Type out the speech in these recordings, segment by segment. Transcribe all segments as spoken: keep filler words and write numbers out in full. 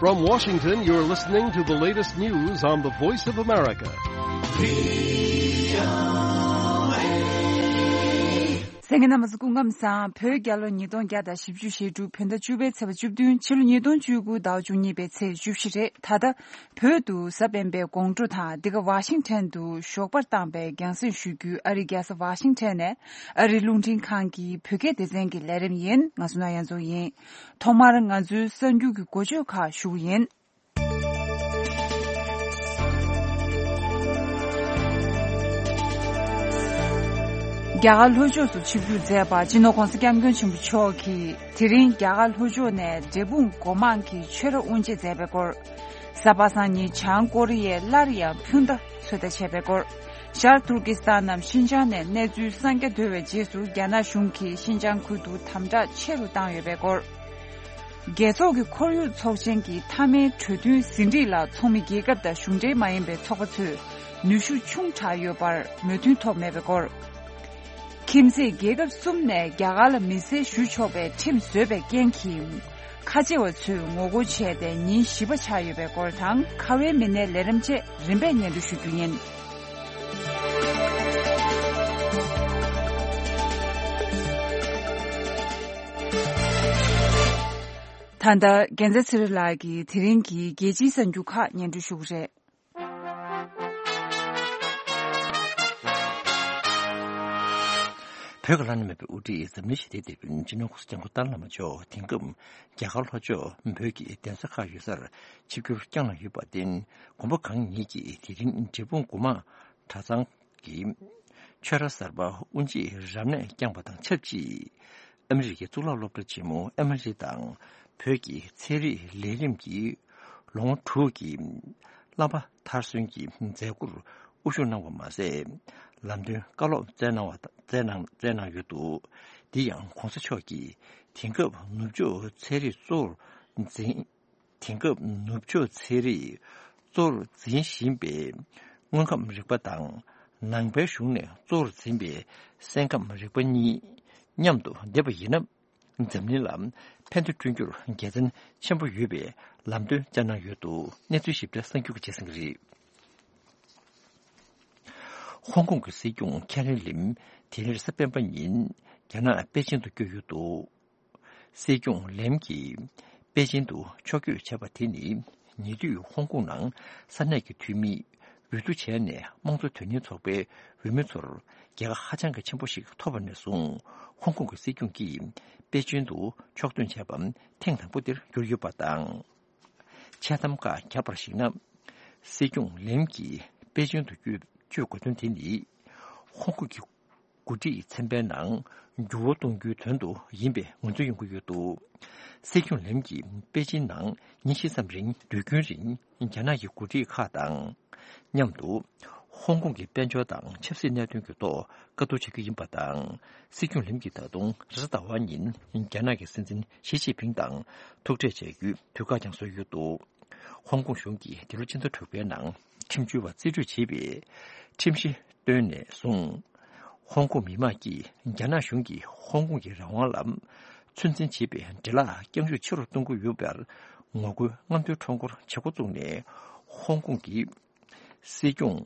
From Washington, you're listening to the latest news on the Voice of America. གསན་མཁན་རྣམ་པ་ཚོ་སྐུ་ཁམས་བཟང་། བོད་རྒྱལ་ལོ་ཉིས་སྟོང་བརྒྱ་དང་བཞི་བཅུ་ཞེ་དྲུག་བོད་ཟླ་བཅུ་པའི་ཚེས་པ་བཅུ་བདུན། ཕྱི་ལོ་ཉིས་སྟོང་བཅུ་དགུ་ཟླ་བ་བཅུ་གཉིས་པའི་ཚེས་བཅུ་བཞི་རེད། ད་ལྟ་བོད་དུ་གཟའ་སྤེན་པའི་དགོང་དྲོ་དང་། འདི་ག་ཝ་ཤིང་ཊོན་དུ་ཞོགས་པར་བཏང་པའི་རྒྱང་སྲིང་ཞུ་རྒྱུའི་ཨ་རིའི་རྒྱལ་ས་ཝ་ཤིང་ཊོན་ནས་ཨ་རིའི་རླུང་འཕྲིན་ཁང་གི་བོད་སྐད་སྡེ་ཚན་གྱི་ལས་རིམ་ཡིན། ང་བསོད་ནམས་དབྱངས་འཛོམས་ཡིན། ཐོག་མར་ང་ཚོའི་གསར་འགྱུར་གྱི་འགོ་བརྗོད་ཁག་ཞུ་གི་ཡིན། རྒྱ་གར་ལྷོ་ཕྱོགས་སུ་ཆིབས་བསྒྱུར་མཛད་པ་སྤྱི་ནོར་༧གོང་ས་༧སྐྱབས་མགོན་ཆེན་པོ་མཆོག་གིས་དེ་རིང་རྒྱ་གར་ལྷོ་ཕྱོགས་ནས་འབྲས་སྤུངས་སྒོ་མང་གི་ཆོས་ར་དབུ་འབྱེད་མཛད་པའི་སྐོར། གཟའ་པ་སངས་ཉིན་བྱང་ཀོ་རི་ཡས་སླར་ཡང་འཕུར་མདའ་ཚོད་ལྟ་བྱས་པའི་སྐོར། ཤར་ཏུར་ཀི་སི་ཐན་ནམ་ཤིན་ཅང་ནས་གནས་ཚུལ་གསར་རྒྱག་འདོད་པའི་རྗེས་སུ་རྒྱ་ནག་གཞུང་གིས་ཤིན་ཅང་ཁུལ་དུ་དམ་དྲག་ཆེ་རུ་བཏང་ཡོད་པའི་སྐོར། རྒྱལ་ཚོགས་ཀྱི་ཁོར་ཡུག་ཚོགས་ཆེན་གྱི་མཐའ་མའི་གྲོས་མཐུན་ཟིན་བྲིས་ལ་ཚོགས་མི་རྒྱལ་ཁབ་དང་གཞུང་འབྲེལ་མ་ཡིན་པའི་ཚོགས་པ་ཚོས་ནུས་ཤུགས་ཆུང་དྲགས་ཡོད་པར་མོས་མཐུན་ཐོབ་མེད་པའི་སྐོར། ཁྱིམ་མཚེས་རྒྱལ་ཁབ་གསུམ་ནས་རྒྱ་གར་ལ་མི་སེར་ཞུ་ཆོག་པའི་ཁྲིམས་བཟོས་པའི་རྐྱེན་གྱིས། ཁ་ཆེ་བ་ཚོས་ངོ་རྒོལ་བྱས་ཏེ་ཉིན་བཞི་པ་ཆགས་ཡོད་པའི་སྐོར་དང་། ཁ་བའི་མི་སྣའི་ལས་རིམ་བཅས་རིམ་པས་སྙན་སྒྲོན་ཞུ་རྒྱུ་ཡིན། ད་ལྟ་རྒྱལ་མཚན་ཚེ་རིང་ལགས་ཀྱིས་དེ་རིང་གི་རྒྱལ་སྤྱིའི་གསར་འགྱུར་ཁག་སྙན་སྒྲོན་ཞུ་གི་རེད། བོད་ཀྱི་བླ་ན་མེད་པའི་དབུ་ཁྲིད་འཛམ་གླིང་ཞི་བདེའི་དེད་དཔོན་སྤྱི་ནོར་༧གོང་ས་༧སྐྱབས་མགོན་ཏཱ་ལའི་བླ་མ་མཆོག་དེང་སྐབས་རྒྱ་གར་ལྷོ་ཕྱོགས་བོད་ཀྱི་གདན་ས་ཁག་ཡོད་སར་ཆིབས་བསྒྱུར་བསྐྱངས་གནང་ཡོད་པར་བརྟེན། དགོངས་པ་གང་ཉིད་ཀྱིས་དེ་རིང་འབྲས་སྤུངས་སྒོ་མང་གྲྭ་ཚང་གི་ཆོས་ར་གསར་པ་དབུ་འབྱེད་རབ་གནས་བསྐྱངས་པ་དང་ཆབས་ཅིག་ཨ་མི་རི་ཀའི་གཙུག་ལག་སློབ་གྲྭ་ཆེན་མོ་ཨེམ་ཨའི་ཊི་དང་བོད་ཀྱི་ཚན་རིག་ལས་རིམ་གྱི་ལོ་ངོ་དྲུག་གི་བསླབ་པ་མཐར་སོན་གྱི་མཛད་སྒོར་དབུ་བཞུགས་གནང་བ་མ་ཟད། ལམ་སྟོན་བཀའ་སློབ་སྩལ་གནང་བ་སྩལ་གནང་སྩལ་གནང་ཡོད་འདུག་འདི་ཡང་༧གོང་ས་མཆོག་གིས་དེང་སྐབས་ནུབ་ཕྱོགས་ཚན་རིག་གཙོ་བོར་འཛིན། དེང་སྐབས་ནུབ་ཕྱོགས་ཚན་རིག་གཙོ་བོར་འཛིན་བཞིན་པའི་དངོས་ཁམས་རིག་པ་དང་ནང་པའི་གཞུང་ནས་གཙོ་བོར་འཛིན་པའི་སེམས་ཁམས་རིག་པ་གཉིས་མཉམ་དུ་བསྡེབས་པ་ཡིན་ན། འཛམ་གླིང་ལ་ཕན་ཐོགས་བསྐྲུན་རྒྱུར་དགེ་མཚན་ཆེན་པོ་ཡོད་པའི་ལམ་སྟོན་བསྩལ་གནང་ཡོད་འདུག་གནས་ཚུལ་ཞིབ་ཕྲ་གསར་འགྱུར་གྱི་རྗེས་གསན་གྱི་རེད། ཧོང་ཀོང་གི་སྲིད་སྐྱོང་ཁེ་རི་ལེམ་དེ་རིང་རེས་གཟའ་སྤེན་པ་ཉིན་རྒྱ་ནག་པེ་ཅིན་དུ་བསྐྱོད་ཡོད་འདུག་སྲིད་སྐྱོང་ལེམ་གྱིས་པེ་ཅིན་དུ་ཕྱོགས་བསྐྱོད་བྱས་པ་དེ་ནི་ཉེ་དུས་ཧོང་ཀོང་ནང་ས་གནས་ཀྱི་འཐུས་མིས་འོས་བསྡུ་བྱས་ནས་དམངས་གཙོ་དོན་གཉེར་ཚོགས་པའི་འོས་མི་ཚོར་རྒྱལ་ཁ་ཧ་ཅང་གི་ཆེན་པོ་ཞིག་ཐོབ་པ་ནས་བཟུང་། ཧོང་ཀོང་གི་སྲིད་སྐྱོང་གིས་པེ་ཅིན་དུ་ཕྱོགས་ཐོན་བྱས་པ་ཐེངས་དང་པོ་དེར་གྱུར་ཡོད་པ་དང་། འཆལ་གཏམ་ཁག་བརྒྱབ་པར་གཞིགས་ན། སྲིད་སྐྱོང་ལེམ་གྱིས་པེ་ཅིན་དུ་བསྐྱོད་བསྐྱོད་དགོས་དོན་དེ་ནི། ཧོང་ཀོང་གི་འགོ་ཁྲིད་ཚན་པའི་ནང་འགྱུར་བ་གཏོང་རྒྱུའི་དོན་དུ་ཡིན་པའི་ངོས་འཛིན་ཡོང་གི་ཡོད་འདུག་སྲིད་སྐྱོང་ལེམ་གྱིས་པེ་ཅིན་ནང་ཉིན་བཞི་ཙམ་རིང་སྡོད་རྒྱུན་རིང་རྒྱ་ནག་གི་འགོ་ཁྲིད་ཁག་དང་མཉམ་དུ་ཧོང་ཀོང་གི་དཔལ་འབྱོར་དང་ཆབ་སྲིད་གནད་དོན་གྱི་ཐོག་བཀའ་བསྡུར་བྱ་རྒྱུ་ཡིན་པ་དང་། སྲིད་སྐྱོང་ལེམ་གྱིས་ད་དུང་རེས་གཟའ་ཟླ་བ་ཉིན་རྒྱ་ནག་གི་སྲིད་འཛིན་ཞི་ཅིན་ཕིང་དང་ཐུག་འཕྲད་བྱ་རྒྱུའི་དུས་བཀག་ཀྱང་བཟོས་ཡོད་འདུག་ཧོང་ཀོང་གཞུང་གིས་འདི་ལོ་ཕྱི་ཟླ་དྲུག་པའི་ནང་ཁྲིམས་བཅོལ་བ་རྩིས་སྤྲོད་བྱས་པའི་ཁྲིམས་གཞི་བཏོན་ནས་བཟུང་། ཧོང་ཀོང་མི་མང་གིས་རྒྱ་ནག་གཞུང་གིས་ཧོང་ཀོང་གི་རང་དབང་ལ་ཚོད་འཛིན་བྱེད་པའི་འདྲེ་ལག་རྐྱང་རྒྱུག་ཆེ་རུ་གཏོང་གི་ཡོད་པར་ངོ་རྒོལ་རྔམ་སྟོན་ཁྲོམ་སྐོར་བྱེད་འགོ་བཙུགས་ནས། ཧོང་ཀོང་གི་སྲིད་སྐྱོང་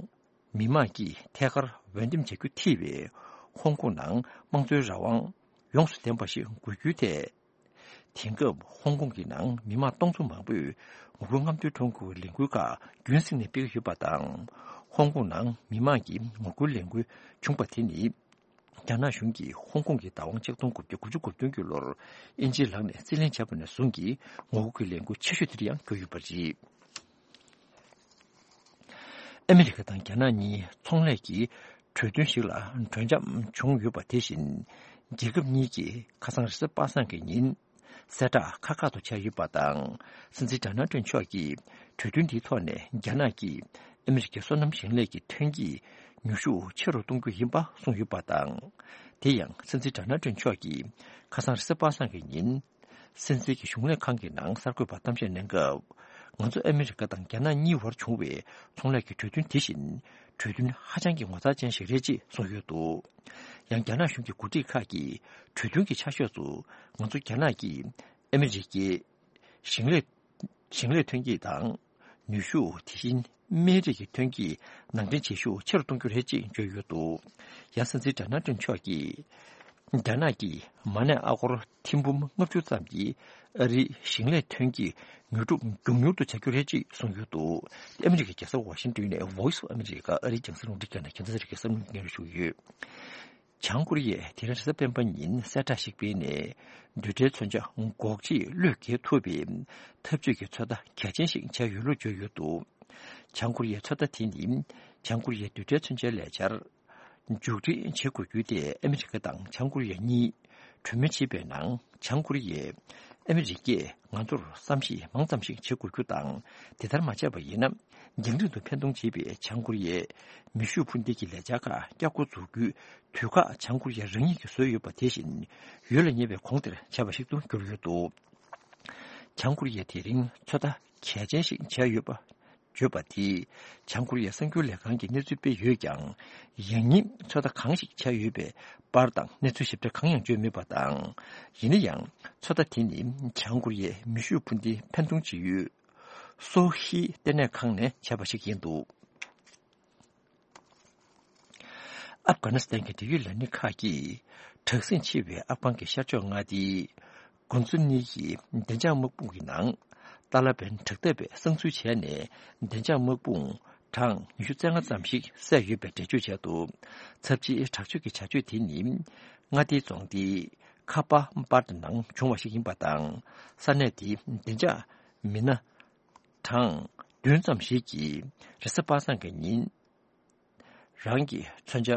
མི་མང་གིས་ཐད་ཀར་འོས་འདེམས་བྱ་རྒྱུ་ཐེ་བའི་ཧོང་ཀོང་ནང་དམངས་གཙོའི་རང་དབང་ཡོངས་སུ་ལྡན་པ་ཞིག་དགོས་རྒྱུའི་ཐད། དེང་སྐབས་ཧོང་ཀོང་གི་ནང་མི་མང་སྟོང་ཚོ་མང་པོས་ངོ་རྒོལ་རྔམ་སྟོན་ཁྲོམ་སྐོར་ལས་འགུལ་ཁག་རྒྱུན་བསྲིངས་ནས་སྤེལ་གྱི་ཡོད་པ་དང་། ཧོང་ཀོང་ནང་མི་མང་གིས་ངོ་རྒོལ་ལས་འགུལ་བྱུང་བ་དེ་ནི། རྒྱ་ནག་གཞུང་གིས་ཧོང་ཀོང་གི་བདག་དབང་ཆིག་སྟོང་དགུ་བརྒྱ་དགུ་བཅུ་གོ་བདུན་གྱི་ལོར་དབྱིན་ཇིའི་ལག་ནས་རྩིས་ལེན་བྱས་པ་ནས་བཟུང་གི་ངོ་རྒོལ་གྱི་ལས་འགུལ་ཆེ་ཤོས་དེ་འདྲ་ཡང་གྱུར་ཡོད་པ་རེད། ཨ་མི་རི་ཀ་དང་རྒྱ་ནག་གཉིས་ཚོང་ལས་ཀྱི་གྲོས་མཐུན་ཞིག་ལ་གྲོས་འཆམ་བྱུང་ཡོད་པ་དེ་བཞིན། རྒྱལ་ཁབ་གཉིས་ཀྱིས་ཁ་སང་རེས་གཟའ་པ་སངས་ཀྱི་ཉིན་གསལ་བསྒྲགས་ཁག་ཁག་ཏུ་བྱས་ཡོད་པ་དང་། སྲིད་འཛིན་ཌོ་ནལ་ཊམ་མཆོག་གིས་གྲོས་མཐུན་འདིའི་ཐོག་ནས་རྒྱ་ནག་གིས་ཨ་མི་རི་ཀའི་སོ་ནམ་ཞིང་ལས་ཀྱི་ཐོན་སྐྱེད་ཉོ་ཤུགས་ཆེ་རུ་གཏོང་རྒྱུ་ཡིན་པ་གསུངས་ཡོད་པ་དང་། དེ་ཡང་སྲིད་འཛིན་ཌོ་ནལ་ཊམ་མཆོག་གིས་ཁ་སང་རེས་གཟའ་པ་སངས་ཀྱི་ཉིན། སྲིད་འཛིན་གྱི་གཞུང་ལས་ཁང་གི་ནང་གསར་འགོད་པར་གཏམ་བཤད་གནང་སྐབས། ང་ཚོ་ཨ་མི་རི་ཀ་དང་རྒྱ་ནག་གཉིས་བར་བྱུང་བའི་ཚོང་ལས་ཀྱི་གྲོས་མཐུན་དེ་བཞིན་གྲོས་མཐུན་ཧ་ཅང་གི་ངོ་མཚར་ཅན་ཞིག་རེད་ཅེས་གསུངས་ཡོད་འདུག་ཡང་རྒྱ་ནག་གཞུང་གི་འགོ་ཁྲིད་ཁག་གིས་གྲོས་མཐུན་གྱི་ཆ་ཤས་སུ་ང་ཚོ་རྒྱ་ནག་གིས་ཨ་མི་རི་ཀའི་ཞིང་ལས་ ཞིང་ལས་ཐོན་སྐྱེད་དང་། ནུས་ཤུགས། དེ་བཞིན་སྨན་རིགས་ཀྱི་ཐོན་སྐྱེད་ནང་འདྲེན་བྱེད་ཤུགས་ཆེ་རུ་གཏོང་རྒྱུ་རེད་ཅེས་བརྗོད་ཡོད་འདུག། ཡང་སྲིད་འཛིན་ཌོ་ནལ་ཊམ་མཆོག་གིས། རྒྱ་ནག་གིས་མ་ཎི་ཨ་སྒོར་ཐེར་འབུམ་ལྔ་བཅུ་ཙམ་གྱིས་ཨ་རིའི་ཞིང་ལས་ཐོན་སྐྱེད་ཉོ་སྒྲུབ་མགྱོགས་མྱུར་དུ་བྱ་རྒྱུ་རེད་ཅེས་གསུངས་ཡོད་འདུག། ཨ་མི་རི་ཀའི་རྒྱལ་ས་ཝ་ཤིང་ཏོན་ནས་Voice of America ཨ་རིའི་རྒྱང་སྲིང་རླུང་འཕྲིན་ཁང་ནས་རྒྱང་མཐོང་ས་རིག་གི་བསམ་བློ་སྙན་སྒྲོན་ཞུ་གི་ཡོད། བྱང་ཀོ་རི་ཡས་དེ་རིང་རེས་གཟའ་སྤེན་པ་ཉིན་གསལ་བསྒྲགས་ཤིག་སྤེལ་ནས། རྡུལ་ཕྲན་མཚོན་ཆ་འགོག་ཆེད་བློས་འགེལ་ཐུབ་པའི་འཐབ་ཇུས་ཀྱི་ཚོད་ལྟ་གལ་ཆེན་ཞིག་ཆགས་ཡོད་ལུགས་བརྗོད་ཡོད་འདུག། བྱང་ཀོ་རི་ཡའི་ཚོད་ལྟ་དེ་ནི། བྱང་ཀོ་རི་ཡའི་རྡུལ་ཕྲན་མཚོན་ཆའི་ལས་འཆར་མཇུག་སྒྲིལ་བྱེད་དགོས་རྒྱུ་དེ་ཨ་མི་རི་ཀ་དང་བྱང་ཀོ་རི་ཡ་གཉིས་གྲོས་མོལ་བྱེད་པའི་ནང་། བྱང་ཀོ་རི་ཡས་ཨ་མི་རི་ཀས་ང་ཚོར་བསམ་ཤེས་མང་ཙམ་ཞིག་བྱེད་དགོས་རྒྱུ་དང་། དེ་ལྟར་མ་བྱས་པ་ཡིན་ན། རྒྱང་རིང་དུ་འཕེན་གཏོང་བྱེད་པའི་བྱང་ཀོ་རི་ཡས་མེ་ཤུགས་འཕུར་མདེལ་གྱི་ལས་འཆར་ཁག་བསྐྱར་འགོ་འཛུགས་རྒྱུའི་དུས་བཀག་བྱང་ཀོ་རི་ཡ་རང་ཉིད་ཀྱིས་བཟོས་ཡོད་པ་དེ་བཞིན་ཡུལ་ལ་ཉེ་བའི་གོང་དེར་བྱས་པ་ཞིག་ཏུ་གྱུར་ཡོད་འདུག། བྱང་ཀོ་རི་ཡས་དེ་རིང་ཚོད་ལྟ་གལ་ཆེན་ཞིག་བྱས་ཡོད་པ། བརྗོད་པ་དེས་བྱང་ཀོ་རི་ཡའི་གསར་འགྱུར་ལས་ཁང་གིས་གནས་ཚུལ་སྤེལ་ཡོད་ཀྱང་། ཡང་སྙིང་ཚོད་ལྟ་གང་ཞིག་བྱས་ཡོད་པའི་པར་དང་གནས་ཚུལ་ཞིབ་ཕྲ་གང་ཡང་བརྗོད་མེད་པ་དང་། ཡིན་ན་ཡང་ཚོད་ལྟ་དེ་ནི་བྱང་ཀོ་རི་ཡའི་མེ་ཤུགས་འཕུར་མདེལ་འཕེན་གཏོང་བྱེད་ཡུལ་སོ་ཧི་ལྟེ་གནས་ཁང་ནས་བྱས་པ་ཞིག་ཡིན་འདུག། ཨབ་གྷ་ནི་སི་ཐན་གྱི་འབྲེལ་ཡོད་ལས་སྣེ་ཁག་གིས་དྲག་ཟིང་ཆེ་བའི་ཨབ་གྷན་གྱི་ཤར་ཕྱོགས་མངའ་སྡེའི་གུན་ཛུ་ནི་ཡི་བདེ་འཇགས་དམག་དཔུང་གི་ནང་ཏཱ་ལ་བན་དྲག་འཐབ་པས་གསང་འཛུལ་བྱས་ནས། བདེ་འཇགས་དམག་དཔུང་གྲངས་ཉི་ཤུ་རྩ་ལྔ་ཙམ་ཞིག་བསད་ཡོད་པའི་འགྲེལ་བརྗོད་བྱས་འདུག། ཚབས་ཆེའི་དྲག་སྤྱོད་ཀྱི་བྱ་སྤྱོད་དེ་ནི། མངའ་སྡེའི་རྫོང་སྡེའི་ཁ་པ་པར་ནང་བྱུང་བ་ཞིག་ཡིན་པ་དང་། ས་གནས་དེའི་བདེ་འཇགས་མི་སྣ་གྲངས་བདུན་ཙམ་ཞིག་གིས་རེས་གཟའ་པ་སངས་ཀྱི་ཉིན། རང་གི་མཚོན་ཆ་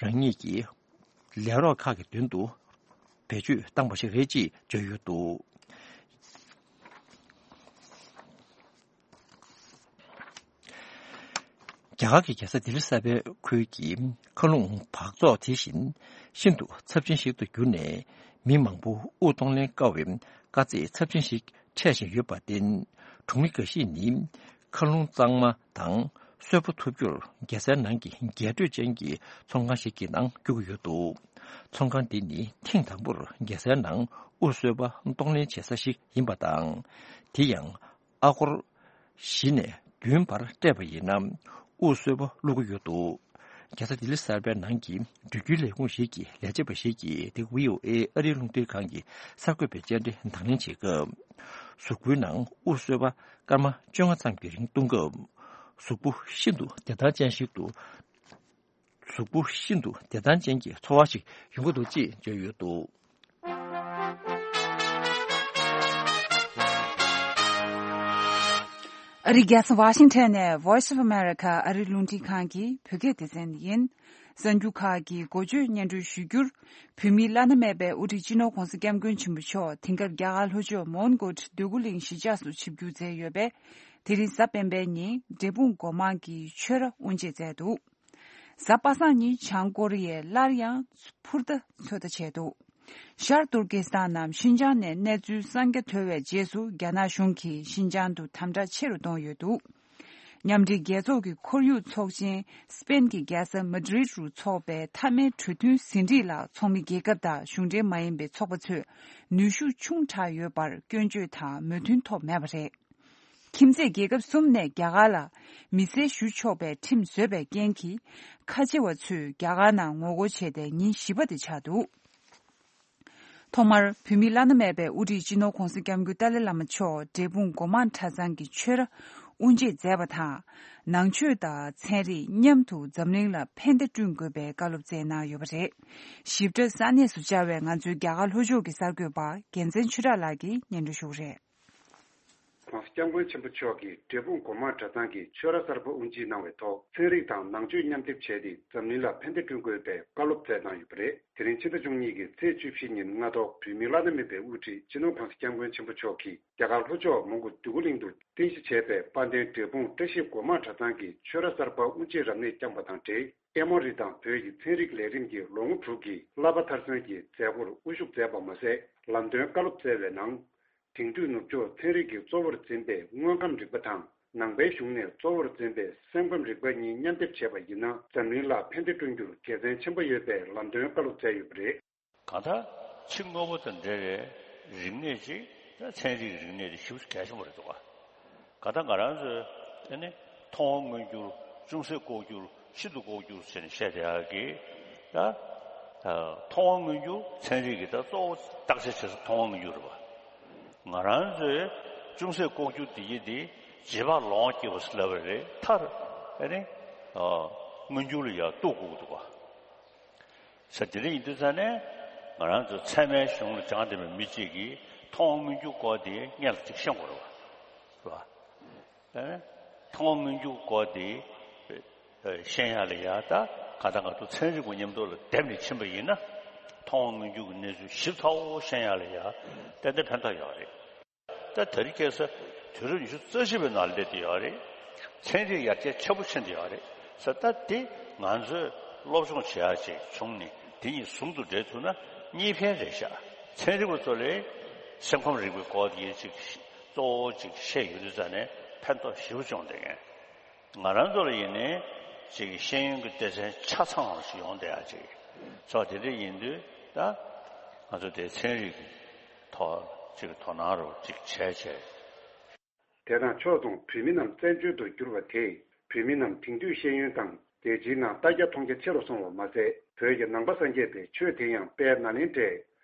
རང་ཉིད་ཀྱི་ལས་རོགས་ཁག་གི་མདུན་དུ་བེད་སྤྱོད་བཏང་བ་ཞིག་རེད་ཅེས་བརྗོད་ཡོད་འདུག། རྒྱ་གར་གྱི་རྒྱལ་ས་ལྡི་ལི་གསར་པའི་ཁུལ་གྱི་མཁའ་རླུང་འབག་བཙོག་དེ་བཞིན་ཤིན་ཏུ་ཚབས་ཆེན་ཞིག་ཏུ་གྱུར་ནས། མི་མང་པོ་དབུགས་གཏོང་ལེན་དཀའ་བའི་དཀའ་ཚེགས་ཚབས་ཆེན་ཞིག་འཕྲད་བཞིན་ཡོད་པར་བརྟེན། གྲོང་མི་འགའ་ཤས་ནི། མཁའ་རླུང་གཙང་མ་དང་གསོན་པོ་ཐོབ་རྒྱུར་རྒྱལ་སའི་ནང་གི་རྒྱས་སྤྲོས་ཅན་གྱི་ཚོང་ཁང་ཞིག་གི་ནང་བསྐྱོད་ཀྱི་ཡོད་འདུག། ཚོང་ཁང་འདི་ནི་ཐེངས་དང་པོར་རྒྱལ་སའི་ནང་དབུགས་གསོས་པ་གཏོང་ལེན་བྱེད་ས་ཞིག་ཡིན་པ་དང་། དེ་ཡང་ཨ་སྒོར་བཞི་ནས་བདུན་བར་སྤྲད་པ་ཡིན་ན། དབུགས་གསོས་པ་བླུག་གི་ཡོད་འདུག། རྒྱལ་ས་ལྡི་ལི་གསར་པའི་ནང་གི་འགྲུལ་སྐྱོད་ལས་ཁུངས་ཤིག་གི་ལས་བྱེད་པ་ཞིག་གིས། དེ་བྷི་ཨོ་ཨེ་ཨ་རིའི་རླུང་འཕྲིན་ཁང་གི་གསར་འགོད་པའི་བཅར་འདྲི་དང་ལེན་བྱེད་སྐབས། གཟུགས་པོའི་ནང་དབུགས་གསོས་པ་སྐར་མ་བཅོ་ལྔ་ཙམ་གྱི་རིང་བཏུང་སྐབས། གཟུགས་པོ་ཤིན་ཏུ་བདེ་ཐང་ཅན་ཞིག་ཏུ། གཟུགས་པོ་ཤིན་ཏུ་བདེ་ཐང་ཅན་གྱི་ཚོར་བ་ཞིག་ཡོང་གི་འདུག་ཅེས་བརྗོད་ཡོད་འདུག། ཨ་རིའི་རྒྱལ་ས་ཝ་ཤིང་ཊོན་ནས་Voice of America ཨ་རིའི་རླུང་འཕྲིན་ཁང་གི་བོད་སྐད་སྡེ་ཚན་ཡིན། གསར་འགྱུར་ཁག་གི་འགོ་བརྗོད་སྙན་སྒྲོན་ཞུ་རྒྱུར། བོད་མིའི་བླ་ན་མེད་པའི་དབུ་ཁྲིད་སྤྱི་ནོར་༧གོང་ས་༧སྐྱབས་མགོན་ཆེན་པོ་མཆོག་དེང་སྐབས་རྒྱ་གར་ལྷོ་ཕྱོགས་མོན་གྷོ་འདོད་རྒུ་གླིང་གཞིས་ཆགས་སུ་ཆིབས་བསྒྱུར་མཛད་ཡོད་པས། དེ་རིང་གཟའ་སྤེན་པའི་ཉིན་འབྲས་སྤུངས་སྒོ་མང་གི་ཆོས་ར་དབུ་འབྱེད་མཛད་འདུག། གཟའ་པ་སངས་ཉིན་བྱང་ཀོ་རི་ཡས་སླར་ཡང་འཕུར་མདའ་ཚོད་ལྟ་བྱས་འདུག། ཤར་ཏུར་ཀི་སི་ཐན་ནམ་ཤིན་ཅང་ནས་གནས་ཚུལ་གསར་རྒྱག་ཐོས་པའི་རྗེས་སུ། རྒྱ་ནག་གཞུང་གིས་ཤིན་ཅང་དུ་དམ་དྲག་ཆེ་རུ་གཏོང་ཡོད་འདུག། མཉམ་འབྲེལ་རྒྱལ་ཚོགས་ཀྱི་ཁོར་ཡུག་ཚོགས་ཆེན་སི་པེན་གྱི་རྒྱལ་ས་མ་ཌི་རིད་རུ་འཚོགས་པའི་མཐའ་མའི་གྲོས་མཐུན་ཟིན་བྲིས་ལ། ཚོགས་མི་རྒྱལ་ཁབ་དང་གཞུང་འབྲེལ་མ་ཡིན་པའི་ཚོགས་པ་ཚོས་ནུས་ཤུགས་ཆུང་དྲགས་ཡོད་པར་སྐྱོན་བརྗོད་དང་མོས་མཐུན་ཐོབ་མེད་པ་རེད། ཁྱིམ་མཚེས་རྒྱལ་ཁབ་གསུམ་ནས་རྒྱ་གར་ལ་མི་སེར་ཞུ་ཆོག་པའི་ཁྲིམས་བཟོས་པའི་རྐྱེན་གྱིས། ཁ་ཆེ་བ་ཚོས་རྒྱ་གར་ནང་ངོ་རྒོལ་བྱས་ཏེ་ཉིན་བཞི་པ་དེ་ཆགས་འདུག། ཐོག་མར་བོད་མིའི་བླ་ན་མེད་པའི་དབུ་ཁྲིད་སྤྱི་ནོར་༧གོང་ས་༧སྐྱབས་མགོན་ཏཱ་ལའི་བླ་མ་མཆོག་འབྲས་སྤུངས་སྒོ་མང་གྲྭ་ཚང་གི་ཆོས་ར་དབུ་འབྱེད་མཛད་པ་དང་། ནང་ཆོས་དང་ཚན་རིག་མཉམ་དུ་འཛམ་གླིང་ལ་ཕན་བདེ་བསྐྲུན་དགོས་པའི་བཀའ་སློབ་སྩལ་གནང་ཡོད་པ་རེད། ཞིབ་ཕྲ་ས་གནས་སུ་བཅར་བའི་ང་ཚོའི་རྒྱ་གར་ལྷོ་ཕྱོགས་ཀྱི་གསར་འགོད་པ་རྒྱལ་མཚན་ཆོས་གྲགས་ལགས་ཀྱིས་སྙན་སྒྲོན་ཞུ་གི་རེད། ༧གོང་ས་༧སྐྱབས་མགོན་ཆེན་པོ་མཆོག་གིས་འབྲས་སྤུངས་སྒོ་མང་གྲྭ་ཚང་གི་ཆོས་ར་གསར་པ་དབུ་འབྱེད་གནང་བའི་ཐོག་ཚན་རིག་དང་ནང་ཆོས་མཉམ་སྡེབ་བྱས་ཏེ་འཛམ་གླིང་ལ་ཕན་བདེ་བསྐྲུན་དགོས་པའི་བཀའ་སློབ་སྩལ་གནང་ཡོད་པ་རེད། དེ་རིང་ཕྱི་ཟླ་བཅུ་གཉིས་ཀྱི་ཚེས་བཅུ་བཞི་ཉིན་སྔ་དྲོ་བོད་མིའི་བླ་ན་མེད་པའི་དབུ་ཁྲིད་སྤྱི་ནོར་༧གོང་ས་༧སྐྱབས་མགོན་ཆེན་པོ་མཆོག་གིས་རྒྱ་གར་ལྷོ་ཕྱོགས་མོན་གྷོ་འདོད་རྒུ་གླིང་དུ་རྟེན་གཞི་བྱས་པའི་དཔལ་ལྡན་འབྲས་སྤུངས་བཀྲ་ཤིས་སྒོ་མང་གྲྭ་ཚང་གི་ཆོས་ར་གསར་པ་དབུ་འབྱེད་རབ་གནས་བསྐྱངས་པ་དང་འབྲེལ། ཨེ་མོ་རི་དང་བོད་ཀྱི་ཚན་རིག་ལས་རིམ་གྱི་ལོ་ངོ་དྲུག་གི་བསླབ་པ་མཐར་སོན་གྱི་མཛད་སྒོར་དབུ་བཞུགས་མཛད་པ་མ་ཟད། ལམ་སྟོན་བཀའ་སློབ་སྩལ་བའི་ནང་། དེང་དུས་ནུབ་ཕྱོགས་ཚན་རིག་གིས་གཙོ་བོར་འཛིན་པའི་དངོས་ཁམས་རིག་པ་དང་། ནང་པའི་གཞུང་ནས་གཙོ་བོར་འཛིན་པའི་སེམས་ཁམས་རིག་པ་གཉིས་མཉམ་སྡེབ་བྱས་པ་ཡིན་ན། འཛམ་གླིང་ལ་ཕན་བདེ་བསྐྲུན་རྒྱུར་དགེ་མཚན་ཆེན་པོ་ཡོད་པའི་ལམ་སྟོན་བཀའ་སློབ་སྩལ་ཡོད་པ་རེད། གང་ལྟར་ཕྱི་དངོས་པོ་དང་འབྲེལ་བའི་རིག་གནས་ཅིག་ ད་ཚན་རིག་རིག་གནས་དེ་ཞེ་པོ་གལ་ཆེན་པོ་རེད་འདུག་ག་ག་ད་ང་རང་ཚོས་ཨ་ནི་མཐོང་བ་མངོན་གྱུར། ཅུང་ཟད་ལྐོག་གྱུར། ཤིན་ཏུ་ལྐོག་གྱུར་ཟེར་ནས་བཤད་བསྡད་ཡག་གི་ད། ཨ། མཐོང་བ་མངོན་གྱུར་ཚན་རིག་གི་ད་གཙོ་བོ་བརྟག་དཔྱད་བྱེད་ས་མཐོང་བ་མངོན་གྱུར་རེད་པ། ང་རང་ཚོས་ཅུང་ཟད་ལྐོག་གྱུར་དེ་ཡི་དེ་རྗེས་དཔག་ལོང་སྐྱེ་བ་ཟེར་ལབ་པ་རེད། མཐར་ཨ་ནི་ཨ་མངོན་གྱུར་ལ་ཡར་གཏུག་དགོས་འདུག་ག་ས་དེ་འདྲ་ཡིན་དུས་ཙང་ནས་ང་རང་ཚོ་ཚད་མའི་གཞུང་ལ་སྦྱངས་བསྡད་པའི་མི་གཅིག་གིས་མཐོང་བ་མངོན་གྱུར་སྐོར་དེ་སྔོན་ལ་ཅིག་ཤེས་དགོས་རེད་པ། རེད་པ། ཨ་ནི་མཐོང་བ་མངོན་གྱུར་སྐོར་དེ་ཨ་ཤེས་ཡག་ལ་ཡ་ད་ག་ད་ང་ཚོ་ཚན་རིག་པ་མཉམ་དུ་ལ་བསྡེབས་ནས་ཕྱིན་པ་ཡིན་ན། མཐོང་བ་མངོན་གྱུར་གྱི་གནས་ཚུལ་ཞིབ་ཚགས་པོ་ཤེས་ཡག་ལ་ཡ་ཏན་ཏན་ཕན་ཐོགས་ཡོད་རེད། ད་དེ་རིང་ཁ་སང་དུས་རབས་ཉི་ཤུ་རྩ་གཅིག་པའི་ནང་སླེབས་བསྡད་ཡོད་རེད། ཚན་རིག་ཡར་རྒྱས་ཆེན་པོ་ཕྱིན་བསྡད་ཡོད་རེད། ས་ད་དེ་ང་ཚོས་སློབ་སྦྱོང་བྱེད་ཡག་ཅིག་བྱུང་ནས་དེ་གཉིས་ཟུང་དུ་འབྲེལ་ཐུབ་ན་གཉིས་ཕན་རེད་ཤག་ཚན་རིག་པ་ཚོ་ལ་སེམས་ཁམས་རིག་པའི་སྐོར་དེ་ཅིག་གཙོ་བོ་ཅིག་ཤེས་ཡོང་དུས་ཙང་ནས་ཕན་ཐོགས་ཞེ་པོ་བྱུང་བསྡད་མཁན། ང་རང་ཚོ་ལ་ཡིན་ནའི་ཅིག་ཤེས་ཡོན་གྱི་སྡེ་ཚན་ཆ་ཚང་བ་ཞིག་ཡོང་བསྡད་ཡག་ཅིག་ཚོགས་དེ་འདྲ་ཡིན་དུས་ད་ང་ཚོ་དེ་ཚན་རིག་གི་ཐོག་ཅིག་དོ་སྣང་རོགས་ཅིག་བྱས་བྱས། དེ་དང་ཕྱོགས་མཚུངས་བོད་མི་རྣམས་བཙན་བྱོལ་དུ་བསྒྱུར་བ་དེས་བོད་མི་རྣམས་དེང་དུས་ཤེས་ཡོན་དང་རྒྱལ་སྤྱིའི་ནང་ལྟ་རྒྱ་མཐོང་རྒྱ་ཆེ་རུ་སོང་བ་མ་ཟད། བོད་ཀྱི་ནང་པ་སངས་རྒྱས་པའི་ཆོས་དེ་ཡང་དཔལ་ནཱ་ལེནྡྲའི་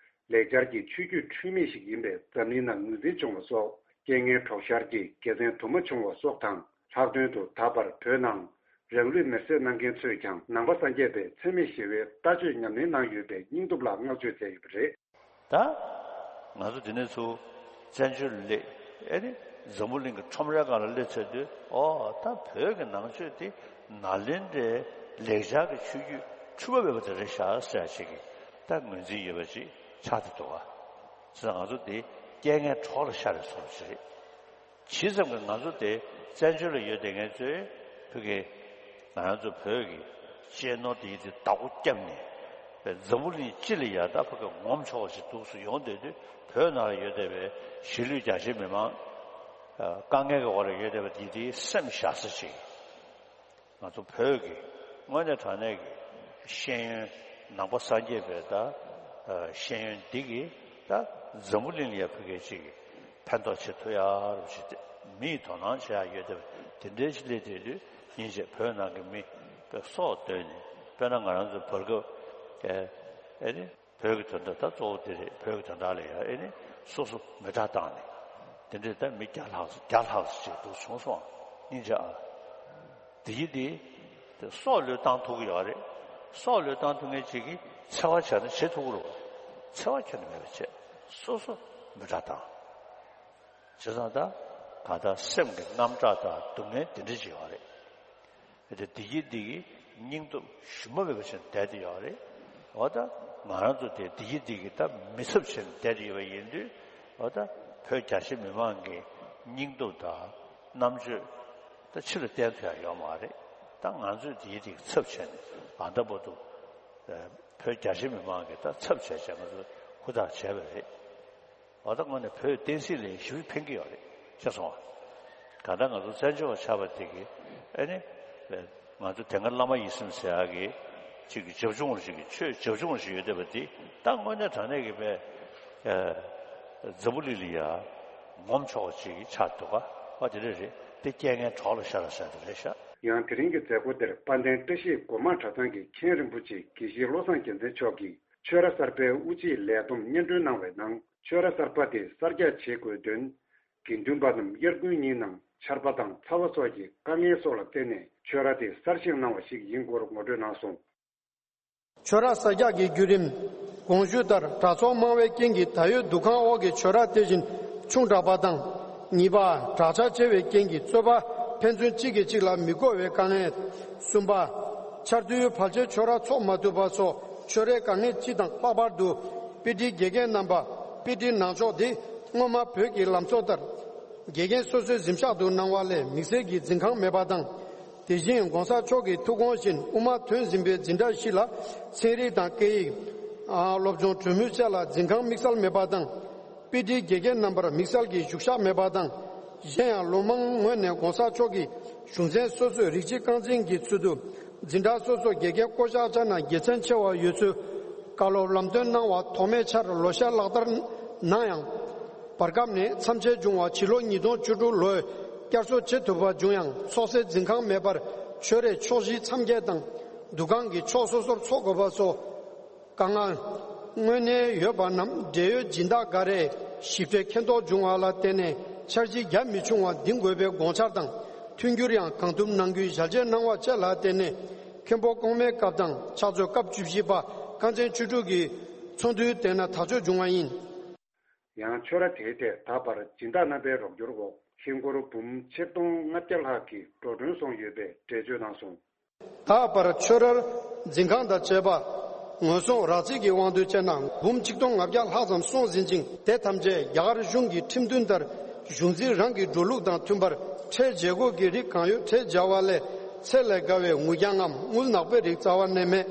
ལེགས་སྦྱར་གྱི་ཆོས་བརྒྱུད་འཁྲུལ་མེད་ཞིག་ཡིན་པས་འཛམ་གླིང་ནང་ངོས་འཛིན་བྱུང་བ་སོགས། རྐྱེན་ངན་གྲོགས་ཤར་གྱི་དགེ་མཚན་དུ་མ་བྱུང་བ་སོགས་དང་། ལྷག་དོན་དུ་ད་བར་བོད་ནང་རང་ལུས་མེར་སྲེག་གནང་མཁན་ཚོས་ཀྱང་ནང་པ་སངས་རྒྱས་པའི་འཚེ་མེད་ཞི་བའི་ལྟ་སྤྱོད་ཉམས་ལེན་གནང་ཡོད་པའི་སྙིང་སྟོབས་ལ་བསྔགས་བརྗོད་མཛད་ཡོད་པ་རེད། ད་ང་ཚོ་འདི་ནས་ཚུར་བཙན་བྱོལ་སླེབས། ཨེ་ནི་འཛམ་བུ་གླིང་གི་ཁྲོམ་རའི་སྒང་ལ་སླེབས་ཚར་དུས། ཨོ་ད་བོད་ཀྱི་ནང་ཆོས་དེ་ནཱ་ལེནྡྲའི་ལེགས་སྦྱར་གྱི་ཆོས་བརྒྱུད་འཁྲུལ་པ་མེད་པ་དེ་རེད་ཤག་ཟེར་ཡག་ཅིག་གི་ད་ངོས་འཛིན་ཡོད་པ་ཅིག་ཆགས་བསྡད་འདུག་ག་བྱས་ཙང་ང་ཚོ་འདི་རྐྱེན་ངན་གྲོགས་ལ་ཤར་བའི་བཟོ་འདྲ་ཅིག་རེད། ཇི་ཙམ་གྱིས་ང་ཚོ་དེ་བཙན་བྱོལ་ལ་ཡོད་བསྡད་མཁན་ཚོས་ཕ་གི་ང་རང་ཚོ་བོད་ཀྱི་གཅེས་ནོར་དེ་དེ་བདག་པོ་བརྒྱབ་ནས། འཛམ་བུ་གླིང་སྤྱི་ལ་ཡ་ད་ཕ་གི་ངོམ་ཆོག་པ་ཞིག་འདུག་སེ་ཡོང་བསྡད་དུས། བོད་ནང་ལ་ཡོད་བསྡད་པའི་གཞིས་ལུས་རྒྱ་ཆེའི་མི་མང་། ཨ། དཀའ་ངལ་གྱི་འོག་ལ་ཡོད་བསྡད་པ་དེ་དེའི་སེམས་བཞག་ས་ཅིག་ང་ཚོ་བོད་ཀྱི་དངོས་གནས་དྲང་གནས་ཀྱི་ཤེས་ཡོན། ནང་པ་སངས་རྒྱས་པའི་ད་ཨ་ཤེས་ཡོན་འདི་གིས་ད་འཛམ་བུ་གླིང་ལ་ཡ་ཕ་གི་ཅིག་ཕན་ཐོགས་བྱེད་ཐུབ་ཡག་རུ་ཞིག་དེ། མིས་དོ་སྣང་བྱེད་ཡག་ཡོད་བསྡད་པ་དེ་འདྲའི་ཞིག་སླེབས་བསྡད་དུས། སྙིང་རྗེ། བོད་ནང་གི་མི་སྲོག་བཏོན་ནས། དཔེར་ན་ང་རང་ཚོ་བར་སྐབས་ཨེ་ཨེ་ནི་བོད་ཀྱི་དོན་དག་ད་གཙོ་བོ་དེ་རེད། བོད་ཀྱི་དོན་དག་ལ་ཡ་ཨེ་ནི་སོ་སོ་མེ་སྲེག་བཏང་ནས། དེ་འདྲའི་ད་མི་བརྒྱ་ལྷག་བརྒྱ་ལྷག་ཅིག་འདུག་སོང་སོང་། སྙིང་རྗེ་ཨ། དེ་ཡིན་དེ། དེ་སྲོག་བློས་བཏང་ཐུབ་ཀྱི་ཡོད་རེད། སྲོག་བློས་བཏང་ཐུབ་མཁན་ཅིག་གིས་འཚེ་བ་བྱས་ན་བྱེད་ཐུབ་ཀྱི་རེད་པ། འཚེ་བ་ཁྱོན་ནས་མེད་པ་བྱས། སོ་སོ་མེ་སྲེག་བཏང་། བྱས་ཙང་ད་གང་ལྟར་སེམས་ཀྱི་དངངས་སྐྲག་དང་སྡུག་བསྔལ་དེ་འདྲ་ཅིག་ཡོད་རེད། དེ་བདེ་སྐྱིད་འདི་གི་སྙིང་སྟོབས་ཞུམ་པ་མེད་པ་བྱས་བསྡད་དེ་ཡོད་རེད། འོ་ད་ང་རང་ཚོ་དེ་བདེ་སྐྱིད་འདི་གི་ད་མི་ཚབ་བྱས་ནས་བསྡད་དེ་ཡོད་པ་ཡིན་དུས། འོ་ད་བོད་རྒྱ་ཆེ་མི་མང་གི་སྙིང་སྟོབས་དང་རྣམ་དཔྱོད་ད་ཕྱི་ལ་བསྟན་ཐུབ་ཡག་ཡོད་མ་རེད། ད་ང་ཚོས་བདེ་སྐྱིད་འདི་གི་ཚབ་བྱས་ནས་ད་ལྟ་བར་དུ་བོད་རྒྱ་ཆེ་མི་མང་གི་ད་ཚབ་བྱས་བྱས་ང་ཚོས་ཧུར་ཐག་བྱས་པ་རེད། འོ་ད་དངོས་གནས་བོད་བསྟན་སྲིད་ལ་ཞེ་པོ་ཕན་གྱི་ཡོད་རེད། ཤེས་སོང་ང་། གང་ལྟར་ང་ཚོ་བཙན་བྱོལ་བ་ཆགས་པ་དེ་གིས་ཨེ་ནི། ང་ཚོ་དེ་སྔ་བླ་མ་ཡིད་བཞིན་ཟེར་ཡག་གི་ཅིག་གི་བྱབ་ཆུང་ཞིག་གི་ཆོས་བྱབ་ཆུང་ཞིག་ཡོད་བསྡད་པ་དེ་ད་དངོས་གནས་དྲང་གནས་ཀྱི་བས་ཨ་འཛམ་བུ་གླིང་ལ་ཡ་ངོམ་ཆོག་པ་ཅིག་ཆགས་འདུག་ག་བ་དེ་འདྲ་རེད། དེ་རྐྱེན་ངན་གྲོགས་ལ་ཤར་བ་ཟེར་དེ་རེད་ཤག་ཡང་དེ་རིང་གི་མཛད་སྒོ་དེར་དཔལ་ལྡན་བཀྲ་ཤིས་སྒོ་མང་གྲྭ་ཚང་གི་མཁན་རིན་པོ་ཆེ་དགེ་བཤེས་བློ་བཟང་རྒྱལ་མཚན་མཆོག་གིས། ཆོས་ར་གསར་པའི་དབུ་འབྱེད་ལས་བསྡོམས་སྙན་སྒྲོན་གནང་བའི་ནང་། ཆོས་ར་གསར་པ་དེ་གསར་རྒྱག་བྱེད་དགོས་དོན། དགེ་འདུན་པ་རྣམས་དབྱར་དགུན་ཉིན་ནང་ཆར་པ་དང་ཚ་བ་སོགས་ཀྱི་དཀའ་ངལ་སོགས་ལ་བརྟེན་ནས་ཆོས་ར་དེ་གསར་བཞེངས་གནང་བ་ཞིག་ཡིན་སྐོར་ངོ་སྤྲོད་གནང་སོང་། ཆོས་ར་གསར་རྒྱག་གི་བརྒྱུད་རིམ། གོང་ཞུས་ལྟར་གྲྭ་ཚོགས་མང་བའི་རྐྱེན་གྱིས་ད་ཡོད་འདུ་ཁང་འོག་གི་ཆོས་ར་དེ་བཞིན་ཆུང་དྲགས་པ་དང་། གཉིས་པ། གྲྭ་ཆ་ཆེ་བའི་རྐྱེན་གྱིས་རྩོད་པ་ཕན་ཚུན་གཅིག་གིས་གཅིག་ལ་མི་གོ་བའི་དཀའ་ངལ། གསུམ་པ། ཆར་དུས་ཕལ་ཆེར་ཆོས་ར་ཚོགས་མ་ཐུབ་པ་སོགས་ཆོས་རའི་དཀའ་ངལ་སྤྱི་དང་། ལྷག་པར་དུ་དཔེ་ཁྲིད་དགེ་རྒན་རྣམ་པ། དཔེ་ཁྲིད་ནང་ཆོག་དེ་སྔོན་མ་བོད་ཀྱི་ལམ་སྲོལ་ལྟར་དགེ་རྒན་སོ་སོའི་གཟིམ་ཤག་ཏུ་གནང་བ་ལས་དམིགས་བསལ་གྱི་འཛིན་ཁང་མེད་པ་དང་། དེ་བཞིན་༸གོང་ས་མཆོག་གི་ཐུགས་དགོངས་བཞིན་དབུ་མ་ཐོན་ཟིན་པའི་འཛིན་གྲྭ་བཞི་ལ་ཚན་རིག་དང་སྐད་ཡིག་ཨ། སློབ་སྦྱོང་གྲོས་མོལ་བཅས་ལ་འཛིན་ཁང་དམིགས་བསལ་མེད་པ་དང་། དཔེ་ཁྲིད་དགེ་རྒན་རྣམ་པར་དམིགས་བསལ་གྱི་བཞུགས་ཤག་མེད་པ་དང་། གཞན་ཡང་ལོ་མང་སྔོན་ནས་༸གོང་ས་མཆོག་གིས་གཞུང་ཚན་སོ་སོའི་རིགས་གཅིག་རྐང་འཛིན་གྱི་ཚུལ་དུ་འཛིན་གྲྭ་སོ་སོར་དགེ་རྒན་བསྐོ་གཞག་བྱས་ན་དགེ་མཚན་ཆེ་བ་ཡོད་ཚུལ་བཀའ་སློབ་ལམ་སྟོན་གནང་བ་ཐོགས་མེད་འཆར་ལོ་ཤས་ལག་བསྟར་གནང་ཡང་ བར་སྐབས་ནས་མཚམས་ཆད་བྱུང་བ་ཕྱི་ལོ་ཉིས་སྟོང་བཅུ་དྲུག་ལོའི་བསྐྱར་གསོ་བྱེད་ཐུབ་པ་བྱུང་ཡང་ཚོགས་སའི་འཛིན་ཁང་མེད་པར་ཆོས་རའི་ཕྱོགས་བཞི་མཚམས་བརྒྱད་དང་འདུ་ཁང་གི་ཕྱོགས་སོ་སོར་འཚོགས་དགོས་པ་སོགས་དཀའ་ངལ་དངོས་གནས་ཡོད་པ་རྣམས་འབྲེལ་ཡོད་སྦྱིན་བདག་འགའ་རེས་ཞིབ་ཕྲའི་མཁྱེན་རྟོགས་བྱུང་བ་ལ་བརྟེན་ནས་འཆར་གཞི་རྒྱ་མི་ཆུང་བ་འདིང་དགོས་པའི་དགོངས་འཆར་དང་མཐུན་འགྱུར་ཡང་གང་ཐུབ་གནང་རྒྱུའི་ཞལ་བཞེས་གནང་བ་བཅས་ལ་བརྟེན་ནས་མཁན་པོ་གོང་མའི་སྐབས་དང་ཕྱག་ཚོད་སྐབས་བཅུ་བཞི་པ་ཁང་ཚན་བཅུ་དྲུག་གི་ཚོགས་འདུའི་སྟེང་ན་ཐག་གཅོད་བྱུང་བ་ཡིན། ཡང་ཆོས་ར་དེའི་ཐད་ད་བར་སྦྱིན་བདག་རྣམ་པའི་རོགས་སྐྱོར་འོག་ཧིན་སྒོར་འབུམ་ཆིག་སྟོང་ལྔ་བརྒྱ་ལྷག་གི་འགྲོ་གྲོན་སོང་ཡོད་པའི་འགྲེལ་བརྗོད་གནང་སོང་། ད་བར་ཆོས་རར་འཛིན་ཁང་དང་བཅས་པ་ངོས་བཟུང་རག་རྩིས་ཀྱི་དབང་དུ་བྱས་ན་འབུམ་ཆིག་སྟོང་ལྔ་བརྒྱ་ལྷག་ཙམ་སོང་ཟིན་ཅིང་དེ་ཐམས་ཅད་རྒྱ་གར་གཞུང་གི་ཁྲིམས་མཐུན་ལྟར་གཞུང་འཛིན་རང་གི་འགྲོ་ལུགས་དང་མཐུན་པར་ཁྲལ་འཇལ་དགོས་ཀྱི་རིགས་གང་ཡོད་ཁྲལ་འཇལ་བ་ལས་ཚད་ལས་བརྒལ་བའི་དངུལ་རྐྱང་ངམ་དངུལ་ནག་པོའི་རིགས་རྩ་བ་ནས་མེད།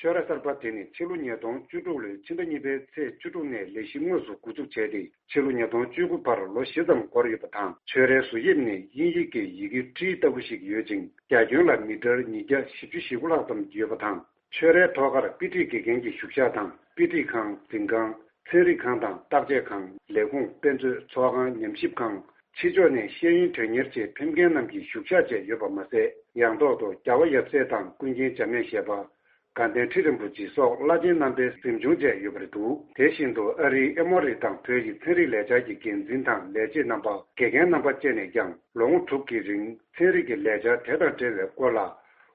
ཆོས་ར་གསར་པ་དེ་ནི་ཕྱི་ལོ་ཉིས་སྟོང་བཅུ་དྲུག་ལོའི་ཕྱི་ཟླ་གཉིས་པའི་ཚེས་བཅུ་དྲུག་ནས་ལས་གཞི་དངོས་སུ་འགོ་འཛུགས་བྱས་ཏེ་ཕྱི་ལོ་ཉིས་སྟོང་བཅུ་དགུ་བར་ལོ་བཞི་ཙམ་འགོར་ཡོད་པ་དང་། ཆོས་རའི་བཟོ་དབྱིབས་ནི་དབྱིན་ཡིག་གི་ཡི་གེ་ཊི་ལྟ་བུ་ཞིག་ཡོད་ཅིང་རྒྱ་ཁྱོན་ལ་མི་ཊར་ཉིས་བརྒྱ་བཞི་བཅུ་ཞེ་དགུ་ལྷག་ཙམ་ཡོད་པ་དང་། ཆོས་རའི་ཐོག་ཁར་དཔེ་ཁྲིད་དགེ་རྒན་གྱི་བཞུགས་ཤག་དང་དཔེ་ཁྲིད་ཁང་། འཛིན་ཁང་། ཚན་རིག་ཁང་དང་བརྟག་དཔྱད་ཁང་། ལས་ཁུངས། དཔེ་མཛོད། ཚོགས་ཁང་། ཉམས་ཞིབ་ཁང་། ཕྱི་ཕྱོགས་ནས་ཤེས་ཡོན་དོན་གཉེར་ཆེད་ཕེབས་མཁན་རྣམས་ཀྱི་བཞུགས་ཤག་བཅས་ཡོད་པ་མ་ཟད། ཡང་ཐོག་ཏུ་རྒྱལ་བ་ཡབ་སྲས་དང་ཀུན་མཁྱེན་འཇམ་དབྱངས་བཞད་པ། དགའ་ལྡན་ཁྲི་རིན་པོ་ཆེ་སོགས་བླ་ཆེན་རྣམ་པའི་གཟིམ་ཆུང་བཅས་ཡོད་པ་རེད་འདུག་དེ་བཞིན་དུ་ཨ་རིའི་ཨེ་མོ་རི་དང་བོད་ཀྱི་ཚན་རིག་ལས་འཆར་གྱི་འགན་འཛིན་དང་ལས་བྱེད་རྣམ་པ། དགེ་རྒན་རྣམ་པ་བཅས་ནས་ཀྱང་ལོ་ངོ་དྲུག་གི་རིང་ཚན་རིག་གི་ལས་འཆར་དེ་དང་འབྲེལ་བའི་སྐོར་ལ་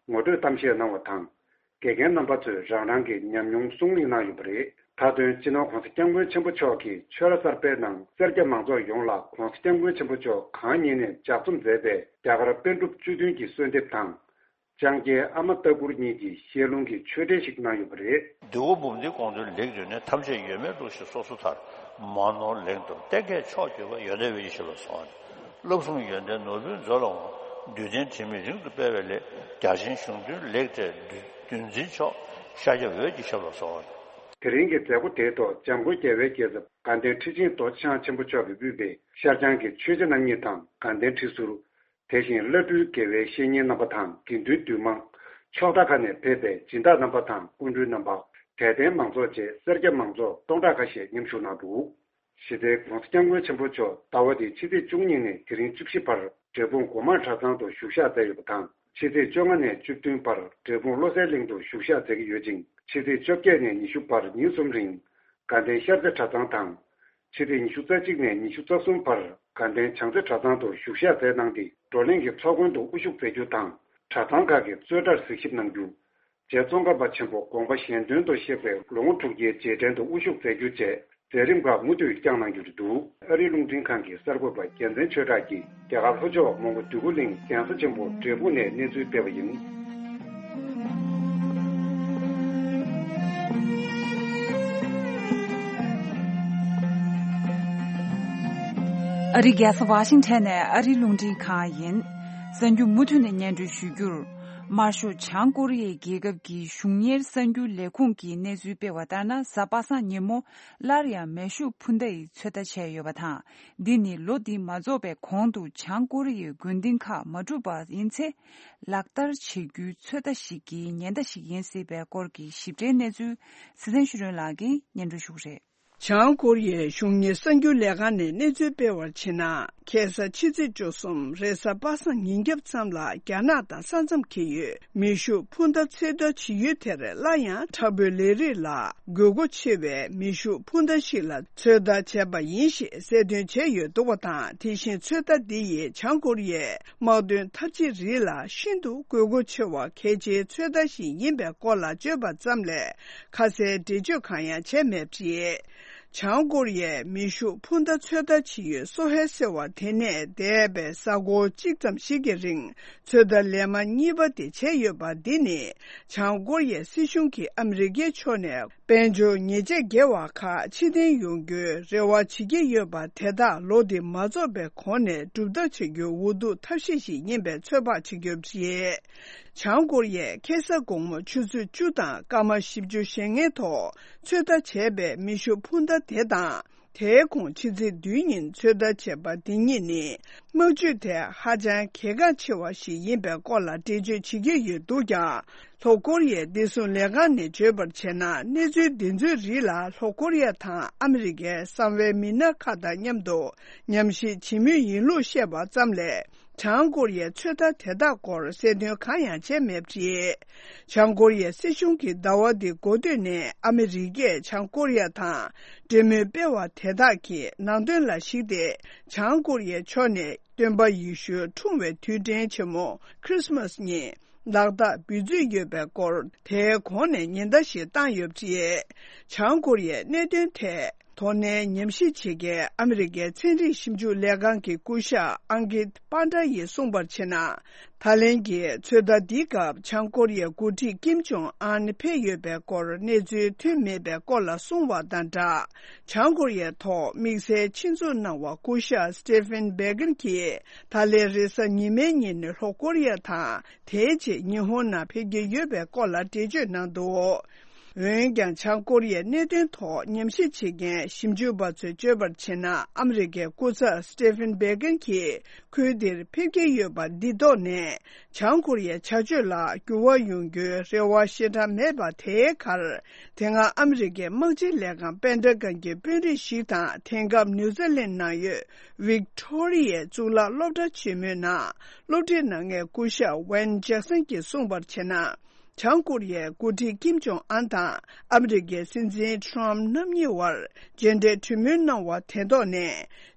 ངོ་སྤྲོད་གཏམ་བཤད་གནང་བ་དང་། དགེ་རྒན་རྣམ་པ་ཚོས་རང་རང་གི་ཉམས་མྱོང་གསུང་གླེང་གནང་ཡོད་པ་རེད། མཐའ་དོན་སྤྱི་ནོར་༸གོང་ས་༸སྐྱབས་མགོན་ཆེན་པོ་མཆོག་གིས་ཆོས་ར་གསར་པའི་ནང་སེར་སྐྱ་མང་ཚོགས་ཡོངས་ལ་༸གོང་ས་༸སྐྱབས་མགོན་ཆེན་པོ་མཆོག་གང་ཉིད་ནས་ལྗགས་རྩོམ་མཛད་པའི་རྒྱ་གར་པཎ་གྲུབ་བཅུ་བདུན་གྱི་གསོལ་འདེབས་དང་། ལྕང་སྐྱའི་ཨ་མ་ལྟ་བུར་གཉིས་ཀྱི་ཞལ་ལུང་གི་ཆོས་འབྲེལ་ཞིག་གནང་ཡོད་པ་རེད། འདི་གོ་འབུམ་འདི་དགོངས་དོན་ལེགས་བརྗོད་ནས་ཐམས་ཅད་ཡོད་མེད་བླུགས་ཤིང་སོ་སོ་ཐར། མ་ནོར་ལེགས་འགྲུབ་གཏན་གྱི་མཆོག་གྱུར་པ། ཡོན་ཏན་འོད་ཀྱི་ཞབས་ལ་གསོལ་བ། བསླབ་གསུམ་ཡོན་ཏན་ནོར་བུའི་མཛོད་ལ་འོང་། འདུས་རྟེན་དྲི་མེད་རིང་དུ་སྤེལ་བའི་སླད། རྒྱ་ཆེན་གཞུང་མཐུན་ལེགས་སྤྲས་འདུལ་འཛིན་མཆོག་ཤཱཀྱ་འོད་ཀྱི་ཞབས་ལ་གསོལ་བ། དེ་རིང་གི་མཛད་སྒོ་དེའི་ཐོག་འཇམ་མགོན་རྒྱལ་བའི་རྒྱལ་ཚབ་དགའ་ལྡན་ཁྲི་ཆེན་རྡོ་རྗེ་འཆང་ཆེན་པོ་མཆོག་གིས་དབུས་པའི་ཤར་བྱང་གི་ཆོས་རྗེ་རྣམ་གཉིས་དང་དགའ་ལྡན་ཁྲི་ཟུར། དེ་བཞིན་བླ་སྤྲུལ་དགེ་བའི་བཤེས་གཉེན་རྣམ་པ་དང་དགེ་འདུན་འདུས་མང་། ཕྱོགས་མཐའ་ཁག་ནས་ཕེབས་པའི་སྦྱིན་བདག་རྣམ་པ་དང་སྐུ་མགྲོན་རྣམ་པ། དད་ལྡན་མང་ཚོགས་བཅས་སེར་སྐྱ་མང་ཚོགས་སྟོང་ཕྲག་ཁ་ཤས་མཉམ་ཞུགས་གནང་འདུག་ཞི་བདེའི་༸གོང་ས་༸སྐྱབས་མགོན་ཆེན་པོ་མཆོག་ཟླ་བ་འདིའི་ཕྱི་ཚེས་བཅུ་གཉིས་ནས་དེ་རིང་བཅུ་བཞི་བར་འབྲས་སྤུངས་སྒོ་མང་གྲྭ་ཚང་དུ་བཞུགས་ཞག་མཛད་ཡོད་པ་དང་། ཕྱི་ཚེས་བཅོ་ལྔ་ནས་བཅུ་བདུན་བར་འབྲས་སྤུངས་བློ་གསལ་གླིང་དུ་བཞུགས་ཞག་མཛད་ཀྱི་ཡོད་ཅིང་། ཕྱི་ཚེས་བཅོ་བརྒྱད་ནས་ཉི་ཤུ་བར་ཉིན་གསུམ་རིང་དགའ་ལྡན་ཤར་རྩེ་གྲྭ་ཚང་དང་། ཕྱི་ཚེས་ཉི་ཤུ་རྩ་གཅིག་ནས་ཉི་ཤུ་རྩ་གསུམ་བར་དགའ་ལྡན་བྱང་རྩེ་གྲྭ་ཚང་དུ་བཞུགས་ཞག་མཛད་གནང་སྟེ། བགྲོ་གླེང་གི་ཚོགས་མགོན་དུ་དབུ་བཞུགས་མཛད་རྒྱུ་དང་། གྲྭ་ཚང་ཁག་གི་རྩོད་གྲྭར་གཟིགས་ཞིབ་གནང་རྒྱུ། རྗེ་ཙོང་ཁ་པ་ཆེན་པོ་དགོངས་པ་གཞན་དོན་དུ་གཤེགས་པའི་ལོ་ངོ་དྲུག་བརྒྱའི་རྗེས་དྲན་དུ་དབུ་བཞུགས་མཛད་རྒྱུ་བཅས་མཛད་རིམ་ཁག་མུ་མཐུད་བསྐྱངས་གནང་རྒྱུ་རེད་འདུག་ཨ་རིའི་རླུང་འཕྲིན་ཁང་གི་གསར་འགོད་པ་རྒྱལ་མཚན་ཆོས་གྲགས་ཀྱིས་རྒྱ་གར་ལྷོ་ཕྱོགས་མོན་གྷོ་འདོད་རྒུ་གླིང་གདན་ས་ཆེན་པོ་འབྲས་སྤུངས་ནས་གནས་ཚུལ་སྤེལ་བ་ཡིན། ཨ་རིའི་རྒྱལ་ས་ཝ་ཤིང་ཊོན་ནས་ཨ་རིའི་རླུང་འཕྲིན་ཁང་ཡིན། གསར་འགྱུར་མུ་མཐུད་ནས་སྙན་སྒྲོན་ཞུ་རྒྱུར། དམར་ཤོག་བྱང་ཀོ་རི་ཡའི་རྒྱལ་ཁབ་ཀྱི་གཞུང་གཉེར་གསར་འགྱུར་ལས་ཁུངས་ཀྱིས་གནས་ཚུལ་སྤེལ་བ་ལྟར་ན། གཟའ་པ་སངས་ཉིན་མོ་སླར་ཡང་མེ་ཤུགས་འཕུར་མདའ་ཡི་ཚོད་ལྟ་བྱས་ཡོད་པ་དང་། འདི་ནི་ལོ་འདི་མ་རྫོགས་པའི་གོང་དུ་བྱང་ཀོ་རི་ཡའི་དགོན་སྡེ་ཁག་མ་གྲུབ་པ་ཡིན་ཚེ། ལག་བསྟར་བྱེད་རྒྱུའི་ཚོད་ལྟ་ཞིག་གི་ཉེན་བརྡ་ཞིག་ཡིན་སྲིད་པའི་སྐོར་གྱི་ཞིབ་ཕྲའི་གནས་ཚུལ་སྲིད་བརྟན་ཤེས་རིག་ལགས་ཀྱིས་སྙན་སྒྲོན་ཞུ་གི་རེད། བྱང་ཀོ་རི་ཡའི་གཞུང་གཉེར་གསར་འགྱུར་ལས་ཁང་ནས་གནས་ཚུལ་སྤེལ་བར་བྱས་ན། ཁ་སང་ཕྱི་ཚེས་བཅུ་གསུམ་རེས་གཟའ་པ་སངས་ཉིན་རྒྱབ་ཙམ་ལ་རྒྱ་ནག་དང་ས་མཚམས་འཁེལ་ཡུལ་མེ་ཤུགས་འཕུར་མདའ་ཚོད་ལྟ་བྱེད་ཡུལ་དེར་སླར་ཡང་དྲག་པོའི་ལས་རིགས་ལ་དགོས་མཁོ་ཆེ་བའི་མེ་ཤུགས་འཕུར་མདའ་ཞིག་ལ་ཚོད་ལྟ་བྱས་པ་ཡིན་ཞེས་གསལ་སྟོན་བྱས་ཡོད་འདུག་པ་དང་། དེ་བཞིན་ཚོད་ལྟ་འདི་ཡིས་བྱང་ཀོ་རི་ཡའི་དམག་དོན་འཐབ་ཇུས་རིགས་ལ་ཤིན་ཏུ་དགོས་མཁོ་ཆེ་བ་གལ་ཆེའི་ཚོད་ལྟ་ཞིག་ཡིན་པའི་སྐོར་ལ་བརྗོད་པ་ཙམ་ལས་ཁ་གསལ་འགྲེལ་བརྗོད་གང་ཡང་བྱས་མེད་པ་རེད། བྱང་ཀོ་རི་ཡའི་མེ་ཤུགས་འཕུར་མདའ་ཚོད་ལྟ་བྱེད་ཡུལ་སོ་ཧེ་ཟེར་བ་དེ་ནས་འདས་པའི་གཟའ་འཁོར་གཅིག་ཙམ་ཞིག་གི་རིང་ཚོད་ལྟ་ལས་མ་གཉིས་པ་དེ་བྱས་ཡོད་པ་འདི་ནི་བྱང་ཀོ་རི་ཡའི་སྲིད་གཞུང་གིས་ཨ་མི་རི་ཀའི་ཕྱོགས་ནས་དཔལ་འབྱོར་ཉེས་ཆད་འགེལ་བ་ཁག་ཕྱིར་འཐེན་ཡོང་རྒྱུའི་རེ་བ་བྱེད་ཀྱི་ཡོད་པ་དེ་དག་ལོ་འདི་མ་རྫོགས་པའི་གོང་ནས་གྲུབ་ཐབས་བྱ་རྒྱུའི་འོས་བསྡུ་ཐབས་ཤེས་ཤིག་ཡིན་པའི་ཚོད་དཔག་བྱེད་ཀྱི་ཡོད་པ་རེད། བྱང་ཀོ་རི་ཡས་ཁ་སང་དགོང་མོ་ཆུ་ཚོད་བཅུ་དང་སྐར་མ་བཞི་བཅུ་ཞེ་ལྔའི་ཐོག་ཚོད་ལྟ་བྱས་པའི་མེ་ཤུགས་འཕུར་མདའ་དེ་དང་ དེའི་གོང་ཕྱི་ཚེས་བདུན་ཉིན་ཚོད་ལྟ་བྱས་པ་འདི་གཉིས་ནི་དམག་ཇུས་ཐད་ཧ་ཅང་གལ་འགངས་ཆེ་བ་ཞིག་ཡིན་པའི་སྐོར་ལ་འགྲེལ་བརྗོད་བྱེད་ཀྱི་ཡོད་འདུག་ཀྱང་། ལྷོ་ཀོ་རི་ཡའི་བདེ་སྲུང་ལས་ཁང་ནས་བརྗོད་པར་བྱས་ན། གནས་ཚུལ་འདི་ཚོའི་རིགས་ལ་ལྷོ་ཀོ་རི་ཡ་དང་ཨ་མི་རི་ཀའི་གསང་བའི་མི་སྣ་ཁག་དང་མཉམ་དུ་ཉམས་ཞིབ་བྱེད་མུས་ཡིན་ལུགས་བཤད་པ་ཙམ་ལས། བྱང་ཀོ་རི་ཡའི་ཚོད་ལྟ་དེ་དག་སྐོར་གསལ་སྟོན་གང་ཡང་བྱས་མེད་པ་རེད། བྱང་ཀོ་རི་ཡའི་སྲིད་གཞུང་གིས་ཟླ་བ་འདིའི་འགོ་སྟོད་ནས་ཨ་མི་རི་ཀས་བྱང་ཀོ་རི་ཡ་དང་འབྲེལ་མོལ་སྤེལ་བ་དེ་དག་གི་ནང་དོན་ལ་གཞིགས་ཏེ། བྱང་ཀོ་རི་ཡའི་ཕྱོགས་ནས་སྟོན་པ་ཡེ་ཤུ་འཁྲུངས་པའི་དུས་དྲན་ཆེན་མོ་Christmas ཉིན་ལག་རྟགས་འབུལ་རྩིས་ཡོད་པའི་སྐོར། དེའི་གོང་ནས་ཉེན་བརྡ་ཞིག་བཏང་ཡོད་པ་རེད། བྱང་ཀོ་རི་ཡའི་གནད་དོན་ཐད། དོ་ནན་ཉམས་ཞིབ་བྱེད་མཁན་ཨ་མི་རི་ཀའི་ཚན་རིག་ཞིབ་འཇུག་ལས་ཁང་གི་སྐུ་ཞབས་ཨང་ཀིད་པཱན་ཏྲ་ཡིས་གསུངས་པར་བྱས་ན། ད་ལན་གྱི་ཚོད་ལྟ་འདིའི་སྐབས་བྱང་ཀོ་རི་ཡའི་འགོ་ཁྲིད་ཀིམ་ཇོང་ཨན་ཕེབས་ཡོད་པའི་སྐོར་གནས་ཚུལ་ཐོན་མེད་པའི་སྐོར་ལ་གསུངས་པ་དང་སྦྲགས། བྱང་ཀོ་རི་ཡའི་ཐོག་དམིགས་བསལ་ཆེད་འཛུགས་གནང་བ་སྐུ་ཞབས་Stephen Biegun གྱིས་ད་ལན་རེས་གཟའ་ཉི་མའི་ཉིན་ལྷོ་ཀོ་རི་ཡ་དང་དེའི་རྗེས་ཉི་ཧོང་ནང་ཕེབས་ཀྱི་ཡོད་པའི་སྐོར་ལ་འགྲེལ་བརྗོད་གནང་འདུག་འོན་ཀྱང་། བྱང་ཀོ་རི་ཡའི་གནད་དོན་ཐོག་ཉམས་ཞིབ་བྱེད་མཁན་ཞིབ་འཇུག་པ་ཚོས་བརྗོད་པར་བྱས་ན། ཨ་མི་རི་ཀའི་སྐུ་ཚབ་Stephen Biegun གྱིས་ཁུལ་འདིར་ཕེབས་ཀྱི་ཡོད་པ་འདི་ཐོག་ནས། བྱང་ཀོ་རི་ཡའི་བྱ་སྤྱོད་ལ་འགྱུར་བ་ཡོང་རྒྱུའི་རེ་བ་ཞེ་དྲག་མེད་པ་དེའི་ཁར། དེ་སྔ་ཨ་མི་རི་ཀའི་དམག་སྤྱི་ལས་ཁང་པེན་ཏ་གོན་གྱི་དཔོན་རིགས་ཤིག་དང་། དེང་སྐབས་ནིའུ་ཛི་ལན་ནང་ཡོད་ཝིག་ཐོ་རི་ཡའི་གཙུག་ལག་སློབ་གྲྭ་ཆེན་མོའི་ནང་སློབ་ཁྲིད་གནང་མཁན་སྐུ་ཞབས་ཝན་ཇེག་སན་གྱིས་གསུངས་པར་བྱས་ན། བྱང་ཀོ་རི་ཡའི་འགོ་ཁྲིད་ཀིམ་ཇོང་ཨན་དང་ཨ་མི་རི་ཀའི་སྲིད་འཛིན་ཁྲོམ་རྣམ་གཉིས་བར་མཇལ་འཕྲད་གྲོས་མོལ་གནང་བ་དེ་ཐོག་ནས།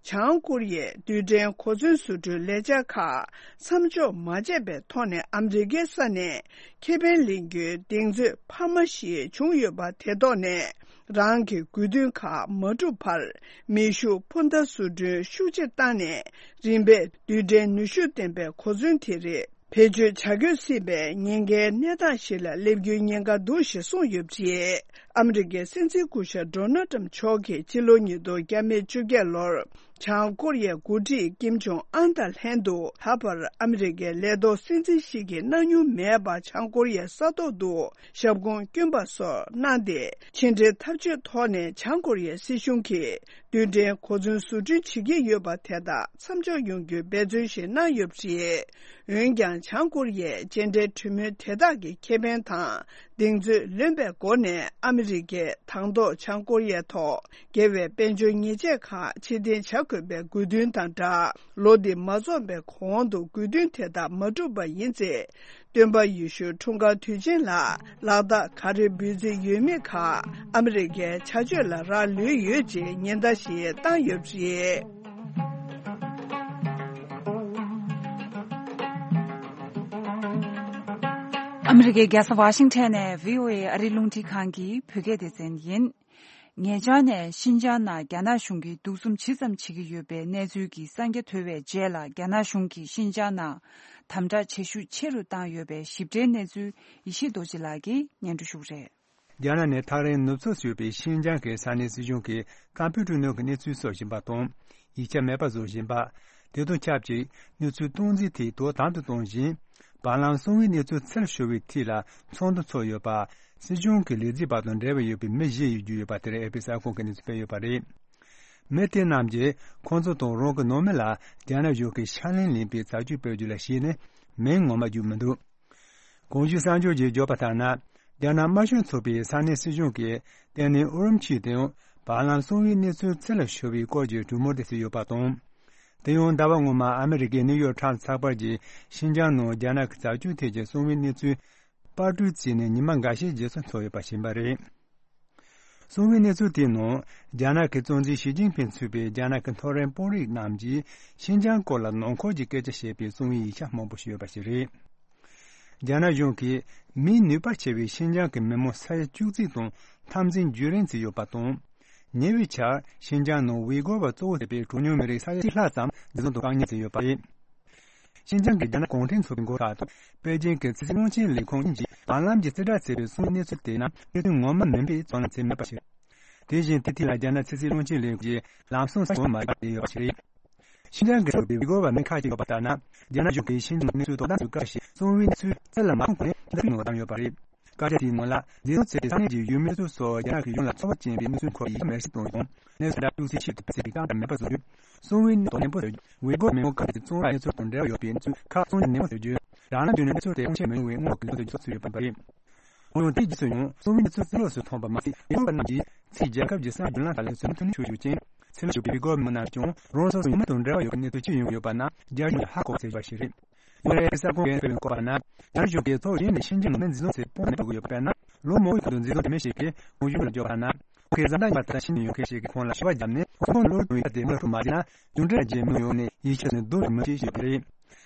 བྱང་ཀོ་རི་ཡའི་རྡུལ་ཕྲན་གོ་མཚོན་བཟོ་སྐྲུན་ལས་འཆར་ཁག་མཚམས་འཇོག་མ་བྱས་པའི་ཐོག་ནས། ཨ་མི་རི་ཀའི་ས་ནས་ཁེ་ཕན་ལེན་རྒྱུའི་གདེང་ཚོད་འཕར་མ་ཞིག་བྱུང་ཡོད་པ་དེ་ཐོག་ནས། རང་གི་དགོས་འདུན་ཁག་མ་འགྲུབ་བར། མེ་ཤུགས་འཕུར་མདའ་བཟོ་སྐྲུན་ཤུགས་ཆེ་བཏང་ནས། རིམ་པས་རྡུལ་ཕྲན་ནུས་ཤུགས་ལྡན་པའི་གོ་མཚོན་དེ་རིགས་བེད་སྤྱོད་བྱ་དགོས་སྲིད་པའི་ཉེན་ཁའི་གནས་སྟངས་ཤིག་ལ་སླེབས་རྒྱུའི་ཉེན་ཁ་འདུག་ཞེས་གསུངས་ཡོད་པ་རེད། ཨ་མི་རི་ཀའི་སྲིད་འཛིན་སྐུ་ཞབས་ཌོ་ནལ་ཏྲམ་མཆོག་གིས་ཕྱི་ལོ་ཉིས་སྟོང་བརྒྱ་མེད་བཅོ་བརྒྱད་ལོར་བྱང་ཀོ་རི་ཡའི་འགོ་ཁྲིད་ཀིམ་ཇོང་ཨན་དང་ལྷན་དུ། ད་བར་ཨ་མི་རི་ཀའི་ལས་ཐོག་སྲིད་འཛིན་ཞིག་གིས་གནང་མྱོང་མེད་པ། བྱང་ཀོ་རི་ཡའི་ས་ཐོག་ཏུ་ཞབས་ཁུངས་བསྐྱོན་པ་སོགས་གནང་སྟེ། ཕྱི་འབྲེལ་འཐབ་ཇུས་ཐོག་ནས་བྱང་ཀོ་རི་ཡའི་སྲིད་གཞུང་གིས་རྡུལ་ཕྲན་གོ་མཚོན་བཟོ་སྐྲུན་བྱེད་ཀྱི་ཡོད་པ་དེ་དག་མཚམས་འཇོག་ཡོང་རྒྱུའི་འབད་བརྩོན་ཞིག་གནང་ཡོད་པ་རེད། འོན་ཀྱང་། བྱང་ཀོ་རི་ཡས་མཇལ་འཕྲད་གྲོས་མོལ་དེ་དག་གི་ཁེ་ཕན་དང་གདེང་ཚོད་ལོན་པའི་སྒོ་ནས། ཨ་མི་རི་ཀས་དང་ཐོག་བྱང་ཀོ་རི་ཡའི་ཐོག་འགལ་བའི་དཔལ་འབྱོར་ཉེས་ཆད་ཁག་ཕྱིར་འཐེན་བྱ་དགོས་པའི་དགོས་འདུན་དང་སྦྲགས། ལོ་འདི་མ་རྫོགས་པའི་གོང་དུ་དགོས་འདུན་དེ་དག་མ་འགྲུབ་པ་ཡིན་ཚེ། སྟོན་པ་ཡེ་ཤུ་འཁྲུངས་སྐར་དུས་ཆེན་ལ་ལག་རྟགས་ག་རེ་འབུལ་རྩིས་ཡོད་མེད་ཁག་ཨ་མི་རི་ཀའི་བྱ་སྤྱོད་ལ་རག་ལུས་ཡོད་ཅེས་ཉེན་བརྡ་ཞིག་བཏང་ཡོད་པ་རེད། ཨ་མི་རི་ཀའི་རྒྱལ་ས་ཝ་ཤིང་ཊོན་ནས་བྷི་ཨོ་ཨེ་ཨ་རིའི་རླུང་འཕྲིན་ཁང་གི་བོད་སྐད་སྡེ་ཚན་ཡིན། ཉེ་ཆར་ནས་ཤིན་ཅང་ནང་རྒྱ་ནག་གཞུང་གིས་གདུག་རྩུབ་ཇི་ཙམ་བྱེད་ཀྱི་ཡོད་པའི་གནས་ཚུལ་གྱི་གསང་རྒྱ་ཐོས་པའི་རྗེས་ལ། རྒྱ་ནག་གཞུང་གིས་ཤིན་ཅང་ནང་དམ་དྲག་བྱེད་ཤུགས་ཆེ་རུ་བཏང་ཡོད་པའི་ཞིབ་ཕྲའི་གནས་ཚུལ་ཡེ་ཤེས་རྡོ་རྗེ་ལགས་ཀྱིས་སྙན་སྒྲོན་ཞུ་གི་རེད། རྒྱ་ནག་ནས་ཐག་རིང་ནུབ་ཕྱོགས་སུ་ཡོད་པའི་ཤིན་ཅང་གི་ས་གནས་སྲིད་གཞུང་གིས་ཀམ་པུ་ཊར་ནང་གི་གནས་ཚུལ་བཟོ་བཞིན་པ་དང་། ཡིག་ཆ་མེད་པ་བཟོ་བཞིན་པ། དེ་དང་ཆབས་ཅིག་གནས་ཚུལ་སྟོང་འཛིན་དེ་དོ་དམ་དུ་གཏོང་བཞིན། བར་ལམ་གསང་བའི་གནས་ཚུལ་ཚུར་ཤོར་བའི་ཐད་ལ་ཚོགས་འདུ་ཚོགས་ཡོད་པ། སྲིད་གཞུང་གི་ལས་བྱེད་པ་དང་འབྲེལ་བ་ཡོད་པའི་མི་བཞི་ཡོད་རྒྱུ་ཡོད་པ་དེར་ཨེ་ཕི་གསར་ཁང་གིས་གནས་ཚུལ་སྤེལ་ཡོད་པ་རེད། མི་དེ་རྣམས་ཀྱིས་ཁོང་ཚོ་དང་རང་གི་ནང་མི་ལ་རྒྱ་ནག་གཞུང་གིས་ཕྱག་ལེན་ལེན་པའི་བྱ་སྤྱོད་སྤེལ་རྒྱུ་ལ་གཞིགས་ནས་མིང་ངོ་མ་བརྗོད་མི་འདུག་གོང་ཞུས་གསར་འགྱུར་གྱིས་བརྗོད་པ་ལྟར་ན། རྒྱ་ནག་དམར་ཤོག་ཚོགས་པའི་ས་གནས་སྲིད་གཞུང་གིས་ཏན་ཏན་ཨུ་རུམ་ཆི་དང་བར་ལམ་གསང་བའི་གནས་ཚུལ་ཚུར་ལ་ཤོར་བའི་སྐོར་གྱི་གྲོས་མོལ་དེ་བྱས་ཡོད་པ་དང་། དེ་ཡང་ཟླ་བ་སྔོན་མ་ཨ་མི་རི་ཀའི་ནིའུ་ཡོག་ཊའིམ་ཚགས་པར་གྱིས་ཤིན་ཅང་ནང་རྒྱ་ནག་གི་བྱ་སྤྱོད་ཐད་ཀྱི་གསང་བའི་གནས་ཚུལ་པར་སྐྲུན་བྱས་ནས་ཉི་མ་འགའ་ཤས་རྗེས་སུ་ཚོགས་ཡོད་པ་ཤེས་པ་རེད། གསང་བའི་གནས་ཚུལ་དེའི་ནང་། རྒྱ་ནག་གི་གཙོ་འཛིན་ཞི་ཅིན་ཕིང་གཙོས་པའི་རྒྱ་ནག་གི་མཐོ་རིམ་དཔོན་རིགས་རྣམས་ཀྱིས་ཤིན་ཅང་སྐོར་ལ་ནང་འཁོད་ཀྱི་སྐད་ཆ་བཤད་པའི་གསང་བའི་ཡིག་ཆ་མང་པོ་ཞིག་ཡོད་པ་ཞིག་རེད། རྒྱ་ནག་གཞུང་གིས་མིའི་ནུས་པ་ཆེ་བའི་ཤིན་ཅང་གི་མི་མང་ས་ཡ་བཅུ་གཅིག་དང་འཐབ་འཛིང་བརྒྱུད་རིམ་བྱས་ཡོད་པ་དང་། ཉེ་བའི་ཆར་ཤིན་ཅང་ནང་ཝི་གོར་བ་གཙོ་བོ་བྱས་པའི་གྲངས་ཉུང་མི་རིགས་ས་ཡ་གཅིག་ལྷག་ཙམ་འཛིན་བཟུང་དང་བཀག་ཉར་བྱས་ཡོད་པ་རེད། ཤིན་ཅང་གི་རྒྱ་ནག་གུང་ཁྲན་ཚོགས་པའི་འགོ་ཁྲིད་དང་པེ་ཅིང་གི་ཕྱི་སྲིད་བློན་ཆེན་ལས་ཁུངས་གཉིས་ཀྱིས་བར་ལམ་གྱི་རྩིས་ཁྲ་བྱས་པའི་གསང་བའི་གནས་ཚུལ་དེའི་ནང་གནས་ཚུལ་ངོ་མ་མིན་པའི་རྩོད་གླེང་བྱས་མེད་པ་ཞིག་དེ་བཞིན་དེའི་ཐད་ལ་རྒྱ་ནག་ཕྱི་སྲིད་བློན་ཆེན་ལས་ཁུངས་ཀྱིས་ལམ་སང་གསལ་པོ་མ་བརྗོད་པ་ཞིག་རེད། ཤིན་ཅང་གི་ཞོགས་པའི་ཝི་གོ་བ་མི་ཁག་ཅིག་ཡོད་པ་ལྟར་ན། རྒྱ་ནག་གཞུང་གིས་ཤིན་ཅང་གི་གནས་ཚུལ་དོ་དམ་བྱེད་སྐབས་ཤིག་གསང་བའི་གནས་ཚུལ་རྩད་ལ་མ་ཐོན་གོང་ནས་ཁྲིམས་ཐོག་ནས་བཏང་ཡོད་པ་རེད། བཀའ་རྒྱ་དེའི་ནང་ལ། འཛིན་བཟུང་བྱས་པའི་ས་གནས་ཀྱི་ཡུལ་མི་སོ་སོ་རྒྱ་ནག་གི་གཞུང་ལ་ཚོར་བ་ཅན་པའི་གནས་ཚུལ་སྐོར་ཡིག་ཆ་མེར་སྲེག་གཏོང་ཡོད་དང་། གནས་ཚུལ་འདྲ་ཤོག་ཚད་ཆེད་དུ་ཕུད་ཚད་ཀྱི་རྐང་འདྲ་མེད་པ་བཟོ་རྒྱུ། སུང་ཝེ་ནི་དོ་ནན་པོ་བཟོ་རྒྱུ། ཝེ་གོར་མི་མང་ཁག་ཅིག་གཙང་བའི་གནས་ཚུལ་དང་འབྲེལ་བ་ཡོད་པའི་གནས་ཚུལ་ཁག་ཚང་ནན་པོ་བཟོ་རྒྱུ། རང་ལ་བརྒྱུད་ནས་གནས་ཚུལ་དེ་སྔོན་ཆད་མི་ཡོང་བའི་སྔོན་འགོག་གི་ལམ་སྟོན་བཟོ་ཚུལ་ཡོད་པ་རེད། འོན་ཀྱང་དེའི་རྗེས་སུ་ཡང་སུང་ཝེ་ནི་ཚོས་རྩིས་ལོག་སུ་མཐོང་བ་མ་ཟད། ཝེ་གོར་པ་རྣམས་ཀྱིས་ཕྱིའི་རྒྱལ་ཁབ་ཀྱི་གསང་བའི་བརྒྱུད་ལམ་ཁག་ལ་ཚུར་མཐུད་ནས་ཞུགས་ཡོད་ཅིང་། ཚུར་ལ་ཞུགས་པའི་ཝེ་གོར་མི་མང་རྣམས་ཀྱང་རང་སོ་སོའི་ཡུལ་མི་དང་འབྲེལ་བ་ཡོད་པའི་གནས་ཚུལ་ཅི་ཡོང་གི་ཡོད་པ་རྣམས་རྒྱ་གཞུང་ལ་ཧ་གོ་ཟེར་བ་ཞིག་རེད། ཡང་རེ་ས་ཁོངས་ཀྱི་བཀོད་པའི་བཀོད་པ་ན། རྒྱ་གཞུང་གིས་ཚོགས་གཞན་ནས་ཤིན་ཅང་ནང་མི་འཛིན་བཟུང་བྱས་སྤོང་མི་ཐུབ་ཀྱི་ཡོད་པས་ན། ལོ་མང་པོའི་གོང་དུ་འཛིན་བཟུང་དེ་མིན་ཞིག་གིས་གོང་ཞུས་པ་ལ་འཇོག་པ་ན། ཁོང་གིས་བཟའ་ཟླ་ཡིན་པ་དང་ཤི་མི་ཡོང་མཁན་ཞིག་གིས་ཁོང་ལ་ཞུ་བ་བརྒྱབ་ནས། ཁོང་ལོ་རྒྱུས་ཡ་དེ་མ་ཐུབ་མ་བྱས་ན། རྒྱུ་འབྲས་རྗེས་མི་ཡོང་ནས་ཡིད་ཆད་ནས་སྡུག་རུ་མི་སྐྱེ་ཞུས་པ་རེད།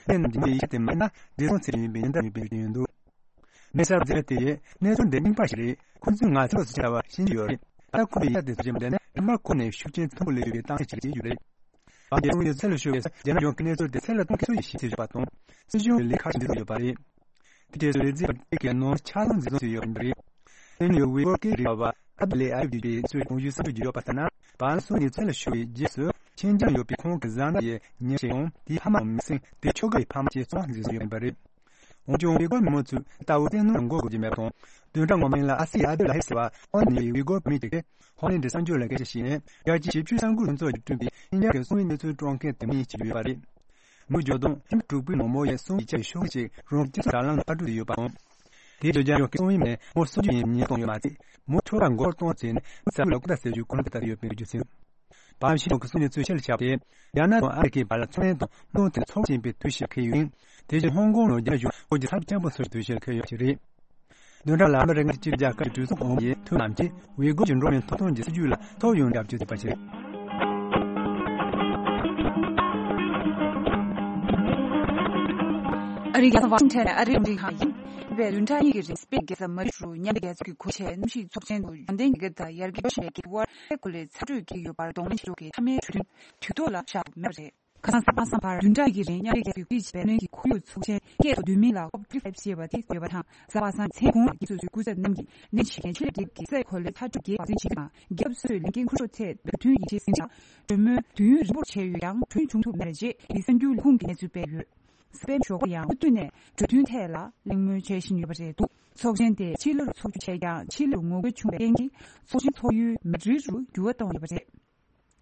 དེ་རྣམས་ཀྱི་མིའི་ཡིད་ཆད་དེ་མ་ཡིན་ན། འཛིན་བཟུང་ཚེ་རིང་ཡིན་པའི་ཉེན་བརྡ་ཡོད་པའི་རྒྱུ་ཡིན་འདུག། མི་གསར་འཛིན་དེ་ཡིས་གནས་ཚུལ་འདི་རྙིང་པ་ཞིག་རེད། ཁོང་ཚོས་ང་ཚོ་ལ་སུ་ཆ་བ་ཤེས་ཀྱི་ཡོད་རེད། ད་ཁོ་བའི་ཡ་དེ་ཚོ་བྱེད་འདི་ནི་རིམ་པ་ཁོ་ནས་ཤུགས་རྐྱེན་ཆེན་པོ་སླེབས་ཡོད་པའི་རྟགས་མཚན་ཞིག་བྱེད་ཀྱི་ཡོད་རེད། བར་བརྒལ་སོང་ཡོད་ཚད་ལ་ཤོར་བའི་རྒྱ་ནག་གཞུང་གི་གནས་ཚུལ་དེ་ཚད་ལ་གཏོང་མཁན་ཚོ་ཡིས་ཤེས་ཚོད་ཡོད་པ་དང་། སྲིད་གཞུང་གི་ལས་ཁག་ཅིག་འཛིན་བཟུང་ཡོད་པ་རེད། དེ་རྗེས་སུ་ལས་འཛིན་པ་དེ་གའི་ནང་ཆ་ཚང་འཛིན་བཟུང་བྱས་ཡོད་པ་རེད། དེ་ནི་ཝི་གོར་སྐད་རིགས་པ་ཁ་ཏ་ལེ་ཨ་ཡུ་ཌི་པའི་གཙོས་གོང་ཞུས་གསར་འགོད་ཀྱི་ཡོད་པ་ལྟར་ན། བར་སོང་ནས་ཚད་ལ་ཤོར་བའི་རྗེས་སུ་ཤིན་ཅང་ཡོད་པའི་ཁོང་གི་བཟའ་ཟླ་ཡི་ཉེ་འབྲེལ་ཡང་དེའི་ཕ་མའམ་མིང་སྲིང་། དེའི་ཁྱོ་ག་ཡི་ཕ་མ་བཅས་ཚང་འཛིན་བཟུང་ཡོད་པ་རེད། འོན་ཀྱང་ཝི་གོར་མི་མང་ཚོས་ལྟ་བུ་བཙན་གནོན་ལ་མགོ་སྒུར་གྱི་མེད་པ་དང་། བདུན་ཕྲག་སྔོན་མ་ཡིན་ལ་ཨ་སི་ཡའི་ཨ་བདུ་ལ་ཧེ་ཟེར་བ་ཧོ་ནི་ཝི་གོར་བོད་མི་ཞིག་གིས་ཧོ་ནི་འདི་གསར་འགྱུར་ལ་སྐད་ཆ་བཤད་ནས། རྒྱལ་སྤྱིའི་ཞིབ་དཔྱོད་གསར་འགོད་ལྷན་ཚོགས་ཀྱིས་བསྐྲུན་པའི་ཤིན་ཅང་གི་སོང་ཡུལ་གནས་ཚུལ་དཀྲོག་མཁན་དེ་མིན་ཞིག་ཡོད་པ་རེད། མི་འགྱུར་ལྡོག་ཐེངས་དྲུག་པའི་ནང་མོ་ཡའི་སོང་ཡུལ་གྱི་ཤོག་ཅིག་རང་སྤྱི་ཚོགས་དྲ་ལམ་ལ་ཕར་སྤྲོད་དུ་ཡོད་པའམ། དེའི་བརྗོད་བྱ་ཡང་སོང་ཡུལ་མིན་མོ་སུ་ཡིན་ཉེན་གཏོང་ཡོད་མ་ཚད། མོ་ཁྱོ་ག་མགོ་གཏོང་བྱས་ནས་མི་ཚ་བུ་ལ་སྐུ་ད་ཟེར་རྒྱུ་གོ་ལོང་དེ་ལྟར་ཡོད་པའི་རྒྱུ་མཚན། བའམ་ཤི་ཐོག་གི་སོ་ཉིས་ཚོས་ཆེད་ལ་བཞག་སྟེ། རྒྱ་ནག་དང་ཨ་མི་རི་ཀའི་བར་ལ་ཚོང་ལས་དང་དམག་དོན་ཚོགས་ཆེན་པའི་དུས་ཆེད་འཁེལ་ཡོད། དེ་བཞིན་ཧོང་ཀོང་ནང་རྒྱ་གཞུང་བོད་ཀྱི་ཚབ་བཙན་པོ་སོགས་དུས་ཆེད་འཁེལ་ཡོད་པ་ཞིག་རེད། བདུན་ཕྲག་ལ་ཨ་མི་རི་ཀ་སྤྱི་རྒྱལ་ཁབ་ཀྱི་གྲོས་ཚོགས་ཨང་པོ་ཡི་འཐུས་རྣམས་ཀྱིས་ཝི་གོར་གྱི་འགྲོ་བའི་ཐོབ་ཐང་གི་སྲིད་ཇུས་ལ་ཐོ་ཡོང་རྒྱབ་ཀྱི་ཡོད་པ་ཞིག་རེད། ཨ་རིའི་རྒྱལ་ས་ཝ་ཤིང་ཊོན་ནས་ཨ་རིའི་རླུང་འཕྲིན་ཁང་ཡིན། འདས་པའི་བདུན་ཕྲག་གཉིས་ཀྱི་རིང་སྤེན་པའི་རྒྱལ་ས་མ་རི་ཌིད་དུ་མཉམ་འབྲེལ་རྒྱལ་ཚོགས་ཀྱི་གོ་ཆེན་གནམ་གཤིས་ཚོགས་ཆེན་དུ་ཡོན་ཏན་རྒྱལ་ཁབ་དང་ཡར་རྒྱས་འགྲོ་བཞིན་པའི་རྒྱལ་ཁབ་དབར་ཁོར་ཡུག་ཚ་དྲོད་འགེལ་ཡོད་པར་གདོང་ལེན་བྱེད་ཕྱོགས་ཀྱི་མཐའ་མའི་གྲོས་མཐུན་དུས་ཐོག་ལ་བཞག་མེད་པ་རེད། ཁ་སང་གཟའ་པ་སངས་བར་བདུན་ཕྲག་གི་རིང་མཉམ་འབྲེལ་རྒྱལ་ཚོགས་ཀྱིས་བེད་སྤྱོད་བྱས་པའི་གནོན་གྱི་ཁོར་ཡུག་ཚོགས་ཆེན་སྐད་དུ་འདོན་མིང་ལ་ཀོབ་ཊུ་ཝེན་ཊི་ཕའིབ་ཅེས་པ་དེ་བཀོད་ཡོད་པ་དང་། གཟའ་པ་སངས་མཚན་གུང་ལ་རྒྱལ་ཚོགས་ཀྱི་སྐུ་ཚབ་རྣམས་ཀྱིས་ནད་ཡམས་ཞི་རྐྱེན་ཆེད་ལས་འབྲེལ་གྱི་རྩིས་ཁོར་ཡུག་ཚ་དྲོད་འགེལ་བ་འཛིན་བྱེད་ཀྱི་ནང་རྒྱལ་ཁབ་སོ་སོས་ལས་འགན་འཁུར་ཕྱོགས་ཐད་བོད་མཐུན་ཡིད་ཆེས་ཟིན་ཆ་གྲོས་མོལ་དུས་ཡུན་རིང་པོར་བྱས་ཡོད་ཀྱང་གྲོས་མཐུན་བྱུང་ཐུབ་མེད་པ་རེད་ཅེས་གསར་འགྱུར་ལས་ཁུངས་ཀྱིས་གནས་ཚུལ་སྤེལ་ཡོད། སྤེན་ཞོགས་པ་ཡང་མུ་མཐུད་ནས་གྲོས་མཐུན་ཐད་ལ་གླེང་མོལ་བྱེད་བཞིན་ཡོད་པ་རེད་འདུག། ཚོགས་ཆེན་དེ་ཕྱི་ལོར་ཚོགས་རྒྱུ་བྱས་ཀྱང་ཕྱི་ལོར་ངོ་རྒོལ་བྱུང་བའི་རྐྱེན་གྱིས་ཚོགས་ཆེན་ཚོགས་ཡུལ་མེ་ཌི་རིད་དུ་འགྱུར་བ་བཏང་ཡོད་པ་རེད།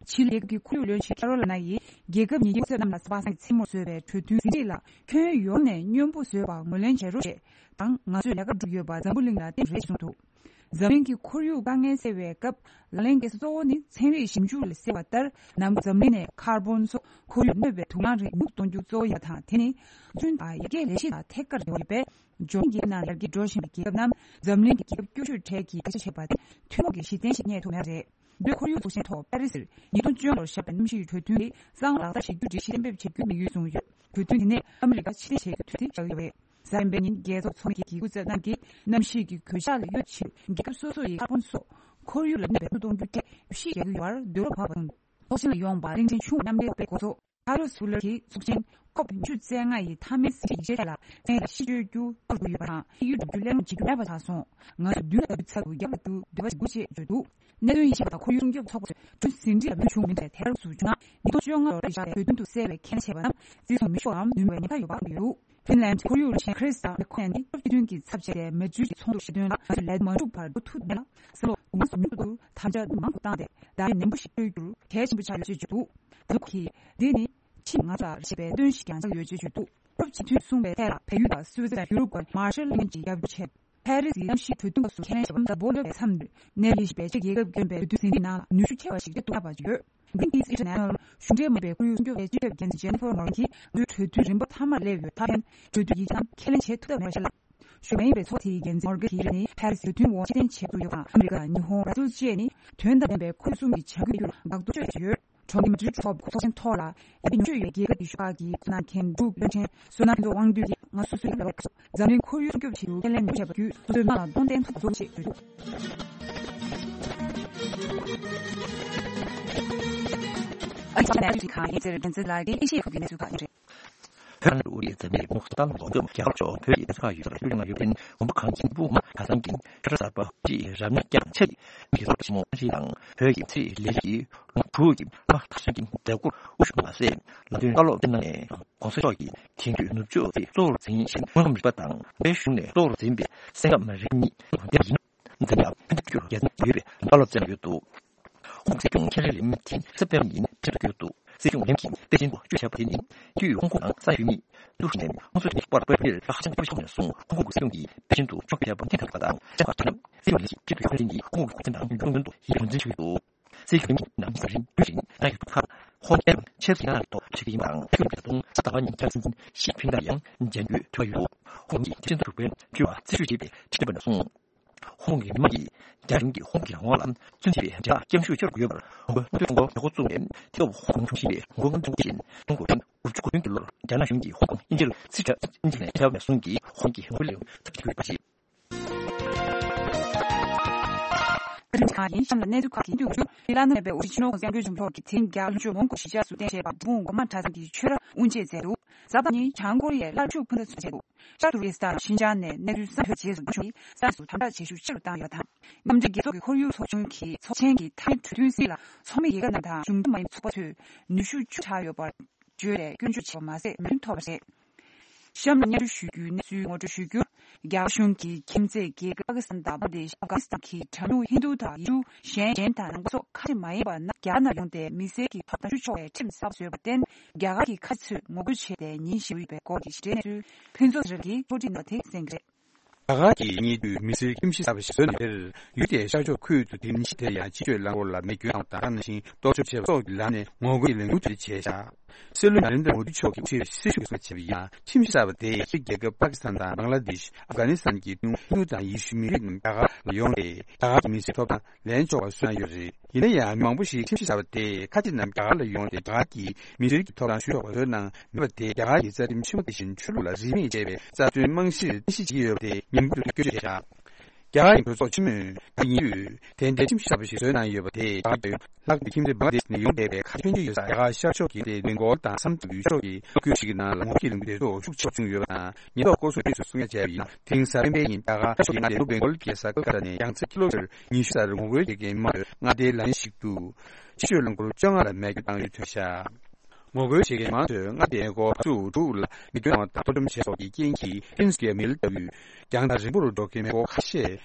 ཕྱི་ལོ་རྒྱལ་ཁབ་ཀྱི་ཁོར་ཡུག་བློན་ཆེན་ཁེ་རོ་ལི་ན་ཡིས་རྒྱལ་ཁབ་གཉིས་ཀའི་སྐུ་ཚབ་རྣམས་ལ་གཟའ་པ་སངས་ཀྱི་མཚན་མོར་བཟོས་པའི་གྲོས་མཐུན་ཟིན་བྲིས་ལ་ཁྱོན་ཡོངས་ནས་སྙོམས་པོ་བཟོས་པར་ངོས་ལེན་བྱེད་རོགས་ཞེས་དང་། ང་ཚོས་ལས་ཀ་སྒྲུབ་ཡོད་པ་འཛམ་བུ་གླིང་ལ་བསྟན་རེད་ཅེས་གསུངས་འདུག། འཛམ་གླིང་གི་ཁོར་ཡུག་དཀའ་ངལ་སེལ་བའི་སྐབས་ལག་ལེན་གལ་ཆེ་གཙོ་བོ་ནི་ཚན་རིག་ཞིབ་འཇུག་ལས་གསལ་བ་ལྟར། ནམ་རྒྱུན་འཛམ་གླིང་ནས་ཁར་བོན་སོགས་ཁོར་ཡུག་གནོད་པའི་དུག་རླངས་རིགས་ཉུང་དུ་གཏོང་རྒྱུ་གཙོ་བོ་ཡིན་པ་དང་། དེ་ནི་རྒྱུན་དང་ཡར་རྒྱས་ལས་གཞི་དང་ཐད་ཀར་འབྲེལ་བ་ཡོད་པས། འབྱུང་འགྱུར་ནང་ཡར་རྒྱས་འགྲོ་བཞིན་པའི་རྒྱལ་ཁབ་རྣམས་འཛམ་གླིང་གི་རྒྱལ་ཁབ་བཅུ་བཅུ་གྲས་ཀྱི་སྐད་ཆ་བྱེད་པ་དེ་ཐུན་མོང་གི་གཞི་རྟེན་ཞིག་རྙེད་ཐུབ་མེད་པ་རེད། འདི་ལོའི་ཁོར་ཡུག་ཚོགས་ཆེན་ཐོག་པེ་རི་སིར་ཉིས་སྟོང་བཅུ་ལོར་བཞག་པའི་གནམ་གཤིས་གྲོས་མཐུན་དེ་གསང་བ་ལག་བསྟར་བྱེད་རྒྱུ་དེ་གཞི་རྟེན་འབེབས་བྱེད་རྒྱུའི་དམིགས་ཡུལ་བཟུང་ཡོད། གྲོས་མཐུན་དེ་ནས་ཨ་མི་རི་ཀ་ཕྱིར་འཐེན་བྱེད་རྒྱུའི་དུས་ཚོད་བཞག་ཡོད་པ་རེད། གཟའ་སྤེན་པའི་ཉིན་རྒྱལ་ཚོགས་ཚོགས་མི་གི་སྐུ་ཚབ་རྣམས་ཀྱིས་གནམ་གཤིས་ཀྱི་གོད་ཆག་ལ་གཡོལ་ཆེད་རྒྱལ་ཁབ་སོ་སོ་ཡིས་ཀར་བོན་སོགས་ཁོར་ཡུག་ལ་གནོད་པའི་གཏོང་རྒྱུ་ཐད་གཞི་རྒྱག་གི་ཡོད་པར་འདོད་བློ་བབས་པ་དང་། ཚོགས་ཆེན་ལ་ཡོང་བར་གླིང་ཆེན་ཆུང་མཉམ་འབྲེལ་དཔོན་འགོ་ཚོགས་ཁ་ལོ་སུ་ལར་གྱིས་ཚོགས་ཆེན་ཀོབ་ཉི་ཤུ་རྩ་ལྔ་ཡི་མཐའ་མའི་ཟིན་བྲིས་ཡིག་ཆའི་ཐད་ལ་གསན་ཡིག་ཞིབ་དཔྱོད་རྒྱུ་བཀོད་དགོས་ཡོད་པ་དང་། ཕྱིས་ཡུལ་སྒྲུབ་རྒྱུ་གླེང་སློང་བྱེད་རྒྱུ་མེད་པ་ཆགས་སོང་། ང་ཚོས་མདུན་ལ་འགྲོ་བའི་ཚབ་ཏུ་རྒྱབ་ལ་འགྲོ་འདོད་པ་ཞིག་འདུག་ཅེས་བརྗོད་འདུག། གནད་དོན་ཡིད་ཆེས་པ་དང་ཁོར་ཡུག་སྲུང་སྐྱོབ་ཚོགས་པ་ཚོས་གྲོས་མཐུན་ཟིན་བྲིས་ལ་མོས་མཆོང་མིན་པའི་ཐད་གཏོང་བྱུང་ན། ཉིས་སྟོང་བཅོ་ལྔ་ལོར་བཞག་པའི་གྲོས་མཐུན་དུ་གསལ་བའི་ཁས་ལེན་བྱས་པ་རྣམས་བརྩི་སྲུང་མི་ཤོར་བའམ་ནུས་པའི་ཉེན་ཁ་ཡོད་པ་གསུངས་ཡོད། ཧྥིན་ལན་ཁོར་ཡུག་བློན་ཆེན་ཁྲི་སི་ཏ་མེ་ཁོ་ནན་ནི་ཡུ་རོབ་སྤྱི་མཐུན་གྱི་ཚབ་བྱས་ཏེ་མེ་ཌི་རིད་ཀྱི་ཚོགས་འདུར་ཞུགས་དོན་ལ། ང་ཚོས་ལས་དོན་མ་འགྲུབ་བར་འགྲོ་ཐུབ་མེད་ལ། ས་ལོ་འོ་མ་སུ་མུ་ཏུ་དམ་བཅའ་མང་དུ་བཏང་སྟེ་བརྡ་ཡིག་ནན་པོ་ཞིག་སྤྲོད་རྒྱུར་གལ་ཆེན་པོ་ཆགས་ཡོད་ཅེས་བརྗོད་འདུག། ཛུ་ཁི་འདི་ནི་ཕྱིན་ང་ཚོ་ལ་ཞེས་པའི་སྟོན་ཞིག་ཀྱང་ཆགས་ཡོད་ཅེས་བརྗོད་འདུག། ཡུ་རོབ་སྤྱི་མཐུན་གསུངས་པའི་ཐད་ལ་བལ་ཡུལ་དང་སུད་སི་དང་ཡུ་རོབ་ཀྱི་མར་ཤལ་གླིང་གི་རྒྱབ་སྐྱོར་བྱས། ཕ་རི་སིའི་གནམ་གཤིས་གྲོས་མཐུན་སྐབས་སུ་ཁས་ལེན་བྱས་པ་ད་བོ་ལོ་བའི་མཚམས་འདིར་གནས་ལུས་བཞིན་པའི་ཕྱི་རྒྱལ་ཁབ་ཀྱི་གྲོས་མཐུན་ཟིན་བྲིས་ནང་ལ་ནུས་ཤུགས་ཆེ་བ་ཞིག་ཏུ་གཏོང་ཐུབ་པ་བརྗོད། Greenpeace International གཞུང་འབྲེལ་མིན་པའི་ཁོར་ཡུག་སྲུང་སྐྱོབ་འགན་འཛིན་Jennifer Morgan གྱིས་ལོའི་གྲོས་མཐུན་རིམ་པ་མཐའ་མར་སླེབས་ཡོད་ཐབས་ཀྱིས་གྲོས་མཐུན་ཡིག་ཆ་ཁས་ལེན་བྱེད་ཐུབ་ཐབས་མེད་པ་བཤད་ལ། གཞུང་མ་ཡིན་པའི་ཚོགས་དེའི་འགན་འཛིན་Morgan གྱིས་རེ་ནི་ཕ་རི་སི་གྲོས་མཐུན་འོག་ཕྱིར་འཐེན་བྱེད་དགོས་ཡོད་པ་དང་ཨ་མི་རི་ཀ་ཉི་ཧོང་བར་ཛིལ་བཅས་ནི་དོན་དང་ལྡན་པའི་ཁོར་ཡུག་སྲུང་གི་བྱ་འགུལ་བརྒྱུད་ལ་འགག་གཏོར་བྱས་ཡོད། གྲོང་ཁྱེར་མ་ཌི་རིད་ཐོག་ཚོགས་ཆེན་ཐོག་ལ་ཡ་གྱལ་ཉུང་ཤོས་ཡོད་རྒྱལ་ཁབ་ཀྱི་གཞུང་ཁག་གི་ཁོངས་ནང་མཁན་འབྲུག་བློན་ཆེན་བསོད་ནམས་ཕུན་ཚོགས་དབང་འདུས་ཀྱིས་ང་ཚོ་སུ་ཡིན་པ་འཛམ་གླིང་ཁོར་ཡུག་སྲུང་སྐྱོབ་ཆེད་དུ་ཁས་ལེན་མི་བྱེད་པར་བརྒྱུད་སོ་སོའི་དམངས་ལ་གདོང་བསྟན་ཐུབ་པ་བཟོ་ཆེད་བརྗོད་འདུག། ཨ་རིའི་ནས་ཁང་ཡིན་ཟེར་འགན་འཛིན་ལགས་ཀྱིས་ཨེ་ཤི་ཡའི་ཁུལ་གྱི་གནས་ཚུལ་ཁག་ཡིན་རེད། བོད་ནང་དུ་ཨུ་རིའི་འཛམ་གླིང་མུ་ཁ་ཏང་ལ་འགོག་སྐྱོབ་རྒྱ་གར་ཕྱོགས་བོད་ཀྱི་ས་ཁག་ཡུལ་ས་ལ་ཡུལ་ནང་ཡོད་པའི་དགོན་པ་གངས་ཅན་སྤོ་བོ་མ་གྲྭ་ཚང་གི་ཆོས་གྲྭ་གསར་པ་ཅིག་རབ་གནས་བསྐྱངས་ཆེད་མི་རོགས་ཆེན་མོ་ཨ་རི་དང་བོད་ཀྱི་ཚེ་རིང་ལས་རིགས་ཀྱི་ལུང་ཕྲུག་གི་མ་གྲྭ་ཚང་གི་མཛད་སྒོར་དབུ་བཞུགས་མ་ཟད་ལམ་སྟོན་བཀའ་སློབ་སྩལ་གནང་ནས། ༸གོང་ས་མཆོག་གིས་དེང་དུས་ནུབ་ཕྱོགས་ཀྱི་གཙོ་བོར་འཛིན་ཞིང་དངོས་ཁམས་རིག་པ་དང་བོད་གཞུང་ནས་གཙོ་བོར་འཛིན་པའི་ སེང་སྐབས་རེ་གཉིས་ལོ་འདེབས་ཡིན། འཛིན་ཡག་ཕན་ཚུན་རྒྱ་ནག་ཡོད་པའི་བཀའ་སློབ་སྩལ་ཡོད་འདུག་ཧོང་སྲིད་སྐྱོང་ཁེ་རི་ལིམ་ཐིན་སེབ་ཏེམ་ཉིན་ཁྲིན་ཏུ་བསྐྱོད་འདུག་སྲིད་སྐྱོང་ལིམ་ཐིན་པེ་ཅིན་དུ་བསྐྱོད་བཞག་པ་དེ་ནི་དུས་ཧོང་ཀོང་ནང་ས་ཡོད་མི་ཏུ་ཧྲི་ནན་ཧོང་སུ་ཁྲིན་པར་པེ་པེར་ལ་ཧ་ཅང་སྤྲོ་ཤོས་ནས་བཟུང་ཧོང་ཀོང་གི་སྲིད་སྐྱོང་གིས་པེ་ཅིན་དུ་ཕྱོགས་ཕེབས་པ་ཐེངས་དང་པ་དང་ལྕགས་པར་ཐོན་ནམ་སྲིད་སྐྱོང་ལིམ་ཐིན་ཁྲིན་ཏུ་ཡོང་དོན་དུ་ཡིད་རང་འཛིན་ཞུས་འདུག་སྲིད་སྐྱོང་ནམ་ས་རིམ་དུས་རིང་ད་ཡོད་ཁ་ཧོང་ཀོང་ཆེས་སི་ཡང་ཐོག་ཆེ་གི་མང་ཁྱུར་གྱི་དུང་ས་ད་བ་ཉིན་ཆར་སྲིད་འཛིན་ཞི་ཕིང་དང་ཡང་མཇལ་འགྱོད་ཐུབ་ཡོད། ཧོང་གི་སྤྱི་ཚོགས་དྲུག་པའི་བཅུ་བ་སྲི་ཞུ་བྱས་པའི་ཁྲིམས་རིམ་པ་ནས་བཟུང་། ཧོང་གི་མི་མང་གིས་རྒྱ་གཞུང་གིས་ཧོང་གི་རང་དབང་ལ་བཙོན་ཐེབས་པའི་འབྲེལ་བ་སྐྱང་ཤོས་ཆགས་ཡོད་པར་ཧོང་གོ་མངའ་སྡེ་ཀྲུང་གོ་ཡག་པོ་བཙུགས་ནས་དེ་སྐབས་ཧོང་ཆུང་ཞིང་ལས་ཧོང་གོ་མངའ་སྡེ་ཀྲུང་གོ་ཆེན་དགུ་བཅུ་གོ་བདུན་གྱི་ལོར་རྒྱ་ནག་གཞུང་གིས་ཧོང་ཀོང་དབྱིན་ཇིར་ཕྱིར་དབྱིན་ཇི་ནས་ཁྱབ་ནས་བཟུང་གིས་ཧོང་གི་ཧོང་ལས་ཚབ་ཀྱི་ཡོད་པ་རེད། ཨ་རིའི་གཞུང་གིས་གཤམ་ལ་གནས་ཚུལ་ཁག་གི་མཐུད་ཀྱིས་བླ་ན་མེད་པའི་དབུ་ཁྲིད་ཞི་ཅིན་ཕིང་སྐྱབས་མགོན་ཆེན་པོ་མཆོག་གིས་དེ་རིང་རྒྱ་གར་ལྷོ་ཕྱོགས་མོན་གྷོ་གཞིས་ཆགས་སུ་རྟེན་བཞེས་པ་འབྲས་སྤུངས་སྒོ་མང་གྲྭ་ཚང་གི་ཆོས་ར་དབུ་འབྱེད་མཛད་འདུག་གཟའ་པ་ཉིན་བྱང་ཀོ་རི་ཡའི་སླར་འཇུག་ཕུ་ནུ་ཚོགས་ཆེན་དུ་ཤར་ཏུར་ཀི་སི་ཐན་ཤིན་ཅང་ནས་གནས་ཚུལ་གསར་ཤོས་རྗེས་སུ་འབྱོར་ནས་ས་གནས་སུ་དམ་དྲག་བྱེད་ཤུགས་ཆེ་རུ་བཏང་ཡོད་པ་དང་། མཉམ་འབྲེལ་རྒྱལ་ཚོགས་ཀྱི་ཁོར་ཡུག་ཚོགས་ཆུང་གིས་ཚོགས་ཆེན་གྱི་མཐའ་མའི་གྲོས་མཐུན་སྲིད་ལ་ཚོགས་མི་ཡི་གེ་ནང་དང་གཞུང་འབྲེལ་མ་ཡིན་པའི་ཚོགས་པ་ཚོས་ནུས་ཤུགས་བཅུ་ཆགས་ཡོད་པར་བརྗོད་ལས་སྐྱོན་བརྗོད་བྱས་པ་མ་ཟད་མོས་མཐུན་ཐོབ་པ་རེད། གཤམ་ལ་སྙན་སྒྲོན་ཞུ་རྒྱུའི་གནས་ཚུལ་ངོ་སྤྲོད་ཞུ་རྒྱུར། རྒྱ་གར་གཞུང་གིས་ཁྱིམ་མཚེས་རྒྱལ་ཁབ་པ་ཀི་སི་ཐན་དང་བང་ལ་དེཤ། ཨབ་གྷ་ནི་སི་ཐན་གྱི་གྲངས་ཉུང་ཧིན་རྡུ་དང་ཡུལ་གྲུ་གཞན་གཞན་དང་ནང་པ་སོགས་ཁ་ཆེ་མ་ཡིན་པ་རྣམས་རྒྱ་གར་ནང་ཡོང་སྟེ་མི་སེར་གྱི་ཐོབ་ཐང་ཞུ་ཆོག་པའི་ཁྲིམས་གསར་པ་བཟོས་པར་བརྟེན། རྒྱ་གར་གྱི་ཁ་ཆེ་ཚོས་ངོ་རྒོལ་བྱས་ཏེ་ཉིན་བཞི་པའི་སྐོར་གྱི་ཞིབ་ཕྲའི་གནས་ཚུལ་ཕུན་ཚོགས་ཟེར་གྱིས་འཕྲོ་སྒྲིག་གནང་བ་དེ་གསན་གྱི་རེད། རྒྱ་གར་གྱི་གཉེན་སྒྲིག་མི་སེར་ཁྱིམ་གཞིས་གསར་པ་ཞིག་བཟོས་གནང་བའི་ཕྱིར། ཡུལ་དེའི་ཤར་ཕྱོགས་ཁུལ་དུ་དེ་ཉིན་ཞིག་དེར་ཡང་ཕྱི་སྐྱོད་རླངས་འཁོར་ལ་མེ་སྐྱོན་བཏང་བ་དང་། དེ་ནང་བཞིན་གཏོར་བཤིག་བྱས་པ་སོགས་ཀྱི་ལམ་ནས་ངོ་རྒོལ་གྱི་ལས་འགུལ་དེ་བྱས་ཤག་སྲིད་བློན་ནཱ་རེན་དྲ་མོ་དི་མཆོག་གིས་དབུ་ཁྲིད་སྲི་ཞུ་གསལ་བྱས་པ་ཡིན་ན། ཁྱིམ་གཞིས་གསར་པ་དེས་ཕྱིའི་རྒྱལ་ཁབ་པ་ཀི་སི་ཐན་དང་བང་ལ་དེཤ། ཨབ་གྷ་ནི་སི་ཐན་གྱི་ཀྲུང་ཧིན་རྡུ་དང་ཡེ་ཤུ་མི་རིགས་རྣམས་རྒྱ་གར་ལ་ཡོང་སྟེ། རྒྱ་གར་གྱི་མི་སེར་ཐོབ་ཐང་ལེན་ཆོག་པར་བཟོས་གནང་ཡོད་རེད། ཡིན་ན་ཡང་མི་མང་པོ་ཞིག་ཁྱིམ་གཞིས་གསར་པ་དེས་ཁ་ཆེ་རྣམས་རྒྱ་གར་ལ་ཡོང་སྟེ་རྒྱ་གར་གྱི་མི་སེར་གྱི་ཐོབ་ཐང་ཞུ་ཆོག་པ་བཟོས་གནང་མེད་པ་དེས་རྒྱ་གར་གྱི་རྩ་ཁྲིམས་ཆེན་མོ་དེ་བཞིན་ཆོས་ལུགས་ལ་རིས་མེད་བཅས་པའི་རྩ་དོན་རྨང་གཞིར་རྟེན་གཞི་བྱེད་ཀྱི་ཡོད་པ་དེ་ངན་པ་དུ་སྐྱོན་བརྗོད་བྱས་ཤག་རྒྱ་གར་གྱི་གྲོས་ཚོགས་ཆེན་མོས་ད་ཉིན་དུས་དེ་འདྲའི་ཁྱིམ་གཞིས་གསར་པ་ཞིག་བཟོས་གནང་ཡོད་པ་དེས་རྒྱ་གར་ལྷག་པའི་ཁྱིམ་མཚེས་བང་ལ་དེཤ་ནས་ཡོང་བསྡད་པའི་ཁ་ཆེ་ཆོས་ཡོད་ས་རྒྱ་གར་ཤར་ཕྱོགས་ཀྱི་དེ་བེང་གོལ་དང་སམ་དུ་ཡུལ་ཕྱོགས་ཀྱི་ལོ་རྒྱུས་ཤིག་གི་ནང་ལ་ངོ་རྒོལ་གྱི་ལས་འགུལ་དེ་ཚོ་ཤུགས་ཆེ་བྱུང་ཡོད་པ་དང་། ཉེན་རྟོག་སྐོར་སོགས་དུས་སུ་གསུང་ཡ་བྱས་པ་ཡིན་ན། དེང་གཟའ་སྤེན་པའི་ཉིན་རྒྱ་གར་ཤར་ཕྱོགས་ཀྱི་མངའ་སྡེ་ལྷོ་བེང་གོལ་གྱི་ས་ཁུལ་ཁ་ཐ་ནས་ཡང་རྩེ་ཀི་ལོ་མི་ཊར་ཉི་ཤུ་སར་ངོ་རྒོལ་བྱེད་མཁན་དམངས་ཚོས་མངའ་སྡེའི་ལ་ཡུལ་ཞིག་ཏུ་ཕྱི་སྐྱོད་རླངས་འཁོར་བཅོ་ལྔ་ལ་མེ་སྐྱོན་བཏང་ཡོད་ཐོན་ཤག་ངོ་རྒོལ་བྱེད་མཁན་མང་ཚོས་མངའ་སྡེའི་སྒོ་བར་ཚུགས་དྲུག་ལ་མེ་སྐྱོན་བཏང་བ་དང་གཏོར་བཅོམ་བྱས་སོགས་ཀྱི་རྐྱེན་གྱིས་ཀིན་སི་ཀི་མི་ལ་ལྟ་བུའི་རྒྱང་ཐག་རིང་པོ་རུ་འགྲོ་མཁན་མེ་འཁོར་ཁ་ཤས་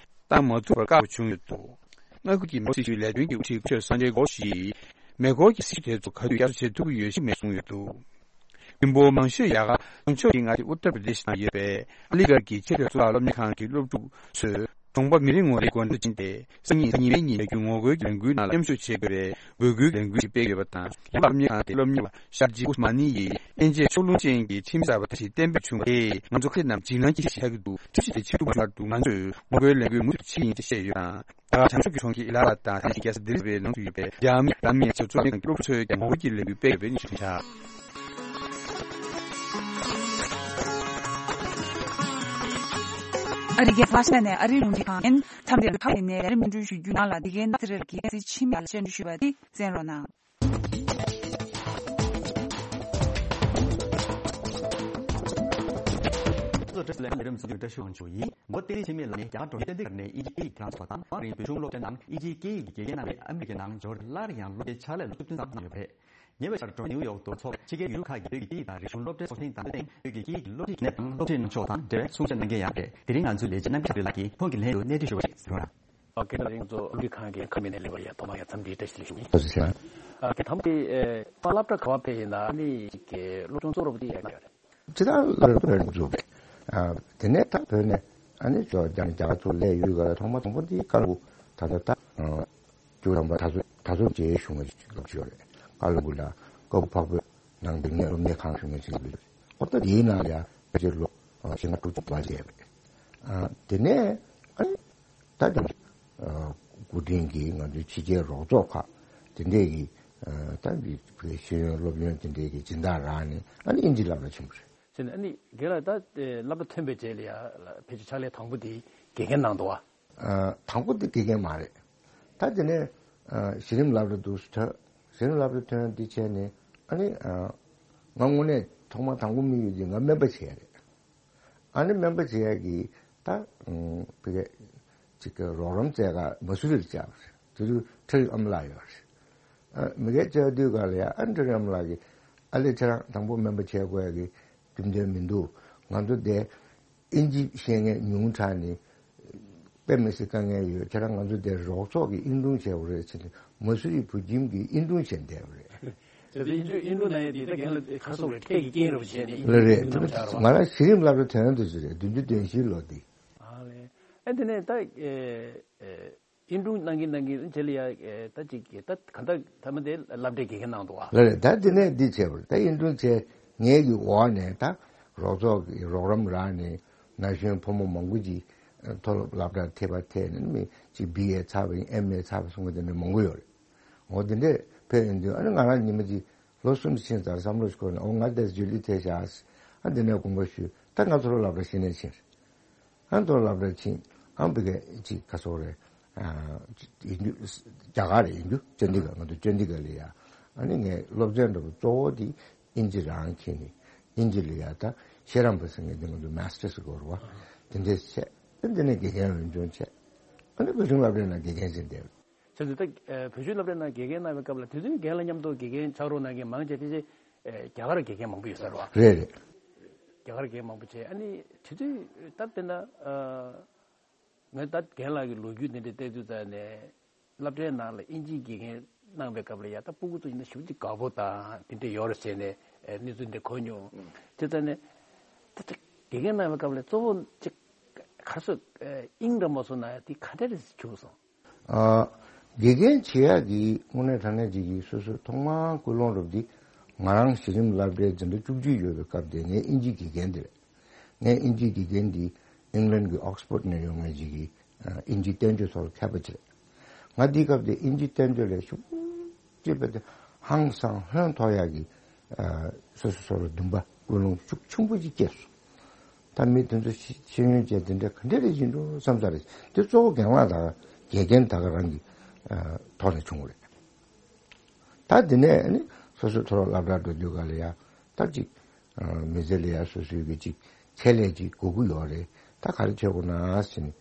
བཏང་མ་ཐུབ་པར་བཀག་པ་བྱུང་ཡོད་འདུག་མངའ་ཁུལ་གྱི་མེ་འཁོར་སྲི་ཞུའི་ལས་དོན་གྱི་དབུ་ཁྲིད་སྐུ་ཞབས་སན་ཇེ་གྷོ་ཤིས་མེ་འཁོར་གྱི་སྲི་ཞུ་དེ་ཚོ་ག་དུས་ཡར་བྱེད་ཐུབ་ཀྱི་ཡོད་ཅེས་གསུངས་ཡོད་འདུག་མི་འབོར་མང་ཤོས་ཡ་ག་བྱང་ཕྱོགས་ཀྱི་མངའ་སྡེ་ཨུ་ཏར་པྲ་དེཤ་ནང་ཡོད་པའི་ཨ་ལི་གྷར་གྱི་ཆེས་མཐོའི་གཙུག་ལག་སློབ་གཉེར་ཁང་གི་སློབ་ཕྲུག་ཚོས་གྲོང་པ་མི་རེ་ངོ་རེའི་སྒོ་འགྲམ་དུ་ཕྱིན་ཏེ། སང་ཉིན་གཟའ་ཉི་མའི་ཉིན་ལས་འགུལ་ངོ་རྒོལ་གྱི་ལས་འགུལ་ནང་ལ་མཉམ་ཞུགས་བྱེད་དགོས་པའི་འབོད་སྐུལ་ལས་འགུལ་ཞིག་སྤེལ་ཡོད་པ་དང་། ཡང་སློབ་གཉེར་ཁང་དེའི་སློབ་གཉེར་བ་ཤར་ཇི་ཨུ་སྨ་ནི་ཡིས་དབྱིན་ཇིའི་ཕྱོགས་ལྷུང་ཅན་གྱི་ཁྲིམས་གསར་པ་དེ་ཞིག་གཏན་འབེབས་བྱུང་བ་དེས་ང་ཚོ་ཁ་ཤས་རྣམས་འཇིགས་སྣང་སྐྱེ་གཞི་ཆགས་ཀྱི་འདུག་ཁྲིམས་གཞི་དེ་ཕྱིར་བསྡུ་མ་བྱུང་བར་དུ་ང་ཚོས་ངོ་རྒོལ་ལས་འགུལ་མུ་མཐུད་བྱེད་ཀྱི་ཡིན་ཅེས་བཤད་ཡོད་ཀྱང་། རྒྱ་གར་བྱང་ཕྱོགས་ཀྱི་གྲོང་ཁྱེར་ཨི་ལ་ཧ་ལ་དང་ད་ནི་རྒྱལ་ས་ལྡི་ལི་བའི་ནང་དུ་ཡོད་པའི་རྒྱ་མི་རང་མིའི་སྤྱི་ཚོགས་ནང་གི་སློབ་ཕྲུག་ཚོས་ཀྱང་ངོ་རྒོལ་གྱི་ལས་འགུལ་སྤེལ་ཡོད་པའི་གནས་ཚུལ་ཐོན་ཤག་ཨ་རིའི་རྒྱལ་ས་ཝ་ཤིང་ཊོན་ནས་ཨ་རིའི་རླུང་འཕྲིན་ཁང་ཡིན། མཚམས་འདིར་ཁག་ཡིན་ནའི་ལས་རིམ་སྙན་སྒྲོན་ཞུ་རྒྱུའི་ནང་ལ་འདི་གའི་ནགས་ཚལ་རེར་གྱི་སྲིད་ཕྱི་མི་ལ་སྙན་སྒྲོན་ཞུས་པ་འདི་གསན་རོགས་གནང་། བཀྲ་ཤིས་བདེ་ལེགས། ལས་རིམ་གསར་འགོད་བཀྲ་ཤིས་དབང་ཕྱུག་ཡིན། མགོ་བདེ་ལེགས་ཆེན་མོ་ལགས་ནི་རྒྱ་གར་གྲོང་ཁྱེར་ཏན་ཏིག་ནས་དབྱིན་ཇིའི་སྐད་ཡིག་དང་ཚོགས་པ་དང་། མ་རིང་བོད་གཞུང་སློབ་གྲྭ་ནང་དབྱིན་ཇིའི་སྐད་ཡིག་གི་དགེ་རྒན་གནང་བའི་ཨ་མི་རི་ཀའི་ནང་འབྱོར་ཏེ། སླར་ཡང་སློབ་གྲྭའི་ཕྱག་ལས་ལ་ཐུགས་མཐུན་ཚང་གནང་ཡོད་པ་རེད། ཉེ་བའི་ཆར་འབྲོག་ནིའུ་ཡོག་ཏུ་འཚོགས་པའི་ཕྱི་རྒྱལ་ཡུལ་ཁག་གི་བོད་ཀྱི་སྐད་ཡིག་དང་རིག་གཞུང་སློབ་གྲྭའི་ཚོགས་ཆེན་དང་པོའི་སྟེང་བོད་ཀྱི་སྐད་ཡིག་གི་སློབ་ཁྲིད་ཀྱི་གནས་སྟངས་སློབ་ཁྲིད་གནང་ཕྱོགས་དང་འབྲེལ་བའི་གསུང་བཤད་གནང་མཁན་ཡང་རེད། དེ་རིང་ང་ཚོའི་ལས་བྱེད་རྣམ་གྲྭ་ལགས་ཀྱིས་ཁོང་གི་ལན་དུ་གནས་འདྲི་ཞུ་བ་ཞིག་གཟིགས་རོགས་གནང་། ཨོ་ཁེ། ད་རིང་ཚོ་ཨོ་རི་ཁང་གི་ཁ་མི་ནས་ལེགས་པར་ཡ་ཐོག་མ་ཡ་འཚམས་འདྲི་བཀྲ་ཤིས་བདེ་ལེགས་ཞུ་གི་ཡིན། ཐུགས་རྗེ་ཆེ། ཨ་ཁེ། དང་པོ་དེ་ཨེ་ད་སློབ་གྲྭ་ག་བ་ཕེབས་ཡིན་ན་ཨ་ནི་ཅིག་གི་སློབ་སྦྱོང་གཙོ་བོ་དེ་ཡ་ག་ཡོད་རེད། ཅི་ད་སློབ་གྲྭ་བོད་ནས་འཛུགས་པས། ཨ་དེ་ནས་ད་བོད་ནས་ཨ་ནི་ཅོ་རྒྱ་ནས་རྒྱ་གར་ཚུར་སླེབས་ཡུལ་ག་ལ་ཐོག་མ་དང་པོ་དེ་ཀ་ལོན་སྦུག་ད་ལྟ་ད་ཨ་བཅུ་ཐམ་པ་ད་ཚོ་ད་ཚོ་མཇལ་ཞུ་ངེས་ཅིག་སློབ་ཅིག་ཡོད་རེད། ཀ་ལོན་སྦུག་ལ་ཀ་བུ་འཕགས་བོད་ནང་འདི་ངས་སློབ་གཉེར་ཁང་ཞུ་ངེས་ཅིག་ལ་ཨོ་ད་དེའི་ནང་ལ་ཡ་ཕལ་ཆེར་ལོ་ཨ་བཞི་ལྔ་དྲུག་ཅུ་བར་བསྡད་པ་རེད། ཨ་དེ་ནས་ཨ་ནི་ད་ཀྱང་ཨ་སྐུ་དྲིན་གྱིས་ང་ཚོའི་ཕྱི་རྒྱལ་རོགས་ཚོགས་ཁག་དེ་འདྲས་ཀྱི་ཨ་ད་འདི་བོད་ཤེས་ཡོན་སློབ་ཡོན་དེ་འདྲས་ཀྱི་སྦྱིན་བདག་རག་ནས་ཨ་ནི་དབྱིན་ཇི་སློབ་གྲྭ་ཆེན་པོ་རེད། ཟེར་ནས་ཨ་ནི་རྒན་ལགས་ད་ཨེ་སློབ་གྲྭ་ཐོན་པའི་རྗེས་ལ་ཡ་ཕལ་ཆེར་ཕྱག་ལས་དང་པོ་དེ་དགེ་རྒན་གནང་འདུག་བ། ཨ་དང་པོ་དེ་དགེ་རྒན་མ་རེད། ད་དེ་ནས་ཨ་གཞི་རིམ་སློབ་གྲྭ་དུ་ཐོན། གཞི་རིམ་སློབ་གྲྭ་ཐོན་དེ་བྱས་ནས་ཨ་ནི་ཨ་ང་དངོས་གནས་ཐོག་མ་དང་པོ་དམིགས་ཡུལ་དེ་ང་སྨན་པ་བྱེད་ཡ་རེད། ཨ་ནི་སྨན་པ་བྱེད་ཡ་གི་ད་ཨ་ཕ་གི་ཅིག་གི་རོགས་རམ་བཙལ་ག་མ་སུ་རིར་བཅར་བ་རེད། དེ་དུས་ཁྲ་རིག་ཨ་མ་ལགས་ཡོད་རེད། ཨ་མི་སྒེར་བཅར་དུས་ག་ལ་ཡ་ཨ་ཁྲ་རིག་ཨ་མ་ལགས་ཀྱིས་ཨ་ལས་ཁྱེད་རང་དང་པོ་སྨན་པ་བྱེད་དགོས་ཡ་གི་རྒྱུ་མཚན་མི་འདུག་ང་ཚོ་དེ་ཨིན་ཇི་ཤེས་མཁན་ཉུང་དྲགས་ནས་ དཔེ་མི་སྲིད་དཀའ་ངལ་ཡོད། ཁྱེད་རང་ང་ཚོ་དེ་རོགས་ཚོགས་ཀྱི་ཨིན་དྲུང་བྱས་པ་རེད་ཟེར་ནས་མ་སུ་རི་བུ་ཁྱིམ་གྱི་ཨིན་དྲུང་བྱས་བསྡད་པ་རེད། དེ་ཚོ་ཨིན་དྲུང་ཨིན་དྲུང་ན་ཡོད་དེ་ད་རྒན་ལགས་ཁ་སོགས་རེད་ཁྲལ་གྱི་རྐྱེན་རེད་བྱས་ནས་ཨིན་དྲུང་རེད་རེད། ནང་བཞག་རོགས། ང་རང་གཞི་རིམ་སློབ་གྲྭ་དོན་དུ་ཟེར་རེད་བདུན་ཅུ་དོན་བཞིའི་ལོ་དེ། ཨ་ལས། ཨ་དེ་ནས་ད་ཨིན་དྲུང་གནང་གིན་གནང་གིན་རྗེས་ལ་ཡ་ད་ཅིག་ད་ག་ད་ཐ་མ་དེ་སློབ་གྲྭའི་དགེ་རྒན་གནང་འདུག་ཨ། ལ་རེད། ད་དེ་ནས་འདི་བྱས་པ་རེད། ད་ཨིན་དྲུང་བྱས་ངེད་ཀྱི་འོག་ནས་ད་རོགས་ཚོགས་ཀྱི་རོགས་རམ་རག་ནས་ན་གཞོན་ཕོ་མོ་མང་པོ་ཅིག་མཐོ་སློབ་སློབ་གྲྭར་ཐད་པ་ཐད་ནས་མི་ཅིག་བི་ཨེ་ཚར་བ་ཡིན་ཨེམ་ཨེ་ཚར་བ་སོང་བ་དེ་འདྲ་མང་པོ་ཡོད་རེད། འོ་དེ་འདྲས་ཕེབས་ཡོང་དུས་ཨ་ནི་ང་རང་ཉི་མ་ཅིག་ལོ་གསུམ་ཕྱིན་ཙང་བསམ་བློ་ཞིག་འཁོར་ནས་འོ་ང་དེ་ཇུ་ལི་ཐེ་བཞག་ཨ་དེ་ནས་དགོངས་པ་ཞུས། ད་ང་ཚོ་ལོ་སློབ་གྲྭ་ཤེས་ནས་ཕྱིན། ཨ་མདོ་སློབ་གྲྭ་ཕྱིན། ཨ་ཕ་གི་ཅིག་ག་སོག་རེད། ཨ་ཡིན་རྒྱུ། རྒྱ་གར་རེད་ཡིན་རྒྱུ་ཅན་དི་ག་ང་ཚོ་ཅན་དི་ག་ལ་ཡ། ཨ་ནི་ངས་སློབ་ཚན་འདྲ་པོ་གཙོ་བོ་དེ་ཨིན་ཇི་རང་མཁྱེན་ནི། ཨིན་ཇི་ལ་ཡ་ད་ཤེས་རམས་པ་ཟེར་མཁན་དེ་ང་ཚོ་མཱ་སི་ཊར་ཟེར་དགོས་རེད་བ། དེ་འདྲས་བྱས། ཨ་འདི་ནས་དགེ་རྒན་འོས་སྦྱོང་བྱས། ཨ་ནི་བོད་ཤིང་སློབ་གྲྭའི་ནང་དགེ་རྒན་ཟེར་བསྡད། བྱས་ཙང་ད་བོད་ཤིང་སློབ་གྲྭའི་ནང་དགེ་རྒན་གནང་བའི་སྐབས་ལ་དེ་ཚོའི་རྒན་ལགས་མཉམ་དུ་དགེ་རྒན་ཆགས་རོགས་གནང་མཁན་མང་ཆེ་ཕལ་ཆེར་རྒྱ་གར་དགེ་རྒན་མང་པོ་ཡོད་ས་རེད་བ། རེད་རེད། རྒྱ་གར་རྒན་མང་པོ་བྱས་ཨ་ནི་དེ་དུས་ད་དཔེར་ན་ངས་ད་རྒན་ལགས་ཀྱི་ལོ་རྒྱུས་དེ་འདྲ་བལྟས་དུས་ཙང་ནས་སློབ་གྲྭའི་ནང་ལ་ཨིན་ཇིའི་དགེ་རྒན་གནང་བའི་སྐབས་ལ་ཡ་ད་སྤུ་གུ་ཚོ་ཡིན་ན་ཞེ་པོ་ཅིག་དགའ་པོ་དང་དེ་འདྲ་ཡོད་རེད་ཟེར་ནས་གནས་ཚུལ་འདི་གོ་མྱོང་། དེ་ཙང་ནས་ད་ཅིག་དགེ་རྒན་གནང་བའི་སྐབས་ལ་གཙོ་བོ་ཅིག་ག་སོ་དབྱིངས་འདྲ་མོ་སོང་ན་ཡ་དེ་ག་འདྲ་རེད་བྱུང་སོང་། ཨ། དགེ་རྒན་བྱེད་ཡག་གི་དངོས་གནས་དྲང་གནས་ཅིག་གི་སོ་སོའི་ཐོག་མར་ཀུན་སློང་རུབ་འདི་ང་རང་གཞི་རིམ་སློབ་གྲྭའི་འཛིན་གྲྭ་བཅུ་གཅིག་ཡོད་པའི་སྐབས་དེ་ངའི་ཨིན་ཇིའི་དགེ་རྒན་དེ་རེད། ངའི་ཨིན་ཇིའི་དགེ་རྒན་འདི་ཨིང་ལན་གྱི་ཨོག་སི་ཕོར་ཌི་ནས་ཡོང་མཁན་ཅིག་གི་ཨ་ཨིན་ཇིའི་བསྟན་བཅོས་ཐོག་ལ་མཁས་པ་ཅིག་རེད། ང་འདིའི་སྐབས་དེ་ཨིན་ཇིའི་བསྟན་བཅོས་ལས་ཤུགས་ཅེས་པ་དེ་ཧང་སང་ཧོན་ཐོར་ཡག་གི་ཨ་སོ་སོ་སོ་ལ་འདུན་པ་ཀུན་སློང་ཤུགས་ཆེན་པོ་ཅིག་སྐྱེས་སོང་། ད་མི་དེ་ཚོ་ཤེས་ཤེས་ཡོན་ཅན་དེ་འདྲ་ག་འདྲ་རེ་ཡིན་འགྲོ་བསམ་ས་རེད། དེ་གཙོ་བོ་རྒན་ལགས་དང་དགེ་རྒན་ད་ག་རང་གི་ཨ་ཐོག་ནས་བྱུང་བ་རེད། ད་དེ་ནས་ནི་སོ་སོའི་མཐོ་སློབ་སློབ་གྲྭར་འགྲོ་དུས་ག་ལ་ཡ་ད་ཅིག་ཨ་མི་ཚེ་ལ་ཡ་སོ་སོའི་གི་ཅིག་ཆེད་ལས་ཅིག་དགོས་ཀྱི་ཡོད་རེད། ད་ག་རེ་བྱེད་དགོས་ན་ཟེར་ནས་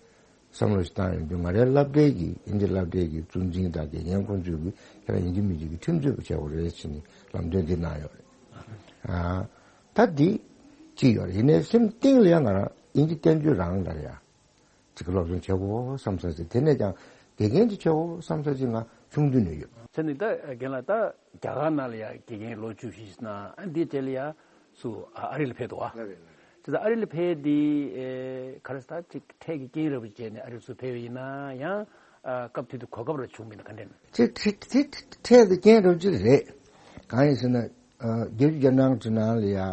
བསམ་བློ་ཞིག་བཏང་ཡོང་དུས་ང་རའི་སློབ་གྲྭའི་གི་ཨིན་ཇི་སློབ་གྲྭའི་གི་གཙོ་འཛིན་དང་དགེ་རྒན་ཁོང་ཚོས་གི་ཁྱེད་རང་ཨིན་ཇི་མི་ཇི་གི་ཁྲིམས་རྩོད་པ་བྱེད་དགོས་རེད་ཟེར་ནས་ལམ་སྟོན་འདི་གནང་ཡོད་རེད། ཨ་ད་འདི་ཅིག་ཡོད་རེད། ཡིན་ནའི་སེམས་གཏིང་ལ་ཡང་ང་རང་ཨིན་ཇི་བསྟན་བཅོས་རང་ལ་ཡ་ཅིག་གི་སློབ་སྦྱོང་བྱེད་དགོས་བསམ་ས་ཅིག་དེ་ནས་ཀྱང་དགེ་རྒན་ཅིག་བྱེད་དགོས་བསམ་ས་ཅིག་ང་ཆུང་དུས་ནས་ཡོད། ཚེ་ནི་ད་རྒན་ལགས་ད་རྒྱ་གར་ནང་ལ་ཡ་དགེ་རྒན་ལོ་བཅུ་བཞི་ཞིག་གནང་ཨ་འདི་རྗེས་ལ་ཡ་སུ་ཨ་ཨ་རི་ལ་ཕེབས་འདུག་བ། ལགས་རེད་ལགས་རེད། ཅི་ད་ཨ་རི་ལ་ཕེབས་དེ་ཨེ་ག་རེ་ཟེར་ད་ཅིག་འཕྲལ་གྱི་རྐྱེན་རབ་བྱས་ནས་ཨ་རི་ཚུར་ཕེབས་པ་ཡིན་ན་ཡང་ཨ་སྐབས་དེ་དུས་གོ་སྐབས་ར་བྱུང་མིན་ན་ག་འདྲ་ན། ཅི་ཁྲི་ཁྲི་ཁྲི་ཁྲི་དེ་རྐྱེན་རབ་ཅིག་རེད། གང་ཡིན་ཟེར་ན་ཨ་རྒྱལ་རྒྱལ་ནང་ཁྲི་ནང་ལ་ཡ་ཨ་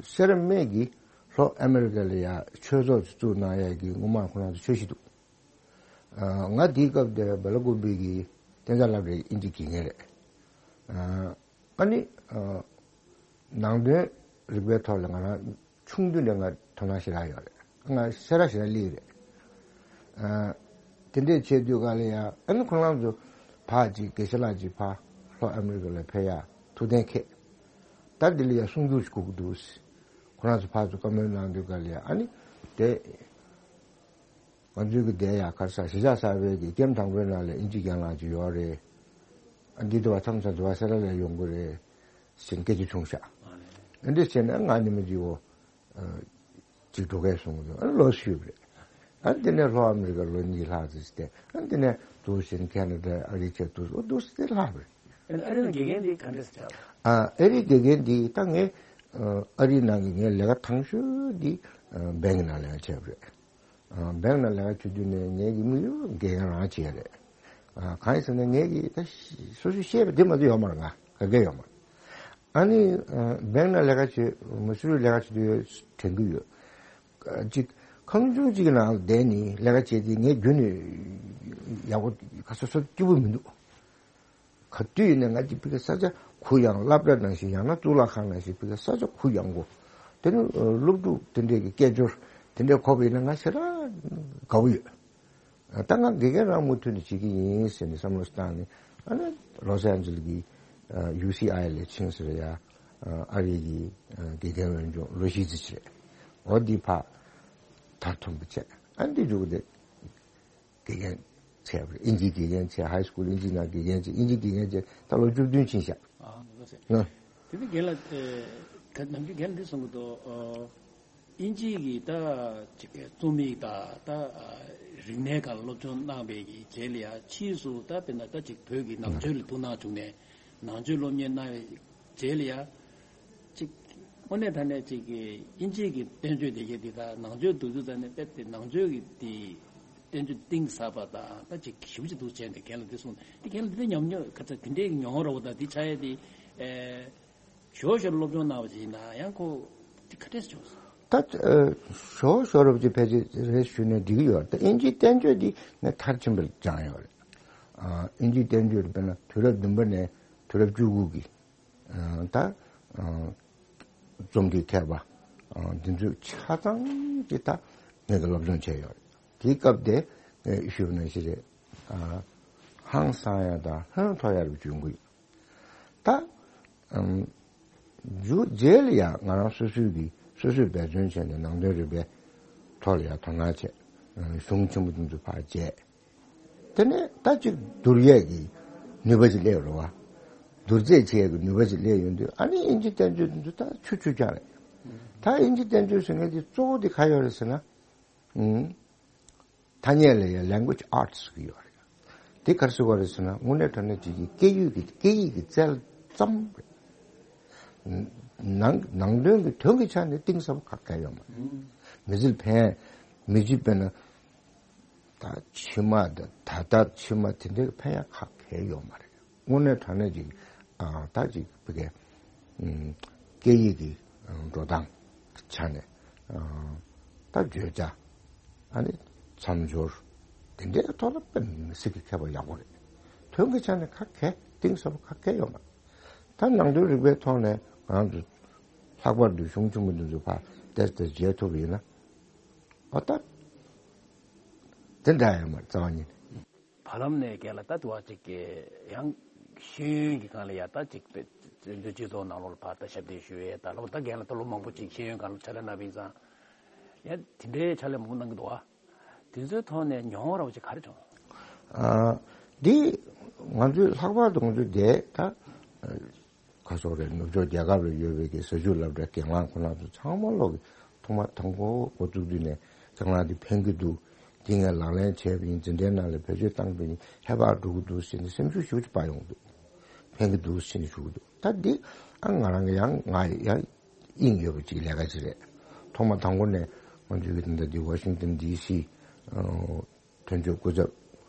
སེ་ར་སྨད་ཀྱི་ལྷོ་ཨ་མི་རི་ཀ་ལ་ཡ་ཆོས་ཚོགས་ཅིག་བཙུགས་གནང་ཡ་གི་སྔོན་མ་ཁོ་རང་ཚོ་ཆོས་ཞུ་འདུག་ཨ་ང་དེའི་སྐབས་དེ་བེ་ལ་ཀུམ་བི་གི་གཏན་ཚགས་སློབ་གྲྭའི་དབྱིན་ཇི་དགེ་རྒན་རེད། ཨ་ཨ་ནི་ཨ་ནང་དོན་རིག་པའི་ཐོག་ལ་ང་རང་ཆུང་དུས་ནས་ང་དོ་སྣང་ཞེ་དྲག་ཡོད་རེད། ང་སེ་ར་ཞེ་དྲག་སླེབས་རེད། ཨ་དེ་འདྲས་བྱས་དུས་ག་ལ་ཡ་ཨ་ནི་ཁོ་རང་ཚོ་ཕར་ཅིག་དགེ་བཤེས་ལགས་ཅིག་ཕར་ལྷོ་ཨ་མི་རི་ཀ་ལ་ཕེབས་ཡ་ཐུགས་གཏན་འཁེལ། ད་འདི་ལ་ཡ་གསུང་སྒྱུར་ཞིག་དགོས་ཀྱི་འདུག་ཁོ་རང་ཚོ་ཕར་ཚུར་བཀའ་མོལ་གནང་དུས་ག་ལ་ཡ་ཨ་ནི་དེ། ང་ཚོའི་གི་དེ་ཡ་ག་རེ་ཟ་གཞིས་ཆགས་གསར་པའི་གི་ཀེམ་དང་པོའི་ནང་ལ་ཨིན་ཇི་རྒན་ལགས་ཅིག་ཡོད་རེད། ཨ་འདི་དུ་བ་མཚམས་མཚམས་དུ་བ་སེ་ར་ལ་ཡོང་གི་རེད་ཟེར་སྐད་ཆ་བྱུང་ཤག་ཨ་འདི་བྱས་ན་ང་ནི་མི་ཅིག་འོ་ཅིག་འགྲོ་གས་སོང་གི་འདུག་ཨ་ལོ་ཞུས་པ་རེད། ཨ་འདི་ནས་ལྷོ་ཨ་མི་རི་ཀ་ལོ་གཉིས་ལྷག་ཙམ་ཞིག་བསྡད། ཨ་འདི་ནས་འདུག་ཟེར་ཁེ་ན་ཌ་ཨ་རི་བྱས་འདུག་ཨོ་འདུག་ཟེར་ལྷག་པ་རེད། ཨ་རི་ནང་དགེ་རྒན་འདི་ག་འདྲ་ཟེར་ཨ་ཨ་རི་དགེ་རྒན་འདི་ད་ངས་ཨ་རི་ནང་གི་ངའི་ལས་ཀ་ཐང་ཤོས་འདི་བེང་ནང་ལས་ཀ་བྱས་པ་རེད། བེང་ནང་ལས་ཀ་བྱེད་དུས་ནས་ངེད་ཀྱི་དམིགས་ཡུལ་དགེ་རྒན་རང་བྱེད་ཡ་རེད། གང་ཡིན་ཟེར་ན་ངེད་ཀྱི་ད་སོ་སོས་ཤེས་པ་དེ་མ་གཏོགས་ཡོད་མ་རེད། ང་ག་གེ་ཡོད་མ་རེད། ཨ་ནི་བེང་ནང་ལས་ཀ་བྱེད་མ་སུ་རུ་ལས་ཀ་བྱེད་དུས་ཡོད་དྲན་གྱི་ཡོད། ཅིག་ཁང་ཆུང་གཅིག་གི་ནང་ལ་བསྡད་ནས་ལས་ཀ་བྱེད་དུས་ངས་རྒྱུན་ནས་ཡག་པོ་ཁ་སོ་སོ་སྐྱིད་པོ་མི་འདུག་ག་དུས་ཡིན་ན་ང་ཅིག་ཕི་ག་ས་ཆ་གུ་ཡངས་སློབ་གྲྭ་ནང་བཞིན་ཡང་ན་གཙུག་ལག་ཁང་ནང་བཞིན་ཕི་ག་ས་ཆ་གུ་ཡངས་གོ། དེ་ནི་སློབ་ཕྲུག་དེ་འདྲས་ཀྱི་སྐད་ཅོར་དེ་འདྲས་གོ་བ་ཡིན་ན་ང་ཞེ་དྲག་དགའ་བོ་ཡོད། ད་ང་དགེ་རྒན་རང་མུ་མཐུད་ནས་བྱེད་ཀྱི་ཡིན་ཟེར་ནས་བསམ་བློ་བཏང་ནས་ཨ་ནི་ལོ་སི་ཨན་ཇི་ལི་གི་ཡུ་སི་ཨའི་ལ་ཕྱིན་ཟེར་ཡ་ཨ་རི་གི་དགེ་རྒན་འོས་སྦྱོང་ལོ་བཞི་ཙམ་བྱས། འོ་འདི་ཕར་མཐར་ཐོན་པ་བྱས་ཨ་འདི་འཇུག་སྟེ། དགེ་རྒན་བྱས་པ་རེད། ཨིན་ཇིའི་དགེ་རྒན་བྱས། ཧའི་སི་ཀུལ་ཨིན་ཇིའི་ནང་དགེ་རྒན་བྱས། ཨིན་ཇིའི་དགེ་རྒན་བྱས་ད་ལོ་བཅུ་བདུན་ཕྱིན་ཤག་ཨ་ལགས་སེ། ཨ། དེ་ནི་རྒན་ལགས་ཨེ་ད་ནམ་རྒྱུན་རྒན་འདི་གསུང་གི་འདུག་ཨོ། དབྱིན་ཇིའི་གི་ད་ཅིག་རྩོམ་ཡིག་དང་ད་རིག་གནས་སྒང་ལ་སློབ་སྦྱོང་གནང་བའི་གི་རྗེས་ལ་ཡ་ཕྱིས་སུ་ད་དཔེར་ན་ད་ཅིག་བོད་ཀྱི་ནང་ཆོས་ལ་ཐུགས་སྣང་བྱུང་ནས་ནང་ཆོས་སློབ་གཉེར་གནང་བའི་རྗེས་ལ་ཡ་ཅིག་དངོས་གནས་དྲང་གནས་ཅིག་གི་དབྱིན་ཇིའི་གི་བསྟན་བཅོས་དེ་གའི་དེ་དང་ནང་ཆོས་འདུག་དུས་ཙ་ནས་དཔེ་དེ་ནང་ཆོས་ཀྱི་དེ་བསྟན་བཅོས་གཏིང་ཟབ་པ་དང་ད་ཅིག་ཞིབ་ཅིག་འདུག་བྱས་ནས་རྒན་ལགས་འདི་གསུངས། དེ་རྒན་ལགས་འདི་ཉམས་མྱོང་ག་ཚོད་དེ་འདྲའི་མྱོང་རོགས་དང་འདི་ཆ་ཡ་དེ་ཨེ། ཞོར་ཞོར་སློབ་སྦྱོང་གནང་བ་ཞིག་ཡིན་ན་ཡང་ཁོ་དེ་ག་འདྲས་བྱུང་སོང་། ད་ཨ་ཞོར་ཞོར་རབ་ཀྱི་ཕལ་ཆེར་རེ་ཞུས་ནས་འགྲིག་གི་ཡོད་རེད། ད་དབྱིན་ཇིའི་བསྟན་བཅོས་འདི་ངས་མཐར་ཕྱིན་པར་སྦྱངས་ཡོད་རེད། ཨ་དབྱིན་ཇིའི་བསྟན་བཅོས་དཔེར་ན་དུས་རབས་བདུན་པ་ནས་དུས་རབས་བཅུ་དགུ་གི་ཨ་ད་ཨ་རྩོམ་རིག་མཁས་པ་ཨ་འདི་ཚོས་ཆ་ཚང་གི་ད་ངས་ཀྱི་སློབ་སྦྱོང་བྱས་ཡོད་རེད། དེའི་སྐབས་དེ་ངས་ཞུས་པ་ནང་བཞིན་རེད། ཨ་ཧང་སང་ཡ་དང་ཧོན་ཐོར་ཡ་རུ་བྱུང་གི་ཡོད། ད་ཨམ་མཇུག་རྗེས་ལ་ཡང་ང་རང་སོ་སོའི་གི་སོ་སོས་འབད་བརྩོན་བྱས་ནས་ནང་དོན་རིག་པའི་ཐོག་ལ་ཡང་དོ་སྣང་བྱས། ཨ་གཞུང་ཆེན་པོ་དེ་ཚོ་ཕར་མཇལ། དེ་ནས་ད་ཅིག་བསྡུར་ཡས་ཀྱི་ནུས་པ་ཅིག་སླེབས་རེད་བ། བསྡུར་ཚད་བྱེད་ཡས་ཀྱི་ནུས་པ་ཅིག་སླེབས་ཡོང་དུས་ཨ་ནི་དབྱིན་ཇི་བསྟན་བཅོས་དེ་ཚོ་ད་ཆུ་ཆུ་རྐྱང་རེད། ད་དབྱིན་ཇི་བསྟན་བཅོས་ཟེར་མཁན་དེ་གཙོ་བོ་དེ་ག་ཡོད་རེད་ཟེར་ན། ཨུམ། ཐ་སྙད་ལ་ཡང་language arts ཟེར་གྱི་ཡོད་རེད། དེ་ག་རེ་ཟེར་བ་རེད་ཟེར་ན་དངོས་གནས་དྲང་གནས་ཅིག་གི་སྐད་ཡིག་གི་སྐད་ཡིག་གི་རྩལ་ཙམ་རེད། ནང་ནང་དོན་གྱི་དོན་གྱི་ཆ་ནས་གཏིང་ཟབ་པོ་ག་གེ་ཡོད་མ་རེད། མི་ཚེར་ཕན་མི་ཚེ་དཔེར་ན་ད་ཕྱི་མ་དང་ད་ལྟ་ཕྱི་མ་དེ་འདྲའི་ཕན་ཡག་ག་གེ་ཡོད་མ་རེད། དངོས་གནས་དྲང་གནས་ཅིག་ཨ་ད་ཅིག་བི་གའི་ཨུམ་སྐད་ཡིག་གི་ཨ་འགྲོ་སྟངས་ཆ་ནས་ཨ་ད་བརྗོད་བྱ་ཨ་ནི་མཚམས་སྦྱོར་དེ་འདྲའི་ཐོག་ལ་དཔེ་མི་སྲིད་ཀྱི་མཁས་པ་ཡག་པོ་རེད། དོན་གྱི་ཆ་ནས་ག་གེ་གཏིང་ཟབ་པོ་ག་གེ་ཡོད་མ་རེད། ད་ནང་དོན་རིག་པའི་ཐོག་ནས་ང་རང་ཚོ་ལྷག་པར་དུ་གཞུང་ཆེན་མོ་འདི་ཚོ་ཕར་ཏེས་ཏེས་མཇལ་ཐུབ་པ་ཡིན་ན་ཨ་ད་དེ་འདྲ་ཡོད་མ་རེད་རྩ་བ་ཉིད་ནས། བར་ལམ་ནས་རྒན་ལགས་ད་དུ་བ་ཅིག་གི་ཡང་ཤེས་ཡོན་གྱི་སྒང་ལ་ཡ་ད་ཅིག་བཙན་བྱོལ་སྤྱི་ཚོགས་ནང་ལོགས་ལ་ཕར་ད་ཞབས་འདེགས་ཞུ་ཡས་ད་ལོ་ད་རྒན་ལགས་ད་ལོ་མང་པོ་ཅིག་ཤེས་ཡོན་སྒང་ལ་ཕྱག་ལས་གནང་བ་ཡིན་ཙང་ཡ་དེ་འདྲའི་ཕྱག་ལས་མང་པོ་གནང་གི་འདུག་བ། དེ་ཚོའི་ཐོག་ནས་མྱོང་བ་ར་བ་ཅིག་ག་རེ་བྱུང་། ཨ་འདི་ང་ཚོའི་ལྷག་པར་དུ་ང་ཚོའི་འདས་ད་ཁ་སོག་རེད། ནུབ་ཕྱོགས་རྒྱལ་ཁབ་ལ་ཡོད་པའི་གི་ཟ་ཆུ་སློབ་གྲྭའི་རྒན་ལགས་ཁོང་རྣམ་ཚོ་ཚང་མ་ལོག་གི་ཐོག་མ་དང་པོ་འགོ་བཙུགས་དུས་ནས་རྒན་ལགས་འདི་ཕན་གི་འདུག་འདི་ངས་ལག་ལེན་བྱས་པ་ཡིན། འཛིན་གྲྭའི་ནང་ལ་བེད་སྤྱོད་བཏང་པ་ཡིན། ཧེ་བག་འགྲོ་གི་འདུག་ཟེར་ནས་སེམས་ཤུགས་ཞེ་པོ་ཅིག་སྤར་ཡོང་གི་འདུག་ཕན་གི་འདུག་ཟེར་ནས་ཞུ་གི་འདུག་ད་འདི་ཨ་ང་རང་གི་ཡང་ང་ཡང་དབྱིངས་ཡོད་པ་ཅིག་ལས་ཀ་ཅིག་རེད། ཐོག་མ་དང་པོ་ནས་ང་ཚོའི་གི་ད་ལྟ་འདི་ཝ་ཤིང་ཏན་ཌི་སི་ཨ་དོན་གཅོད་སྐུ་ཚབ་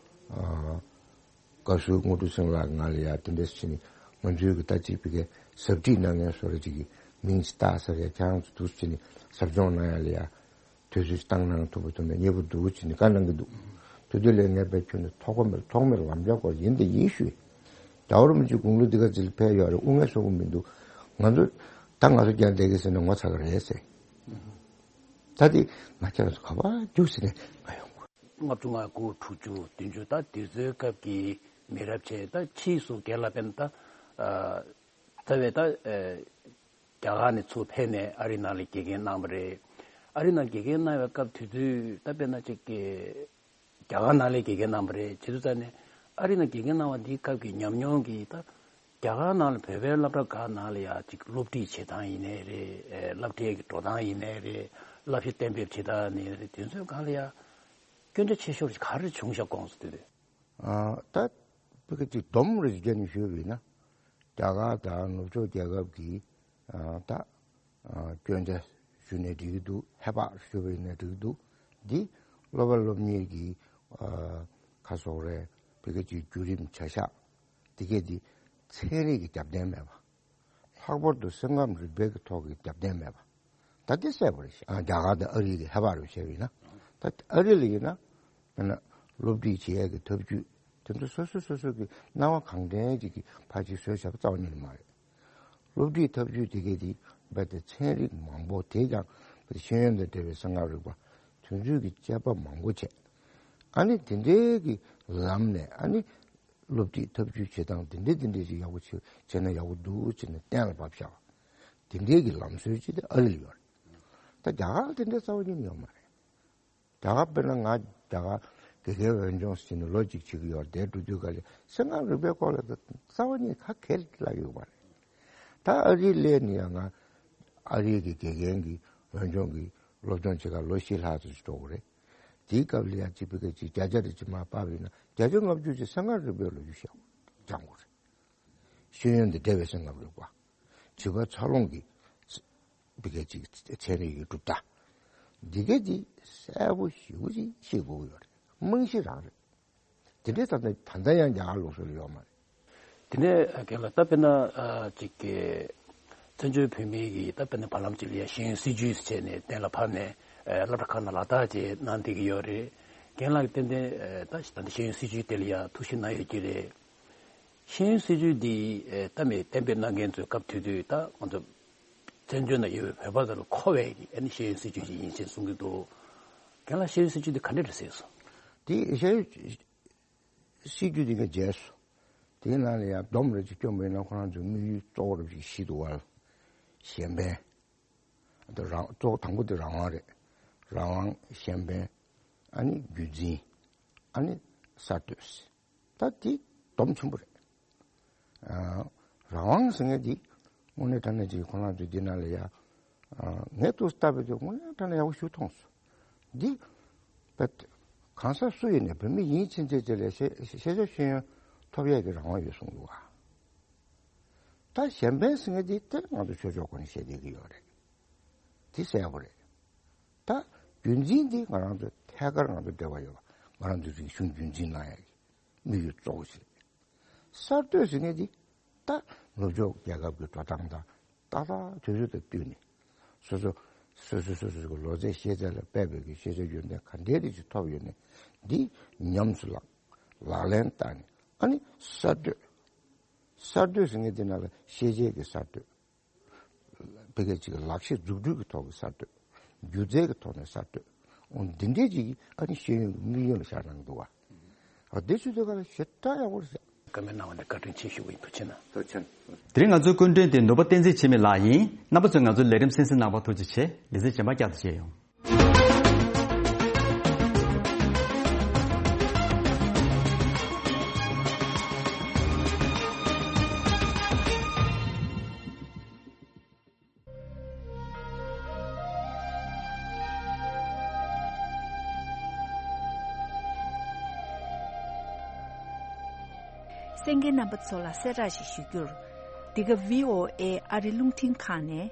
ཨ་དགའ་བསུ་དངོས་གྲུབ་སེང་ལགས་ང་ལ་ཡ་དེ་འདྲ་ཟེར་ནས་ང་ཚོའི་གི་ད་ཅིག་བི་གའི་ཟབ་ཁྲིད་གནང་མཁན་བཟོ་འདྲ་ཅིག་གི་མིང་ཅིག་བཏགས་ས་རེད། ཁྱེད་རང་ཚོ་འདུག་ཟེར་ནས་ཟབ་སྦྱོང་གནང་ཡ་ལ་ཡ་དུས་ཚོད་ཅིག་བཏང་གནང་ཐུབ་པ་ཐུབ་མེད་སྙད་པོ་འདུག་ཟེར་ནས་བཀའ་གནང་གི་འདུག་དེ་དུས་ལས་ངས་བེད་ཁྱོན་ནས་ཐོགས་པ་མེད་ཐོགས་མེད་ལམ་རྒྱག་སྐོར་ཡིན་དེ་ཡིན་ཞུས། རྒྱལ་བ་རིན་པོ་ཆེ་དགུང་ལོ་འདི་ག་ཅིག་ལ་ཕེབས་ཡོད་རེད། དབུ་མེད་སོག་པོ་མི་འདུག་ང་ཚོ་ད་ང་ཚོ་རྒྱ་བསྡད་ཀྱི་ཟེར་ནས་ངོ་ཚ་གི་རེད་ཟེར། ད་དེ་ང་ཁྱེད་རང་ཚོ་ག་པར་རྒྱུགས་ཟེར་ནས་ང་ཡོང་གི་རེད། ལྔ་བཅུ་ང་དགུ་དྲུག་ཅུ་བདུན་ཅུ་ད་དུས་ཚོད་སྐབས་ཀྱི་མི་རབས་ཆེ་ད་ཕྱིས་སུ་རྒན་ལགས་དཔེར་ན་ད་ཨ་རྩ་བའི་ད་ཨ་རྒྱ་གར་ནས་ཚུར་ཕེབས་ནས་ཨ་རི་ནང་ལ་དགེ་རྒན་གནང་བ་རེད། ཨ་རི་ནང་དགེ་རྒན་གནང་བའི་སྐབས་དུས་ཚོད་ད་དཔེར་ན་ཅིག་གི་རྒྱ་གར་ནང་ལ་དགེ་རྒན་གནང་བ་རེད། བྱེད་དུས་ཙ་ནས་ཨ་རི་ནང་དགེ་རྒན་གནང་བ་འདིའི་སྐབས་ཀྱི་ཉམས་མྱོང་གིས་ད་རྒྱ་གར་ནང་ལ་བོད་པའི་སློབ་གྲྭ་ཁག་ནང་ལ་ཡ་ཅིག་སློབ་ཁྲིད་བྱེད་སྟངས་ཡིན་ནའི་རེད། ཨེ་སློབ་གྲྭའི་གི་འགྲོ་སྟངས་ཡིན་ནའི་རེད། བསླབ་བྱ་གཏན་འབེབས་བྱེད་སྟངས་ཡིན་ནའི་རེད། དེ་ཚོའི་སྒང་ལ་ཡ་སྐྱོན་ཆ་ཆེ་ཤོས་ག་རེ་བྱུང་ཤག་དགོངས་སུ་དུས་དེ། ཨ་ད་བི་ག་ཅིག་སྡོམ་རེ་ཞིག་བརྒྱབ་ནས་ཞུས་པ་ཡིན་ན། རྒྱ་གར་དང་ནུབ་ཕྱོགས་རྒྱལ་ཁབ་ཀྱི་ཨ་ད་ཨ་སྐྱོན་ཆ་ཞུས་ནས་འགྲིག་གི་འདུག་ཧེ་བག་ཞུས་པ་ཡིན་ན་འགྲིག་གི་འདུག་འདི་སློབ་པ་སློབ་གཉེར་གྱི་ཨ་ཁ་སོག་རེད། བི་ག་ཅིག་བརྒྱུད་རིམ་བྱ་གཞག་འདི་གས་འདི་ཚན་རིག་གི་རྒྱབ་རྟེན་མེད་པ། ལྷག་པར་དུ་སེམས་ཁམས་རིག་པའི་གི་ཐོག་གི་རྒྱབ་རྟེན་མེད་པ། ད་དེ་གསལ་པོ་རེད། ཨ་རྒྱ་གར་དང་ཨ་རི་གི་ཧེ་བག་རུ་བྱས་པ་ཡིན་ན། ད་ཨ་རི་ལ་ཡིན་ན། དཔེར་ན་སློབ་ཁྲིད་བྱེད་ཡས་ཀྱི་ཐབས་ཇུས་དེ་ཚོ་སོ་སོ་སོ་སོ་གི་སྣང་བ་གང་དྲན་ཅིག་གི་ཕར་ཅིག་བཟོས་བཞག་པ་རྩ་བ་ཉིད་ནས་མ་རེད། སློབ་ཁྲིད་ཐབས་ཇུས་དེ་གས་དེ་རྦད་དེ་ཚན་རིག་མང་པོ་དེ་ཀྱང་རྦད་ཤེས་ཡོན་དང་འབྲེལ་བའི་སེམས་ཁམས་རིག་པ་དེ་ཚོའི་གི་དཔྱད་པ་མང་པོ་བྱས། ཨ་ནི་དེ་འདྲའི་གི་ལམ་ནས་ཨ་ནི། སློབ་ཁྲིད་ཐབས་ཇུས་བྱེད་སྟངས་དེ་འདྲས་དེ་འདྲས་ཅིག་ཡག་པོ་བྱེད་བྱས་ན་ཡག་པོ་འདུག་བྱས་ནས་གཏན་ལ་ཕབ་བཞག་དེ་འདྲས་ཀྱི་ལམ་སྲོལ་ཅིག་དེ་ཨ་རི་ལ་ཡོད་རེད། ད་རྒྱ་གར་ལ་དེ་འདྲས་རྩ་བ་ཉིད་ནས་ཡོད་མ་རེད། རྒྱ་གར་དཔེར་ན་ང་རྒྱ་གར་དགེ་རྒན་འོས་སྦྱོང་ཟེར་ནས་ལོ་གཅིག་བྱེད་ཀྱི་ཡོད་རེད། དེ་འགྲོ་དུས་ག་ལེ་སེམས་ཁམས་རིག་པའི་སྐོར་ལ་རྩ་བ་ཉིད་ཁ་གལ་ལ་ཡོད་མ་རེད། ད་ཨ་རི་སླེབས་ནས་ཡང་ང་ཨ་རི་གི་དགེ་རྒན་གྱི་འོས་སྦྱོང་གི་ སློབ་སྦྱོང་བྱེད་ག་ལོ་བཞི་ལྷག་ཙམ་ཞིག་འགྲོ་དགོས་རེད། དེའི་སྐབས་ལ་ཡང་གཅིག་པའི་ག་ཅིག་བརྒྱ་ཆ་རེ་ཅིག་མར་ཕབ་ཡིན་ན་བརྒྱ་ཆ་ལྔ་བཅུ་ཅིག་གསང་སྔགས་རིག་པའི་ལོ་རྒྱུས་བཤད་སྦྱང་དགོས་རེད། ཤེས་ཡོན་དེ་འབྲེལ་བའི་གསང་སྔགས་རིག་པ། བྱིས་པ་འཚར་ལོངས་ཀྱི་འདི་ག་ཅིག་ཚན་རིག་གི་གྲུབ་མཐའ། འདི་ག་འདི་གསལ་པོ་ཞེ་པོ་ཅིག་ཤེས་དགོས་ཀྱི་ཡོད་རེད། རྨང་གཞི་རང་རེད། དེ་འདྲའི་ད་ལྟ་ད་ལྟ་ཡང་རྒྱ་གར་ལུགས་སྲོལ་ལ་ཡོད་མ་རེད། དེ་ནས་རྒན་ལགས་ད་དཔེར་ན་ཨ་ཅིག་གི་བཙན་བྱོལ་བོད་མིའི་གི་ད་དཔེར་ན་བར་ལམ་ཅིག་ལ་ཡང་ཤེས་ཡོན་སྲིད་བྱུས་ཟེར་བྱས་ནས་གཏན་ལ་ཕབ་ནས་ཨ་སློབ་གྲྭ་ཁག་ནང་ལག་བསྟར་བྱས་གནང་བསྡད་ཀྱི་ཡོད་རེད། རྒན་ལགས་ཀྱིས་ཏན་ཏན་ཨ་ད་ད་ལྟ་ཤེས་ཡོན་སྲིད་བྱུས་དེ་ལ་ཡང་ཐུགས་ཞིབ་གནང་ཡོད་ཀྱི་རེད། ཤེས་ཡོན་སྲིད་བྱུས་འདི་ཨ་ད་མི་གཏན་འབེབས་གནང་མཁན་ཚོས་སྐབས་དེ་དུས་ད་ང་ཚོ་བཙན་བྱོལ་ནང་ཡོད་པའི་བོད་པ་ཚོ་ལ་མཁོ་བའི་གི་ཨ་ནི་ཤེས་ཡོན་སྲིད་བྱུས་ཅིག་ཡིན་ཞེས་གསུང་གི་འདུག་རྒན་ལགས་ཤེས་ཡོན་སྲིད་བྱུས་འདི་ག་འདྲ་རེད་ཟེར་སོང་། དེ་ཤེས་ཡོན་སྲིད་བྱུས་དེ་ག་བརྗེས་སོང་། དེའི་ནང་ལ་ཡང་སྡོམ་རེ་ཅིག་སྐྱོན་པ་ཡིན་ན་ཁོ་རང་ཚོའི་དམིགས་ཡུལ་གཙོ་བོ་རེ་ཞིག་བཞི་འདུག་བ། གཞན་ཕན། དེ་རང་གཙོ་བོ་དང་པོ་དེ་རང་དབང་རེད། རང་དབང་། གཞན་ཕན། ཨ་ནི་རྒྱུན་འཛིན། ཨ་ནི་གསར་གཏོད། ད་དེ་སྡོམ་ཆེན་པོ་རེད། ཨ། རང་དབང་ཟེར་མཁན་དེ་དངོས་གནས་དྲང་གནས་ཅིག་ཁོ་རང་ཚོའི་འདི་ནང་ལ་ཡ། ཨ། ངས་ཏོག་ཙམ་བལྟས་པ་དེ་དངོས་གནས་དྲང་གནས་ཡག་པོ་ཞིག་མཐོང་སོང་། འདི། བས། གང་ཟག་སུ་ཡིན་ནའི་བོད་མི་ཡིན་ཕྱིན་ཆད་དེ་ལ་ཤེས་ཤེས་བྱ་ཤེས་ཡོན་ཐོབ་ཡས་ཀྱི་རང་དབང་ཡོད་གསུངས་འདུག་བ། ད་གཞན་ཕན་ཟེར་མཁན་དེ་དེ་ང་ཚོ་ཆོས་ཕྱོགས་སྐོར་ནས་བཤད་བསྡད་ཀྱི་ཡོད་རེད། དེ་གསལ་པོ་རེད། ད་རྒྱུན་འཛིན་དེ་ང་རང་ཚོ་ཐད་ཀར་ང་ཚོ་འབྲེལ་བ་ཡོད་པ། ང་རང་ཚོའི་རིག་གཞུང་རྒྱུན་འཛིན་གནང་ཡ་གི་དམིགས་ཡུལ་གཙོ་བོ་ཞིག་རེད། གསར་གཏོད་ཟེར་མཁན་དེ་ད་ནུབ་ཕྱོགས་རྒྱལ་ཁབ་ཀྱི་འགྲོ་སྟངས་དང་ཏག་ཏག་དུས་ཚོད་དང་བསྟུན་ནས་སོ་སོ་སོ་སོ་སོ་སོ་གི་ལོ་ཚད་ཤེས་ཚད་ལ་དཔག་པའི་གི་ཤེས་བྱ་ཡོན་ཏན་ག་འདྲའི་རིགས་ཅིག་ཐོབ་ཡོད་ནས་འདི་ཉམས་སུ་བླངས་ལག་ལེན་བསྟར་ནས་ཨ་ནི་གསར་གཏོད། གསར་གཏོད་ཟེར་མཁན་དེ་ནང་ལ་ཤེས་བྱའི་གི་གསར་གཏོད། ཕ་གི་ཅིག་ལག་ཤེས་འཛུགས་སྐྲུན་གྱི་ཐོག་གི་གསར་གཏོད། སྒྱུ་རྩལ་གྱི་ཐོག་ནས་གསར་གཏོད། འོ་འདི་འདྲའི་ཅིག་ཨ་ནི་ཤེས་ཡོན་གྱི་དམིགས་ཡུལ་ལ་བཞག་གནང་འདུག་བ། འོ་འདི་ཚོའི་ཐད་ཀ་ལ་ཞེ་དྲག་ཡག་པོ་རེད་ཤག་བཀའ་མོལ་གནང་བ་ནི་བཀའ་དྲིན་ཆེ་ཞུ་གི་ཡིན། ཐུགས་རྗེ་གནང་། ཐུགས་རྗེ་ཆེ། དེ་རིང་ང་ཚོའི་སྐུ་མགྲོན་དེ་ནོར་བུ་བསྟན་འཛིན་འཆི་མེད་ལགས་ཡིན། རྣམ་པ་ཚོས་ང་ཚོའི་ལས་རིམ་གསན་གཟིགས་གནང་བར་ཐུགས་རྗེ་ཆེ། ལེ་ཚན་རྗེས་མ་བསྐྱར་དུ་མཇལ་ཡོང་། གསན་མཁན་རྣམ་པ་ཚོ་ལ་གསལ་བསྒྲགས་ཤིག་ཞུ་རྒྱུར། འདི་ག་བྷི་ཨོ་ཨེ་ཨ་རི་རླུང་འཕྲིན་ཁང་ནས་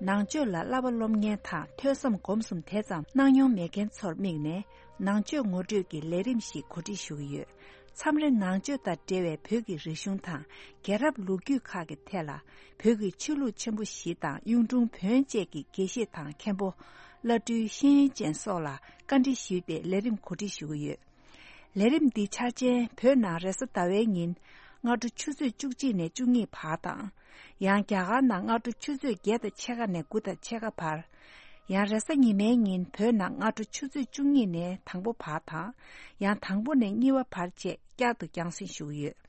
ནང་ཆོས་ལ་བསླབ་པ་སློབ་གཉེར་དང་ཐོས་བསམ་སྒོམ་གསུམ་དེ་ཙམ་གནང་མྱོང་མེད་མཁན་ཚོར་དམིགས་ནས་ནང་ཆོས་ངོ་སྤྲོད་ཀྱི་ལས་རིམ་ཞིག་གོ་སྒྲིག་ཞུ་གི་ཡོད། མཚམས་རེ་ནང་ཆོས་དང་འབྲེལ་བའི་བོད་ཀྱི་རིག་གཞུང་དང་རྒྱལ་རབས་ལོ་རྒྱུས་ཁག་གི་ཐད་ལ་བོད་ཀྱི་ཆོས་ལུགས་ཆེན་པོ་བཞི་དང་གཡུང་དྲུང་བོན་བཅས་ཀྱི་དགེ་བཤེས་དང་མཁན་པོ་བླ་སྤྲུལ་ཤེས་ཡོན་ཅན་སོགས་ལ་བཀའ་འདྲི་ཞུས་ཏེ་ལས་རིམ་གོ་སྒྲིག་ཞུ་གི་ཡོད། ལས་རིམ་འདི་འཆར་ཅན་བོད་ནང་རེས་གཟའ་ཟླ་བའི་ཉིན་སྔ་དྲོ་ཆུ་ཚོད་བཅུ་གཅིག་ནས་བཅུ་གཉིས་བར་དང་། ཡང་རྒྱ་གར་ནང་སྔ་དྲོ་ཆུ་ཚོད་བརྒྱད་དང་ཕྱེད་ཀ་ནས་དགུ་དང་ཕྱེད་ཀ་བར། ཡང་རེས་གཟའ་ཉི་མའི་ཉིན་བོད་ནང་སྔ་དྲོ་ཆུ་ཚོད་བཅུ་གཉིས་ནས་དང་པོ་བར་དང་། ཡང་དང་པོ་ནས་གཉིས་པ་བར་བཅས་བསྐྱར་དུ་རྒྱང་སྲིང་ཞུ་གི་ཡོད།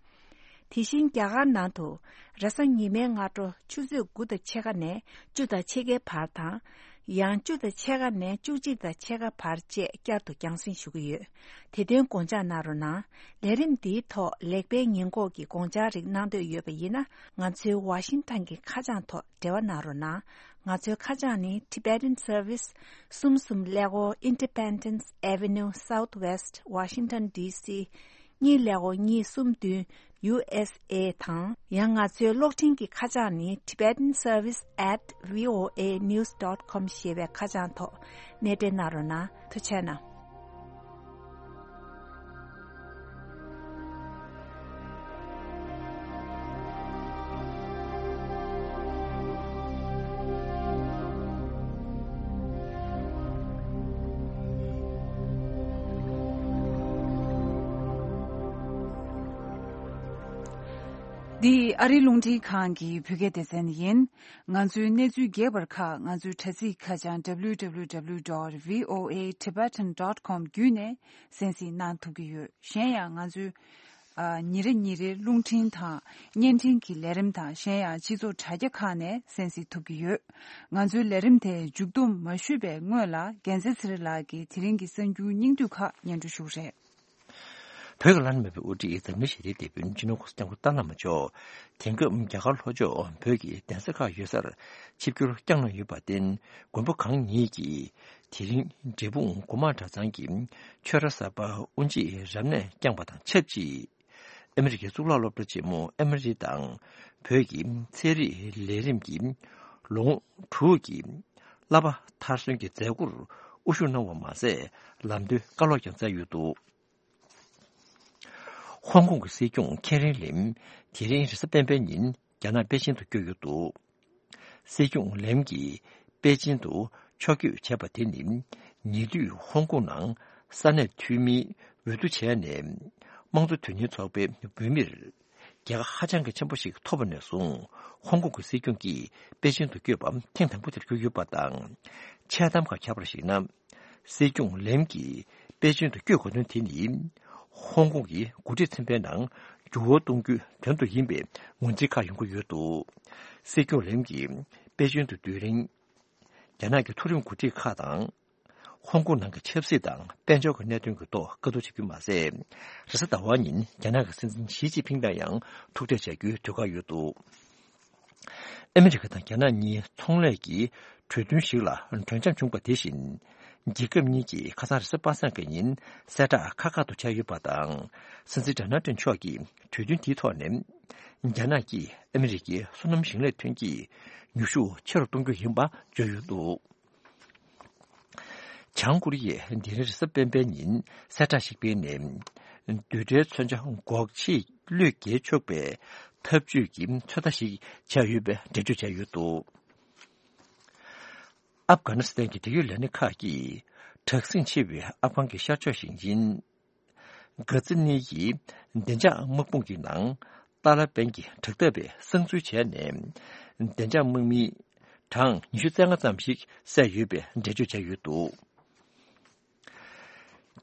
དེ་བཞིན་རྒྱ་གར་ནང་དུ་རེས་གཟའ་ཉི་མའི་སྔ་དྲོ་ཆུ་ཚོད་དགུ་དང་ཕྱེད་ཀ་ནས་བཅུ་དང་ཕྱེད་ཀའི་བར་དང་། ཡང་བཅུ་དང་ཕྱེད་ཀ་ནས་བཅུ་གཅིག་དང་ཕྱེད་ཀ་བར་བཅས་བསྐྱར་དུ་རྒྱང་སྲིང་ཞུ་གི་ཡོད། དེ་དོན་དགོངས་འཇགས་གནང་རོགས་གནང་། ལས་རིམ་འདིའི་ཐོག་ལེགས་སྤེལ་ཉེས་འགོག་གི་དགོངས་འཆར་རིགས་གནང་འདོད་ཡོད་པ་ཡིན་ན་ང་ཚོའི་ཝ་ཤིང་ཊོན་གྱི་ཁ་བྱང་ཐོག་འབྲེལ་བ་གནང་རོགས་གནང་། ང་ཚོའི་ཁ་བྱང་ནི་Tibetan Service གསུམ་གསུམ་ཀླད་ཀོར Independence Avenue Southwest Washington D C གཉིས་ཀླད་ཀོར་གཉིས་གསུམ་བདུན་ཡུ་ཨེས་ཨེ་དང་། ཡང་ང་ཚོའི་གློག་འཕྲིན་གྱི་ཁ་བྱང་ནི་tibetan service at voa news dot com ཞེས་པའི་ཁ་བྱང་ཐོག་གནས་འབྲེལ་གནང་རོགས་གནང་། ཐུགས་རྗེ་གནང་། འདི་ཨ་རིའི་རླུང་འཕྲིན་ཁང་གི་བོད་སྐད་སྡེ་ཚན་ཡིན། ང་ཚོའི་གནས་ཚུལ་རྒྱས་པར་ཁག་ང་ཚོའི་དྲ་ཚིགས་ཁ་བྱང་W W W dot V O A Tibetan dot com བརྒྱུད་ནས་གསན་གཟིགས་གནང་ཐུབ་ཀྱི་ཡོད། གཞན་ཡང་ང་ཚོའི་ཨ། ཉིན་རེ་ཉིན་རེའི་རླུང་འཕྲིན་དང་བརྙན་འཕྲིན་གྱི་ལས་རིམ་དང་གཞན་ཡང་སྤྱི་ཚོགས་དྲ་རྒྱ་ཁག་ནས་གསན་གཟིགས་ཐུབ་ཀྱི་ཡོད། ང་ཚོའི་ལས་རིམ་དེ་མཇུག་བསྡོམས་མ་ཞུས་པའི་སྔོན་ལ་རྒྱལ་མཚན་ཚེ་རིང་ལགས་ཀྱིས་དེ་རིང་གི་གསར་འགྱུར་སྙིང་བསྡུས་ཁག་སྙན་སྒྲོན་ཞུ་གི་རེད། བོད་ཀྱི་བླ་ན་མེད་པའི་དབུ་ཁྲིད་འཛམ་གླིང་ཞི་བདེའི་དེད་དཔོན་སྤྱི་ནོར་༧གོང་ས་༧སྐྱབས་མགོན་ཏཱ་ལའི་བླ་མ་མཆོག་དེང་སྐབས་རྒྱ་གར་ལྷོ་ཕྱོགས་བོད་ཀྱི་གདན་ས་ཁག་ཡོད་སར་ཆིབས་བསྒྱུར་བསྐྱངས་གནང་ཡོད་པར་བརྟེན། མགོན་པོ་གང་ཉིད་ཀྱིས་དེ་རིང་འབྲས་སྤུངས་སྒོ་མང་གྲྭ་ཚང་གི་ཆོས་ར་གསར་པ་དབུ་འབྱེད་རབ་གནས་བསྐྱངས་པ་དང་ཆབས་ཅིག་ཨ་མི་རི་ཀའི་གཙུག་ལག་སློབ་གྲྭ་ཆེན་མོ་ཨེ་མི་རི་དང་བོད་ཀྱི་ཚན་རིག་ལས་རིམ་གྱི་ལོ་ངོ་དྲུག་གི་བསླབ་པ་མཐར་སོན་གྱི་མཛད་སྒོར་དབུ་བཞུགས་གནང་བ་མ་ཟད། ལམ་སྟོན་བཀའ་སློབ་ཀྱང་སྩལ་ཡོད་འདུག་ཧོང་ཀོང་གི་སྲིད་སྐྱོང་ཁེ་རི་ལེམ་དེ་རིང་རེས་གཟའ་སྤེན་པའི་ཉིན་རྒྱ་ནག་པེ་ཅིན་དུ་བསྐྱོད་ཡོད་འདུག་སྲིད་སྐྱོང་ལེམ་གྱིས་པེ་ཅིན་དུ་ཕྱོགས་བསྐྱོད་བྱས་པ་དེ་ནི་ཉེ་དུས་ཧོང་ཀོང་ནང་ས་གནས་འཐུས་མིའི་འོས་བསྡུ་བྱས་ནས་དམངས་གཙོ་དོན་གཉེར་ཚོགས་པའི་འོས་མིར་རྒྱལ་ཁ་ཧ་ཅང་གི་ཆེན་པོ་ཞིག་ཐོབ་པ་ནས་བཟུང་ཧོང་ཀོང་གི་སྲིད་སྐྱོང་གིས་པེ་ཅིན་དུ་བསྐྱོད་པ་ཐེངས་དང་པོ་དེར་གྱུར་ཡོད་པ་དང་། འཆལ་གཏམ་ཁག་ཁྱབ་པར་གཞིགས་ན། སྲིད་སྐྱོང་ལེམ་གྱིས་པེ་ཅིན་དུ་བསྐྱོད་དགོས་དོན་དེ་ནི། ཧོང་ཀོང་གི་འགོ་ཁྲིད་ཚན་པའི་ནང་འགྱུར་བ་གཏོང་རྒྱུའི་དོན་དུ་ཡིན་པའི་ངོས་འཛིན་ཁག་ཡོང་གི་ཡོད་འདུག་སྲིད་སྐྱོང་ལེམ་གྱིས་པེ་ཅིན་དུ་སྡོད་རིང་། རྒྱ་ནག་གི་མཐོ་རིམ་འགོ་ཁྲིད་ཁག་དང་། ཧོང་ཀོང་ནང་གི་ཆབ་སྲིད་དང་དཔལ་འབྱོར་གྱི་གནད་དོན་གྱི་ཐོག་བཀའ་བསྡུར་བྱེད་རྒྱུ་མ་ཟད། རེས་གཟའ་ཟླ་བ་ཉིན་རྒྱ་ནག་གི་སྲིད་འཛིན་ཞི་ཅིན་ཕིང་དང་ཡང་ཐུག་འཕྲད་བྱ་རྒྱུའི་གྲོས་འགོ་ཡོད་འདུག་ཨ་མི་རི་ཀ་དང་རྒྱ་ནག་གཉིས་ཚོང་ལས་ཀྱི་གྲོས་མཐུན་ཞིག་ལ་གྲོས་འཆམ་བྱུང་བ་དེ་བཞིན། རྒྱལ་ཁབ་གཉིས་ཀྱིས་ཁ་སང་རེས་གཟའ་པ་སངས་ཀྱི་ཉིན་གསལ་བསྒྲགས་ཁག་ཁག་ཏུ་བྱས་ཡོད་པ་དང་། སྲིད་འཛིན་ཌོ་ནལ་ཊམ་མཆོག་གིས་གྲོས་མཐུན་དེའི་ཐོག་ནས། རྒྱ་ནག་གིས་ཨ་མི་རི་ཀའི་སོ་ནམ་ཞིང་ལས་ཐོན་སྐྱེད་ཉོ་ཤུགས་ཆེ་རུ་གཏོང་རྒྱུ་ཡིན་པ་བརྗོད་ཡོད་འདུག་བྱང་ཀོ་རི་ཡས་འདི་རིང་རེས་གཟའ་སྤེན་པའི་ཉིན་གསལ་བསྒྲགས་ཤིག་སྤེལ་ནས། རྡུལ་ཕྲན་མཚོན་ཆ་འགོག་ཆེད་བློས་འགེལ་ཆོག་པའི་འཐབ་ཇུས་ཀྱི་ཚོད་ལྟ་ཞིག་བྱས་ཡོད་པའི་འགྲེལ་བརྗོད་བྱས་ཡོད་འདུག་ཨབ་གྷ་ནི་སི་ཐན་གྱི་འབྲེལ་ཡོད་ལས་སྣེ་ཁག་གིས་དྲག་ཟིང་ཆེ་བའི་ཨབ་གྷན་གྱི་ཤར་ཕྱོགས་ཞིང་ཆེན་གྷ་ཛི་ནི་ཡི་བདེ་འཇགས་དམག་དཔུང་གི་ནང་ཏཱ་ལ་པན་གྱི་དྲག་འཐབ་པས་གསང་འཛུལ་བྱས་ནས། བདེ་འཇགས་དམག་མིའི་གྲངས་ཉི་ཤུ་རྩ་ལྔ་ཙམ་ཞིག་བསད་ཡོད་པའི་འགྲེལ་བརྗོད་བྱས་ཡོད་འདུག་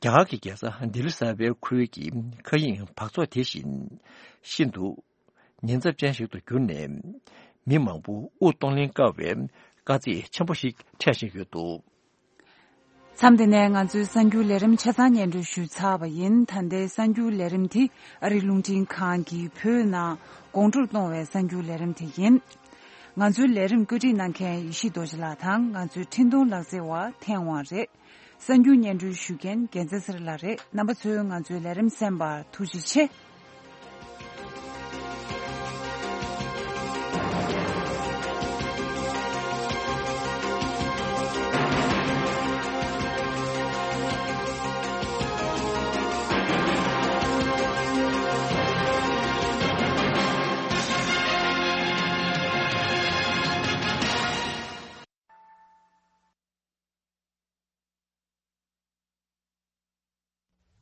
རྒྱ་གར་གྱི་རྒྱལ་ས་ལྡི་ལི་གསར་པའི་ཁུལ་གྱི་མཁའ་དབྱིངས་འབག་བཙོག་དེ་བཞིན་ཤིན་ཏུ་ཉེན་ཚབས་ཅན་ཞིག་ཏུ་གྱུར་ནས། མི་མང་པོ་དབུགས་གཏོང་ལེན་དཀའ་བའི་དཀའ་ཚེགས་ཆེན་པོ་ཞིག་འཕྲད་བཞིན་ཡོད་འདུག་མཚམས་འདི་ནས་ང་ཚོའི་གསར་འགྱུར་ལས་རིམ་ཆ་ཚང་སྙན་སྒྲོན་ཞུས་ཚར་བ་ཡིན། ད་ལྟའི་གསར་འགྱུར་ལས་རིམ་དེ་ཨ་རི་རླུང་འཕྲིན་ཁང་གིས་བོད་ནང་དགོང་དྲོར་གཏོང་བའི་གསར་འགྱུར་ལས་རིམ་དེ་ཡིན། ང་ཚོའི་ལས་རིམ་བཀོད་སྒྲིག་གནང་མཁན་ཡེ་ཤེས་རྡོ་རྗེ་ལགས་དང་ང་ཚོའི་འཕྲིན་གཏོང་ལག་རྩལ་བ་ཐན་ཝང་རེད། གསར་འགྱུར་སྙན་སྒྲོན་ཞུ་མཁན་རྒྱལ་མཚན་ཚེ་རིང་ལགས་རེད། རྣམ་པ་ཚོས་ང་ཚོའི་ལས་རིམ་གསན་པར་ཐུགས་རྗེ་ཆེ།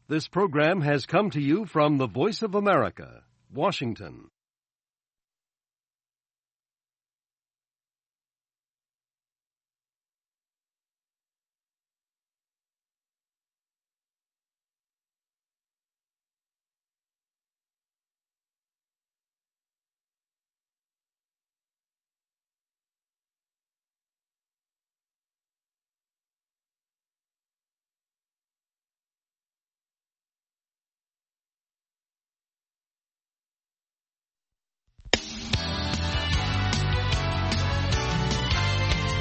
This program has come to you from the Voice of America, Washington.